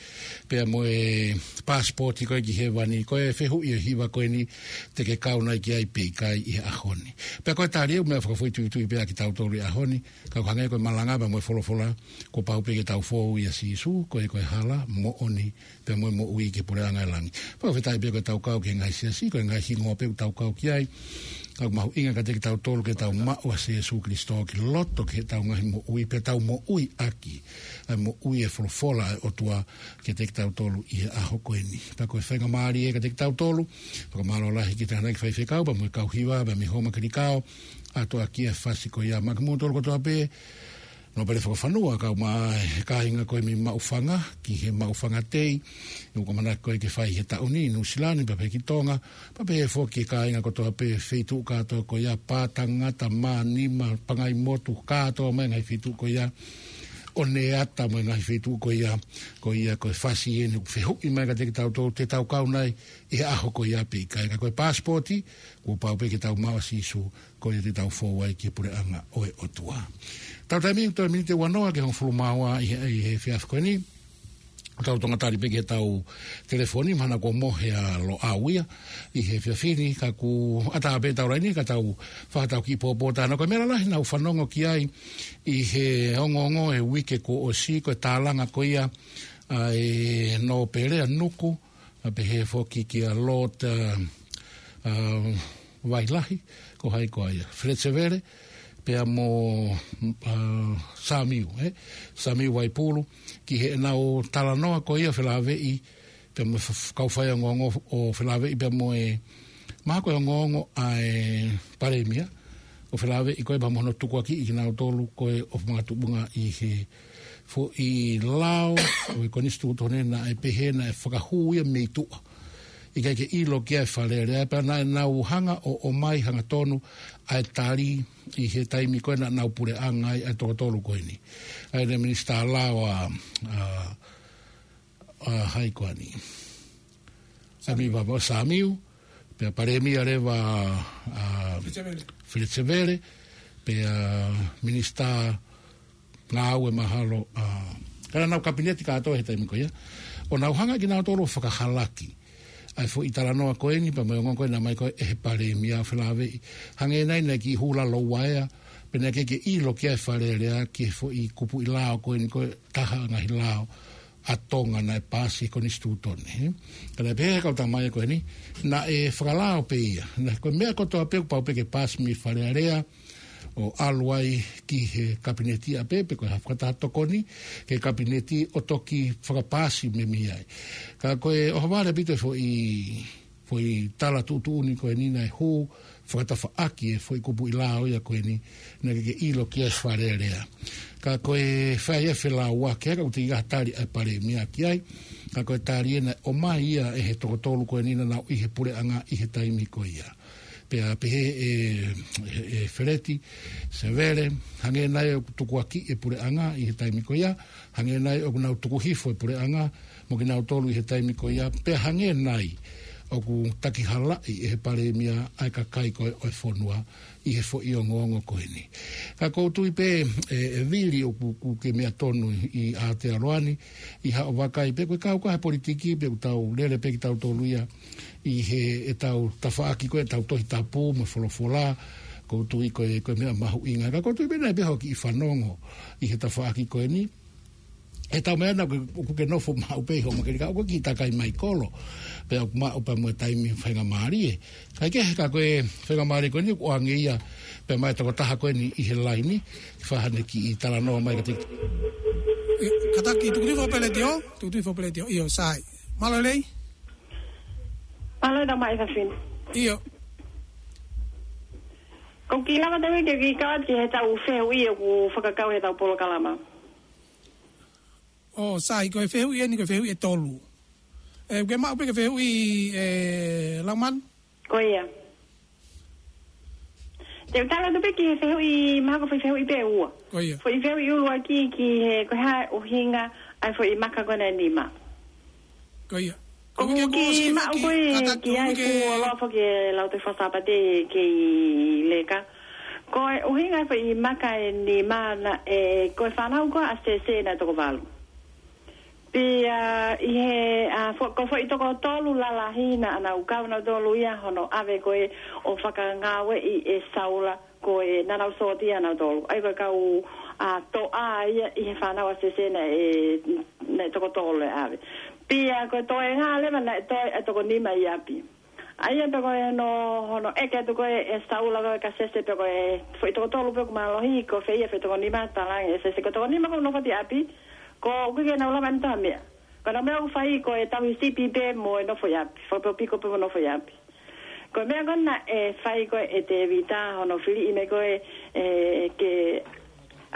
pea mo e Pasipoti ko ē ki Hēvani, ko e fehuʻi e hiva ko eni, te ke kau nai ki ai pe ʻikai ʻi he ʻaho ni. Pea ko e tali ʻoku meʻa fakafoʻituitui pē ʻa kitautolu he ʻaho ni, ka ʻoku hangē ko e malanga pea mo e folofola, kuo pau pē ke tau fou ʻia Sīsū, ko e, ko e hala, moʻoni, pea mo e moʻui ki he puleʻanga ʻo e langi. Fakafetaʻi pē ko ʻetau kau ki he ngaahi siasi, ko e ngaahi hingoa pē ʻoku tau kau ki ai. Ka ʻoku mahuʻinga kiate kitautolu ke tau maʻu ʻa Sīsū Kalaisi ki loto ki heʻetau ngaahi moʻui, pea tau moʻui ʻaki ʻa e moʻui e folofola ʻa e ʻOtua kiate kitautolu ʻi he ʻaho ko eni. Pea ko e faingamālie kiate kitautolu, fakamālō lahi ki he tangataʻeiki faifekau, pea mo e kau hiva, pea mei Houmakelikao, ʻoatu ʻaki e fasi ko ia maʻa kimoutolu kotoa pē, Nōpele fakafanua, kau mai e kāinga ko ē mei Maʻufanga ki he Maʻufanga Tei, ʻoku ʻamanaki ko ē ke fai he taʻu ni ʻi Nuʻusila ni, pea pehē ki Tonga, pea pehē foki ki he kāinga kotoa pē feituʻu kātoa ko ia, Pātangata, Mānima, Pangaimotu, kātoa mai ngaahi feituʻu ko ia, ʻOneata mo e ngaahi feituʻu ko ia, ko ia ko e fasi eni ʻoku fehuʻi mai kiate kitautolu te tau kau nai ʻi he ʻaho ko ia pe ʻikai. Ka ko e pasipoti, kuo pau pē ke tau maʻu ʻa Sīsū, ko ia te tau fou ai ki he puleʻanga ʻo e ʻOtua. Tau taimi ʻoku toe miniti ua noa ki he hongofulu mā ua ʻi he, ʻi he efiafi ko eni. Tau tonga tali pē ki heʻetau telefoni, mahalo kuo mohe ʻa Loʻau ia ʻi he efiafi ni, ka ʻoku ʻatā pē ʻetau laini, ka tau fakatau kiʻi pōpō tānaki. Ko e meʻa lalahi naʻa ku fanongo ki ai ʻi he ongoongo e uike kuo ʻosi, ko e tālanga ko ia ʻa e nōpele ʻa Nuku, ʻa pehē foki kia Lord, ʻa, ʻa, Vailahi, ko hai koā ia, Feleti Sevele, pea mo, ʻa, Samiu, ē? Samiu Vaipulu, ki heʻenau talanoa ko ia felāveʻi, pea mo f-, f-, kau faiongoongo ʻo felāveʻi pea mo e, mahalo ko e ongoongo ʻa e Palēmia, ʻo felāveʻi ko e pea mo hono tukuakiʻi kinautolu ko e ʻofa makatuʻunga ʻi he foʻi lao ʻo e konisitūtone naʻe pehē naʻe fakahū ia mei tuʻa. ʻIkai ke ʻilo ki ai e Fale Alea, pea naʻa nau hanga ʻo, ʻomai hangatonu ʻa e tali ʻi he taimi ko ē naʻa nau puleʻanga ai ʻa e toko tolu ko eni. ʻA ia ko e Minisitā Lao ʻa, ʻa, ʻa hai koā eni. Samiu. Samiu Vava, Samiu, pea Palēmia leva ʻa Feleti Sevele, pea Minisitā Ngāue mahalo, ʻa, ka naʻa nau kapineti kātoa he taimi ko ia. ʻO nau hanga kinautolu ʻo fakahalaki ʻa e foʻi talanoa ko eni, pea mo e ongoongo ko ē naʻe ʻomai ko ē ʻe he Palēmia ʻo felāveʻi. Hangē nai naʻe kiʻi hula louaea, pea naʻe ʻikai ke ʻilo ki ai e Fale Alea ki he foʻi kupuʻi lao ko eni ko e taha ngaahi lao ʻa Tonga naʻe paasi he konisitūtone, ē? Ka naʻe pehē ʻe he kau tamaiki ko eni, naʻe fakalao pē ia. Naʻe ko e meʻa kotoa pē kuo pau pē ke paasi mei Fale Alea, ʻo ʻalu ai ki he kapineti ʻapē, pe ko e hā fakataha tokoni ki he kapineti ʻo toki fakapaasi mei mei ai. Ka ko e ʻohovale ʻaupito e foʻi foʻi tala tuʻutuʻuni ko eni naʻe hū fakatafaʻaki e foʻi kupuʻi lao ia ko eni, naʻe ʻikai ke ʻilo ki ai e Fale Alea. Ka ko e fai e felāuaki, ka ʻoku teʻeki ai ha tali ʻa e Palēmia ki ai, ka ko e tali ē naʻe ʻomai ia ʻe he toko tolu ko eni naʻa nau ʻi he puleʻanga ʻi he taimi ko ia. Pea pehē ʻe, ʻe, ʻe Feleti Sevele, hangē nai ʻoku tukuakiʻi e puleʻanga ʻi he taimi ko ia, hangē nai ʻoku nau tuku hifo e puleʻanga mo kinautolu ʻi he taimi ko ia, pea hangē nai ʻoku takihalaʻi ʻe he Palēmia ʻa e kakai ko ē ʻo e fonua ʻi he foʻi ongoongo ko eni. Ka ʻoku ou tui pē ʻe, ʻe Vili ʻoku, ʻoku ke meʻa tonu ʻi Aotearoa ni, ʻi haʻo vakai pē, ko e kau ko ē he politiki pē ʻoku tau lele pē kitautolu ia ʻi heʻetau tafaʻaki ko ē ʻetau Tohi Tapu mo e folofola, ʻoku ou tui ko e, ko e meʻa mahuʻinga. Ka ʻoku ou tui pē naʻe pē hoʻo kiʻi fanongo ʻi he tafaʻaki ko eni. ʻE tau meʻa naʻa ʻoku, ʻoku ke nofo maʻu pē ʻi hoʻo makehe ka ʻoku ke kiʻi takai mai kolo. Pea ʻoku maʻu pē mo e taimi faingamālie. Kae kehe ka ko e faingamālie ko eni ʻoku ʻoange ia pē maʻa e tokotaha ko eni ʻi he laini, ke fai haʻane kiʻi talanoa mai kiate. ʻE, kātaki, tuku tuʻi foʻi pē letiō, tuku tuʻi foʻi pē letiō, ʻio, sai. Mālō e lelei? Mālō e tamaiki fafine. ʻIo. ʻOku ou kiʻi lava tau ke kiʻi kau atu ki heʻetau fehuʻi ʻoku fakakau heʻetau polokalama. ʻO, sai, ko e fehuʻi eni, ko e fehuʻi ʻe tolu. ʻE, ke maʻu pē ke fehuʻi, ʻe, Laumanu? Ko ia. Te u tala atu pē ki he fehuʻi, mahalo ko e foʻi fehuʻi pē ʻe ua. Ko ia. Foʻi fehuʻi ʻuluaki ki he, ko e hā e ʻuhinga ʻa e foʻi maka ko ena ʻe nima. Ko ia. Ko ʻeku kiʻi kiʻi maʻu ko ē, kātaki, ki ai ʻoku ke kuo lau foki e Lautohi Faka-Sāpate kei leka. Ko e ʻuhinga e foʻi maka ʻe nima naʻe, ko e fānau ko ē ʻa Sese naʻe toko valu. Pea ʻi he, ʻa, fo-, ko e foʻi toko tolu lalahi naʻa nau kau nautolu ia hono ʻave ko ē ʻo fakangāueʻi ʻe Saula, ko e naʻa nau sōtia nautolu. ʻA ia ko e kau, ʻa, toʻa ia ʻi he fānau ʻa Sese naʻe, naʻe toko tolu e ʻave. Pea ko e toenga leva naʻe toe ʻa e toko nima ʻi ʻapi. ʻA ia pea ko hono, hono ʻeke atu ko ē ʻe Saula ko ē kia Sese pe ko e foʻi toko tolu pē ʻoku mālohi, ko fē ia e foʻi toko nima, talaange ʻe Sese ko e toko nima ʻoku nofo atu ʻi ʻapi, ko ʻoku ʻikai ke nau lava ʻenau taha meʻa. Ko ʻenau meʻa ʻoku fai ko e tauhi sipi pē mo e nofo ʻi ʻapi, fakapikopiko pē mo e nofo ʻi ʻapi. Ko e meʻa ko ē naʻe fai ko ē ʻe Tēvita hono filiʻi mai ko ē, ʻe, ke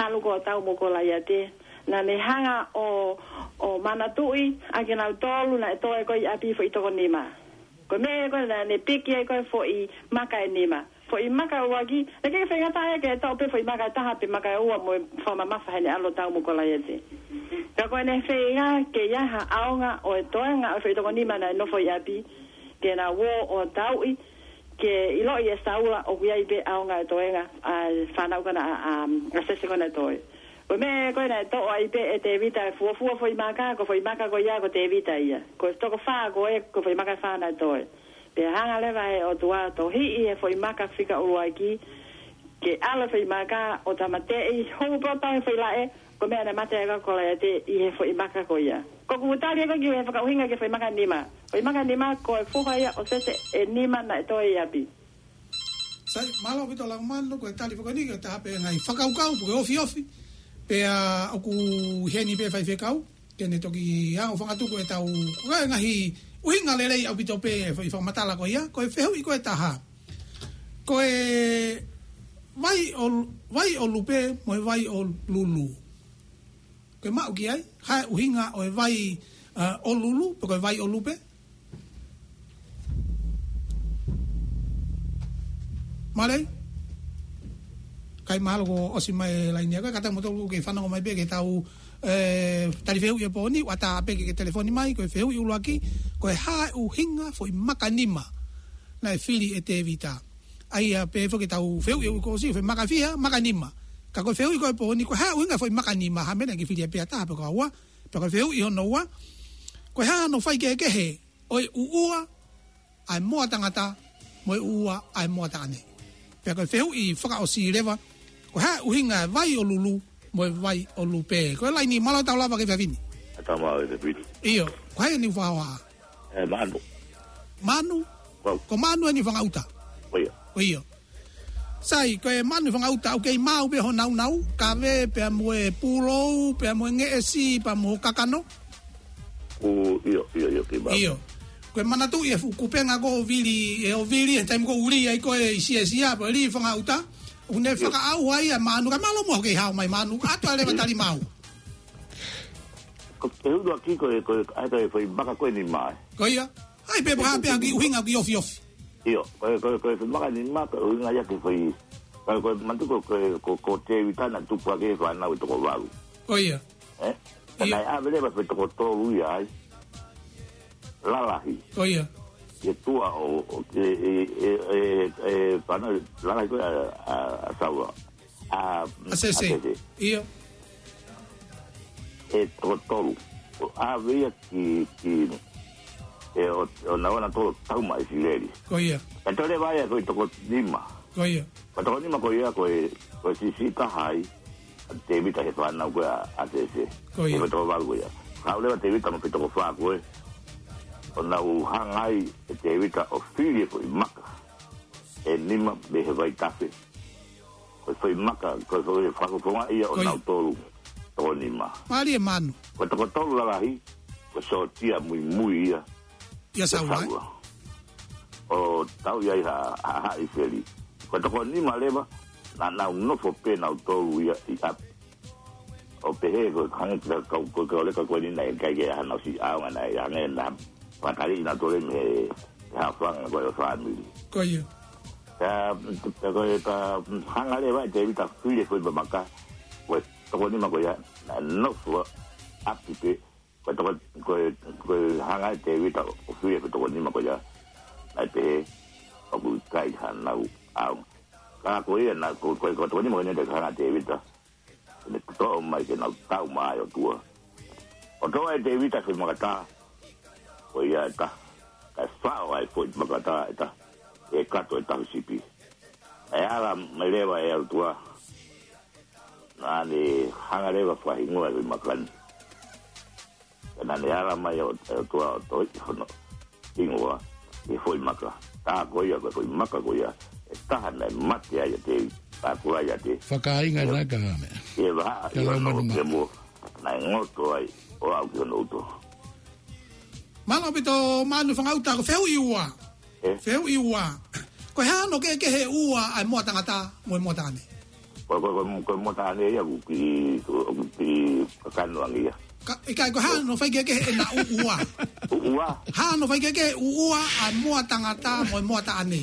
ʻalu ko ē ʻo tau mo Kolaiate, naʻa ne hanga ʻo, ʻo manatuʻi ʻa kinautolu naʻe toe ko ē ʻi ʻapi foʻi toko nima. Ko e meʻa ko ē naʻa ne piki ai ko ē foʻi maka ʻe nima. Foʻi maka ʻuluaki, naʻe ʻikai ke faingataʻa ia ke toʻo pē foʻi maka ʻe taha pe maka ʻe ua mo e fakamamafa heʻene ʻalu ʻo tau mo Kolaiate. Ka ko ʻene feinga ke ʻi ai ha ʻaonga ʻo e toenga ʻo e foʻi toko nima naʻe nofo ʻi ʻapi, ke na ō ʻo tauʻi, ke ʻiloʻi ʻe Saula ʻoku ʻi ai pē ʻaonga ʻo e toenga ʻa e fānau ko ena ʻa, ʻa, ʻa Sese ko ena ʻe toe. Ko e meʻa ko ē naʻe toʻo ai pē ʻe Tēvita e fuofua foʻi maka, ko e foʻi maka ko ia ko Tēvita ia. Ko e toko fā ko ē, ko e foʻi maka ʻe fā naʻe toe. Pea hanga leva ʻe he ʻOtua ʻo tohiʻi e foʻi maka fika ʻuluaki, ke ʻalu e foʻi maka ʻo tāmateʻi, hū pē ʻo tau he foʻi laʻe, ko e meʻa naʻe mate ai ʻa Kolaiate ʻi he foʻi maka ko ia. Ko ʻeku tali ʻe au ki he fakaʻuhinga ki he foʻi maka nima. Foʻi maka nima ko e foha ia ʻo Sese ʻe nima naʻe toe ʻi ʻapi. Sai, mālō ʻaupito Laumanu, ko e tali foki eni, ko e taha pē ngaahi fakakaukau, pe ko e ofiofi. Pea ʻoku ʻi heni pē faifekau ke ne toki hanga ʻo fakatuku ʻetau, ko e ngaahi ʻuhinga lelei ʻaupito pē e foʻi fakamatala ko ia, ko e fehuʻi ko ē ʻe taha. Ko e vai ʻo, vai ʻo lupe mo e vai ʻo lulu. Ko e maʻu ki ai, hā e ʻuhinga ʻo e vai, ʻa, ʻo lulu, pe ko e vai ʻo lupe? Mālō? ʻIkai, mahalo kuo ʻosi mai e laini ʻa koe, kātaki mou tolu ke fanongo mai pē ki heʻetau, ē, tali fehuʻi ʻo e pō ni, ʻoua ʻe ʻā pē ke ke telefoni mai, ko e fehuʻi ʻuluaki, ko e hā e ʻuhinga foʻi maka nima naʻe fili ʻe Tēvita. ʻA ia pē foki ʻetau fehuʻi ʻoku ʻosi, foʻi maka fiha, maka nima. Ka ko e fehuʻi ko ē ʻo e pō ni, ko e hā e ʻuhinga foʻi maka nima, ha meʻa naʻe ʻikai ke fili ia pē ʻe taha pe ko e ua, pea ko e fehuʻi hono ua, ko e hā hono faikehekehe ʻo e ʻuʻua ʻa e moa tangata mo e ʻuʻua ʻa e moa taʻane. Pea ko e fehuʻi fakaʻosi leva, ko e hā e ʻuhinga e vai ʻo lulu mo e vai ʻo lupe. Ko e laini, mālō, tau lava ki he efiafi ni. Tau lava ki he efiafi ni. ʻIo, ko hai eni ʻoku fakahohaʻa? Ē, Manu. Manu? Ko au. Ko Manu eni Fangaʻuta? Ko ia. Ko ia. Sai, ko e Manu Fangaʻuta, ʻoku kei maau pē hoʻo nāunau, kave pea mo e pulou, pea mo e ngeʻesi, pea mo e kakano? ʻIo, ʻio, ʻio, kei maau. ʻIo. Ko e manatuʻi e fuʻu kupenga ko ē ʻo Vili, ʻe ʻo Vili, he taimi ko ē ʻoku lī ai ko ē ʻi Siasia, pea lī Fangaʻuta, ʻoku ne fakaʻauha ia ʻe Manu, ka mālō muʻa hoʻo kei haʻu mai Manu, ʻoatu leva e tali maau. Ko e fehuʻi ʻuluaki ko e, ko e, ʻa e, ko e foʻi maka ko ē ʻe nima. Ko ia. ʻAi pē, pea pehē ki he ʻuhinga ki he ofiofi. ʻIo, ko e, ko e, ko e foʻi maka ʻe nima, ko e ʻuhinga ia ki he foʻi, ko e, ko e manatuʻi ko e, ko e, ko Tēvita naʻe tupu hake he fānau ʻe toko valu. Ko ia. Ē? Ka ʻio. Naʻe ʻave leva e foʻi toko tolu ia ai. Lalahi. Ko ia. Ki he tuʻa ʻo, ʻo, ʻe, ʻe, fānau lalahi ko ē ʻa, ʻa, ʻa Saula. ʻA, ʻa Sese. ʻA Sese. ʻIo. ʻE toko tolu. ʻO ʻave ia ki, ki, ʻe ʻo, ʻo nau ō nautolu ʻo tau maʻa ʻIsileli. Ko ia. Ka toe leva ia ko e toko nima. Ko ia. Ko e toko nima ko ia ko e, ko e siʻisiʻi taha ai ʻa Tēvita he fānau ko ē ʻa, ʻa Sese. Ko ia. Ko e toko valu ko ia. Haʻu leva Tēvita mo e toko fā ko ē. ʻO nau hanga ai ʻe Tēvita ʻo fili e foʻi maka ʻe nima mei he vaitafe. Ko e foʻi maka, ko e foʻi fakafofonga ia ʻo nautolu toko nima. Mālie Manu. Ko e toko tolu lalahi, ko e sōtia muimui ia ʻia Saula, ē? ʻO tau ia ʻi ha, ha, ha ʻIsileli. Ko e toko nima leva, naʻa nau nofo pē nautolu ia ʻi ʻapi. ʻO pehē ko e hangē ko e kau, ko e kau leka ko eni naʻe ʻikai ke ʻi ai haʻanau siʻi ʻaonga, naʻe hangē naʻa fakataliʻi nautolu mei he, he haʻofanga ko ē ʻo e fāmili. Ko ia. Pea, pea ko e, pea hanga leva ʻe Tēvita ʻo fili e foʻi maka, ko e toko nima ko ia, naʻe nofo ʻapi pē, ko e toko, ko e, ko e hanga ʻe Tēvita ʻo fili e foʻi toko nima ko ia, naʻe pehē ʻoku ʻikai haʻanau ʻaonga. Ka ko ia naʻe, ko, ko, ko e toko nima ko ia naʻe hanga ʻe Tēvita ke ne toʻo mai ke nau tau maʻa e ʻOtua. ʻO toʻo ʻe Tēvita e foʻi maka taha, ko ia ʻe taha. Kae faʻo ʻa e foʻi maka taha ʻe taha ʻi he kato ʻo e tauhi sipi. ʻE ala mai leva e ʻOtua, naʻa ne hanga leva ʻo fakahingoa e foʻi maka ni. Pea naʻa ne ala mai ʻo, ʻe ʻOtua ʻo toʻo hono hingoa ʻi he foʻi maka. Tā ko ia, ko e foʻi maka ko ia ʻe taha naʻe mate ai ʻa Tēvita, tā ko ia ʻa Tēvita. Fakainga ʻi he, naʻe ka meʻa. ʻI he vahaʻa ʻi hono kemo, naʻe ngoto ai ʻo aʻu ki hono uto. Mālō ʻaupito Manu Fangaʻuta, ko e fehuʻi ua. Ē? Fehuʻi ua. Ko e hā hono kehekehe ʻe ua ʻa e moa tangata mo e moa taʻane? Ko, ko, ko, ko e moa taʻane ia ʻoku kiʻi, ʻoku kiʻi kakano ange ia. Ka, ʻikai, ko e hā hono faikehekehe ʻena ʻuʻua? ʻUʻua? Hā hono faikehekehe ʻuʻua ʻa e moa tangata mo e moa taʻane?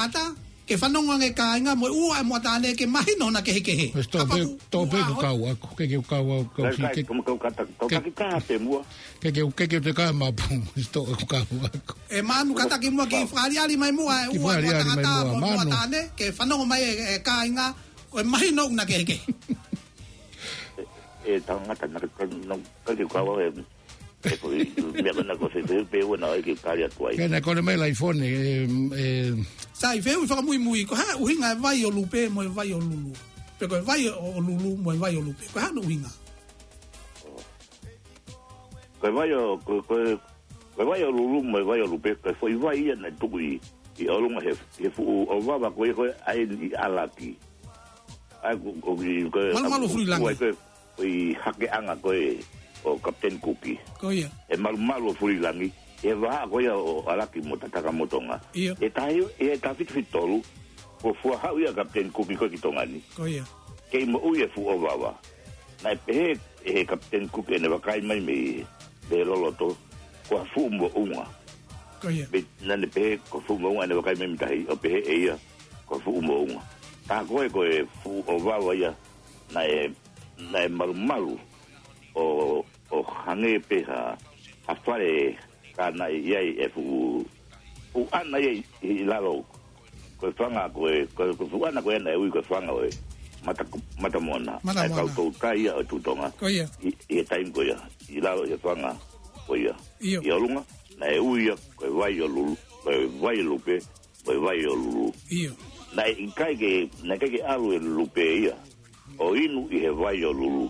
tangata, ke fanongo ange e kāinga mo e ua e moʻa taʻane ke mahino hona kehekehe. Mas to pe, Kapau to pe ua ko hot- kau aku, ke ke kau aku, kau Kai, fi-, kai, ke, kau, kau kata, kau ke, kaki kaha pe mua. ke ke, ke ke te kaha mapu, mas to ko kau aku. E manu kata ki mua ki Mau. fakaʻaliʻali mai muʻa, e Ki ua e moʻa fakaʻaliʻali mai tangata, muʻa, mo e moʻa manu. taʻane, ke fanongo mai e, e kāinga, ko e mahino ʻoku na kehekehe. E, e tangata, na, na, na, ka ke kau e, e ko i, meʻa ko na ko se, se, pe ua na, e ke kali atu ai. Ke na kole mai laifone, e, e. Sai, fehuʻi fakamuimui, ko e hā e ʻuhinga e vai ʻo Lupe mo e vai ʻo Lulu. Pe ko e vai ʻo, ʻo Lulu mo e vai ʻo Lupe. Ko e hā hono ʻuhinga? Ko e vai ʻo, ko, ko, ko e vai ʻo Lulu mo e vai ʻo Lupe, ko e foʻi vai ia naʻe tuku ʻi, ʻi ʻolunga he, he fuʻu ʻovava ko ia ko ē ʻa eni ʻi ʻAlaki. ʻA ia ko, ko, ko, ko, Malumalu ʻa, Fulilangi. Ko e, ko e hakeʻanga ko ē ʻo Kapiteni Kuki. Ko ia. ʻE Malumalu ʻo Fulilangi, he vahaʻa ko ia ʻo ʻAlaki mo Tatakamotonga. ʻIo. ʻE tahi, ʻe taha fitu fitu tolu, kuo fuahaʻu ia ʻa Kapiteni Kuki ko ē ki Tonga ni. Ko ia. Kei moʻui e fuʻu ʻovava. Naʻe pehē ʻe he Kapiteni Kuki ʻene vakai mai mei, mei loloto, ko ha fuʻu moʻunga. Ko ia. Mei, naʻa ne pehē ko ha fuʻu moʻunga ʻene vakai mai mei tahi, ʻo pehē ʻe ia ko ha fuʻu moʻunga. Ka ko e, ko e fuʻu ʻovava ia, naʻe, naʻe malumalu ʻo, ʻo hangē pē ha, ha fale ka naʻe ʻi ai e fuʻu, fuʻu ʻana ia ʻi, ʻi lalo. Ko e fanga ko e, ko e, ko e fuʻu ʻana ko ē naʻe ui ko e fanga ʻo e Mata, Mata Moana. Mata Moana. ʻA e kau toutai ia ʻo Tuʻi Tonga. Ko ia. ʻI, ʻi he taimi ko ia, ʻi lalo ʻi he fanga ko ia. ʻIo. ʻI ʻolunga, naʻe ui ia ko e vai ʻo Lulu, ko e vai ʻo Lupe, ko e vai ʻo Lulu. ʻIo. Naʻe ʻikai ke, naʻe ʻikai ke ʻalu e Lupe ia ʻo inu ʻi he vai ʻo Lulu.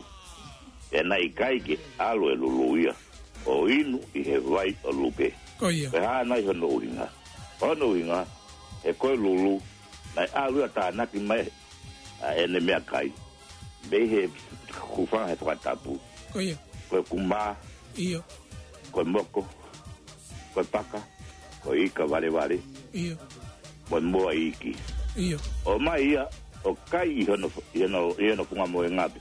ʻE naʻe ʻikai ke ʻalu e Lulu ia ʻo inu ʻi he vai ʻo Lupe. Ko ia. Ko e hā nai hono ʻuhinga? Hono ʻuhinga, he ko e Lulu, naʻe ʻalu ia ʻo tānaki mai ʻa ʻene meʻakai. Mei he hūfanga he fakatapu. Ko ia. Ko e kumā. ʻIo. Ko e moko. Ko e paka. Ko e ika valevale. ʻIo. Mo e moa iiki. ʻIo. ʻOmai ia, ʻo kai ʻi hono, ʻi hono, ʻi hono funga mohenga pē.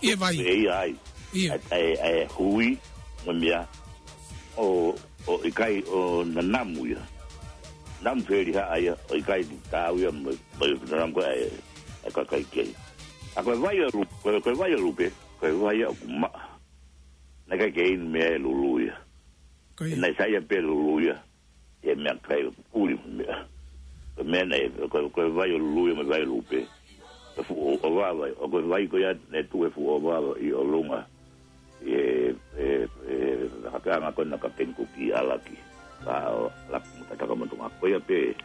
ʻI he vai. ʻE ia ai. ʻIo. ʻA e, ʻa e, ʻa e hui, mo e meʻa. ʻO, ʻo ʻikai, ʻo nanamu ia. Namu felihaʻa ia, ʻo ʻikai tau ia mo, mo nanamu ko e, ʻa e kakai kei. ʻA ko e vai ʻo Lu-, ko e, ko e vai ʻo Lupe, ko e vai ia ʻoku maʻa. Naʻe ʻikai ke inu meʻa e Lulu ia. Ko ia. Naʻe saiʻia pē Lulu ia. ʻI he meʻakai ʻuli meʻa. Ko e meʻa naʻe, ko, ko e vai ʻo Lulu ia mo e vai ʻo Lupe. Ko e fuʻu ʻovava, ʻo ko e vai ko ia naʻe tuʻu he fuʻu ʻovava ʻi ʻolunga. ʻI he, he, he, hakeʻanga ko ena ʻa Kapiteni Kuki ʻi ʻAlaki. Ka ʻo ʻAlaki mo Tatakamotonga. Ko ia pē.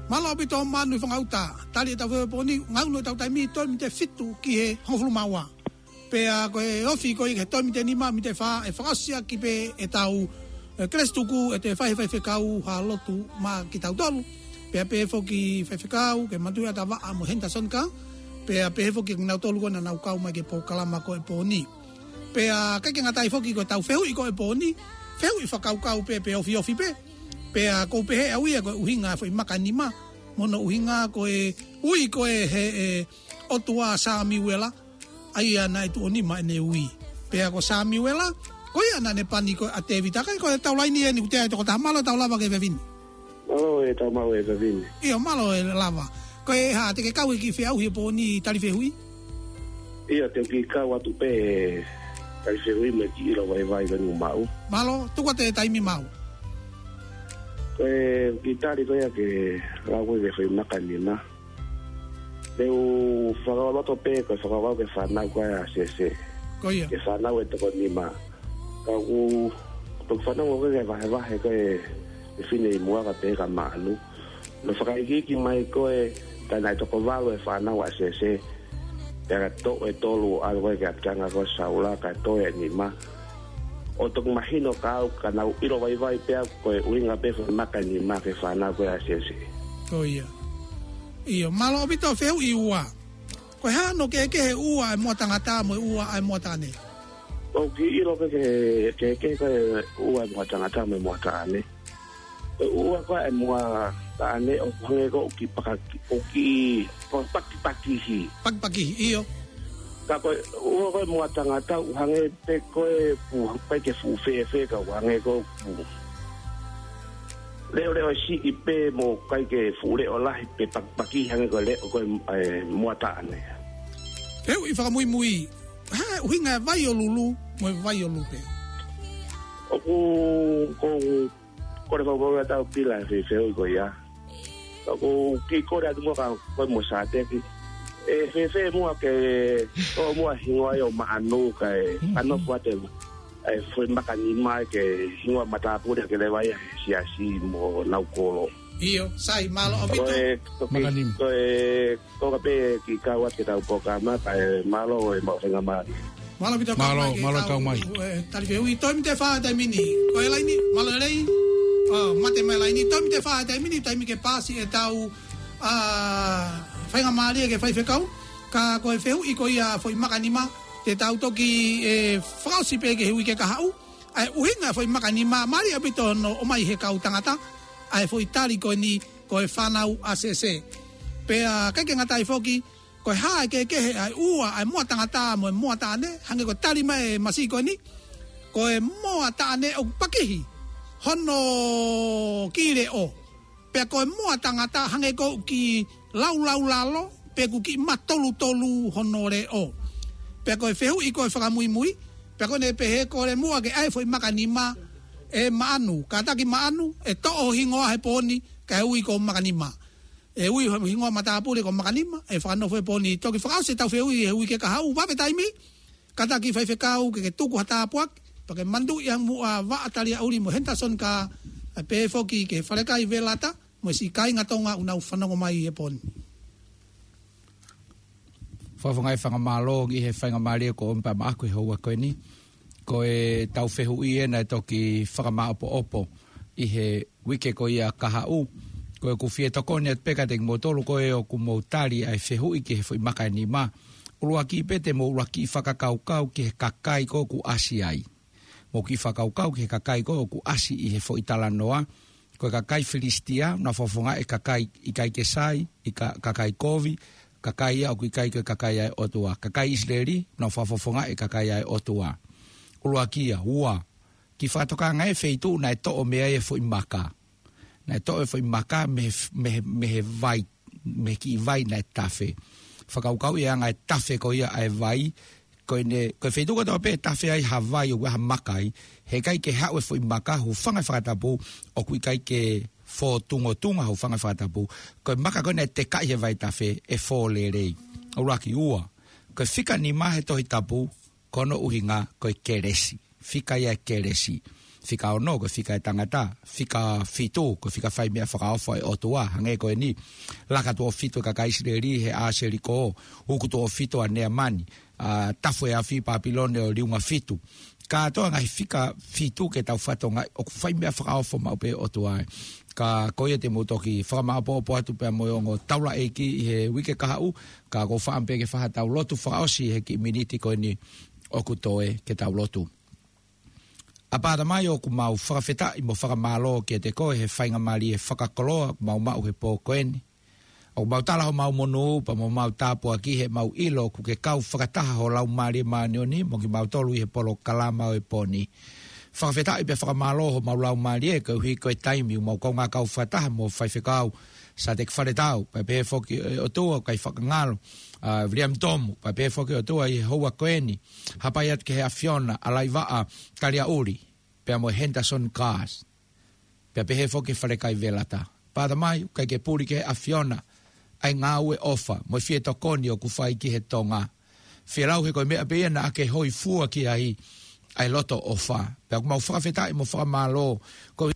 Mālō ʻaupito Manu Fangauta. Tali ʻetau fehuʻi he pō ni, ngaunu ʻetau taimi, toe miniti ʻe fitu ki he hongofulu mā ua. Pea ko e ofi ko ia ki he toe miniti ʻe nima, miniti ʻe fā, ʻe fakaʻosi ʻaki pē ʻetau, ʻe, Kelesi Tuku, ʻe toe fai ʻe he faifekau ha lotu maʻa kitautolu. Pea pehē foki faifekau, ke Matuiʻata Vaʻa mo Henderson Ka. Pea pehē foki kinautolu ko ē naʻa nau kau mai ki he polokalama ko ē he pō ni. Pea ʻikai ke ngata ai foki ko ʻetau fehuʻi ko ē he pō ni, fehuʻi fakakaukau pē, pe ofiofi pē. Pea ʻoku ou pehē au ia ko e ʻuhinga e foʻi maka ʻe nima, mo hono ʻuhinga ko e ui ko ē he, ʻe, ʻOtua Samiuela, ʻa ia naʻe tuʻo nima ʻene ui. Pea ko Samiuela, ko ia naʻa ne pani ko ē ʻa Tēvita. Kae ko e tau laini eni kuo teʻeki ai toko taha. Mālō e tau lava ki he efiafi ni. Mālō e tau maʻu e efiafi ni. ʻIo, mālō e lava. Ko e hā, te ke kau he kiʻi feʻauhi he pō ni tali fehuʻi? ʻIo, te u kiʻi kau atu pē he tali fehuʻi mo e kiʻi ʻilo vaivai ko eni ʻoku maʻu. Mālō, tuku atu e taimi maʻu. Ko e kiʻi tali ko ia ke lau ko ē ki he foʻi maka ʻe nima. Te u fakaloto pē, ko e fakakaukau ki he fānau ko ē ʻa Sese. Ko ia. Ki he fānau ʻe toko nima. Ka ʻoku, ʻoku fanongo ko ē ki he vahevahe ko ē ʻa e fefine ʻi muʻa ka pehē kia Manu. Naʻe fakaikiiki mai ko ē, ka naʻe toko valu e fānau ʻa Sese. Pea ka toʻo e tolu ʻo ʻalu ko ē ki he ʻapitanga ko ē ʻo Saula, ka toʻo e nima. ʻOku toki mahino kiate au, ka naʻa ku ʻilo vaivai pē au ko e ʻuhinga pē foʻi maka ʻe nima ki he fānau ko ē ʻa Sese. Ko ia. ʻIo, mālō ʻaupito. Fehuʻi ua. Ko e hā hono kehekehe ʻa e ua e moʻa tangata mo e ua e moʻa taʻane? ʻOku ou kiʻi ʻilo pē ki he kehekehe ko ē ʻa e ua e moʻa tangata mo e moʻa taʻane. Ko e ua ko ē e moʻa taʻane ʻoku hangē ko ē ʻoku kiʻi pakaki, ʻoku kiʻi pa-, pakipakihi. Pakipakihi, ʻio. Ka ko e, ʻoua ko e moa tangata ʻoku hangē pē ko e pū, ʻikai ke fuʻu fēfē ka ʻoku hangē ko e pū. Leʻoleʻo siʻi pē mo ʻikai ke fuʻu leʻo lahi pē pakipaki hangē ko e leʻo ko e, e, moa taʻane. Fehuʻi fakamuimui, ha, ʻuhinga e vai ʻo Lulu, mo e vai ʻo Lupe. ʻOku, ko, ko e fakamolemole ʻetau pila he fehuʻi ko ia. Ka ʻoku ou kiʻi kole atu muʻa kia koe mo Sāteki. ʻE fēfē muʻa ke ʻoua muʻa hingoa ia ʻo Maʻanu kae, mm, ka nofo atu e foʻi maka nima ke hingoa matāpule ke leva ia he siasi mo nau kolo. ʻIo, sai, mālō ʻaupito. Ko e, ko e, maka nima. Ko e, ko ka pē kiʻi kau atu ke tau pōkama, kae mālō e maʻu faingamālie. Mālō ʻaupito. Mālō, mālō kau mai. E, tali fehuʻi, toe mite fā taimi ni. Ko e laini, mālō e lei. ʻO, mate mai laini, toe mite fā taimi ni, taimi ke paasi ʻetau, ʻa, faingamālie ke faifekau. Ka ko e fehuʻi ko ia foʻi maka nima, te tau toki, e, fakaʻosi pē ki he uike kahaʻu. ʻA e ʻuhinga foʻi maka nima, mālie ʻaupito hono ʻomai he kau tangata, ʻa e foʻi tali ko eni, ko e fānau ʻa Sese. Pea ʻikai ke ngata ai foki, ko e hā e kehekehe ʻa e ua, ʻa e moa tangata mo e moa taʻane, hangē ko e tali mai e masi ko eni, ko e moa taʻane ʻoku pakihi hono kiʻi leʻo. Pea ko e moa tangata hangē ko e kiʻi laulaulalo, pe ʻoku kiʻi matolutolu hono leʻo. Pea ko e fehuʻi ko e fakamuimui, pea ko ʻene pehē kole muʻa ke ʻai foʻi maka nima ʻe Maʻanu. Kātaki Maʻanu, ʻe toʻo ho hingoa he pō ni, kae ui ko Maka Nima. ʻE ui ho hingoa matāpule ko Maka Nima, ʻe fakanofo he pō ni. Toki fakaʻosi ʻetau fehuʻi he uike kahaʻu, vave taimi, kātaki faifekau ke ke tuku ha tāpuaki, pea ke manatuʻi ʻa e muʻa Vaʻa Taliaʻuli mo Henderson Carr, ʻa pehē foki ki he Falekai Velata, mo e siʻi kāinga Tonga ʻoku nau fanongo mai he pō ni. Fakafofongaʻi fakamālō ki he faingamālie kuo ʻomi pē maʻaku he houa ko eni. Ko ʻetau fehuʻi ē naʻe toki fakamāʻopoʻopo ʻi he uike ko ia kahaʻu. Ko ʻeku fie tokoni atu pē kiate kimoutolu ko ē ʻoku mou tali ʻa e fehuʻi ki he foʻi maka ʻe nima. ʻUluaki pē te mou ʻuluaki fakakaukau ki he kakai ko ē ʻoku ʻasi ai. Mou kiʻi fakakaukau ki he kakai ko ē ʻoku ʻasi ʻi he foʻi talanoa. Ko e kakai Filisitia, nau fakafofongaʻi e kakai ʻikai ke sai, ʻi ka-, kakai kovi, kakai ia ʻoku ʻikai ko e kakai ʻa e ʻOtua. Kakai ʻIsileli, nau fakafofongaʻi e kakai ʻa e ʻOtua. ʻUluaki ia, ua, kiʻi fakatokangaʻi e feituʻu naʻe toʻo mei ai e foʻi maka. Naʻe toʻo e foʻi maka mei he f-, mei he, mei he vai, mei he kiʻi vai naʻe tafe. Fakakaukauʻi e anga e tafe ko ia ʻa e vai, ko ʻene, ko e feituʻu kotoa pē ʻe tafe ai ha vai ʻoku ʻi ai ha maka ai, heʻikai ke haʻu e foʻi maka, hūfanga he fakatapu, ʻoku ʻikai ke fōtungotunga, hūfanga he fakatapu. Ko e maka ko ē naʻe tekaʻi he vai tafe, ʻe fō lelei. ʻUluaki. Ua, ko e fika nima he Tohi Tapu, ko hono ʻuhinga ko e kelesi. Fika ia e kelesi. Fika ono, ko e fika e tangata. Fika fitu, ko e fika fai meʻa fakaofo ʻa e ʻOtua. Hangē ko eni. Laka tuʻo fitu e kakai ʻIsileli he ʻā Seliko. Uku tuʻo fitu ʻa Neamani. ʻA, tafu e afi Papilone ʻo liunga fitu. Kātoa ngaahi fika fitu ke tau fakatokangaʻi ʻoku fai meʻa fakaofo maʻu pē ʻOtua ē. Ka ko ia te mou toki fakamāʻopoʻopo atu pea mo e ongo taulaʻeiki ʻi he uike kahaʻu, ka ʻoku ou fakaʻamu pē ke fai haʻatau lotu fakaʻosi he kiʻi miniti ko eni ʻoku toe ke tau lotu. ʻApā Tamai, ʻoku mau fakafetaʻi mo fakamālō kiate koe he faingamālie fakakoloa ʻoku mau maʻu he pō ko eni. ʻOku mau tala homau monū pea mo homau tāpuaki he mau ʻilo ʻoku ke kau fakataha ho Laumālie Māʻoniʻoni mo kimautolu ʻi he polokalama ʻo e pō ni. Fakafetaʻi pea fakamālō homau laumālie koeʻuhi ko e taimi ʻoku mau kaungā kau fakataha mo Faifekau Sāteki Faletau, pea pehē foki ʻe ʻOtua ʻoku ʻikai fakangalo, ʻa, Viliami Tomu, pea pehē foki ʻOtua ʻi he houa ko eni, hapai atu ki he ʻAfiona, ʻa Laivaʻa Taliaʻuli, pea mo Henderson Carr. Pea pehē foki Falekai Velata. ʻApā Tamai, ʻoku ʻikai ke puli ki he ʻAfiona ʻa e ngāue ʻofa mo e fie tokoni ʻoku fai ki he Tonga. Fie lau he ko e meʻa pē ia naʻa ke hōifua ki ai, ʻa e loto ʻofa. Pea ʻoku mau fakafetaʻi mo fakamālō, ko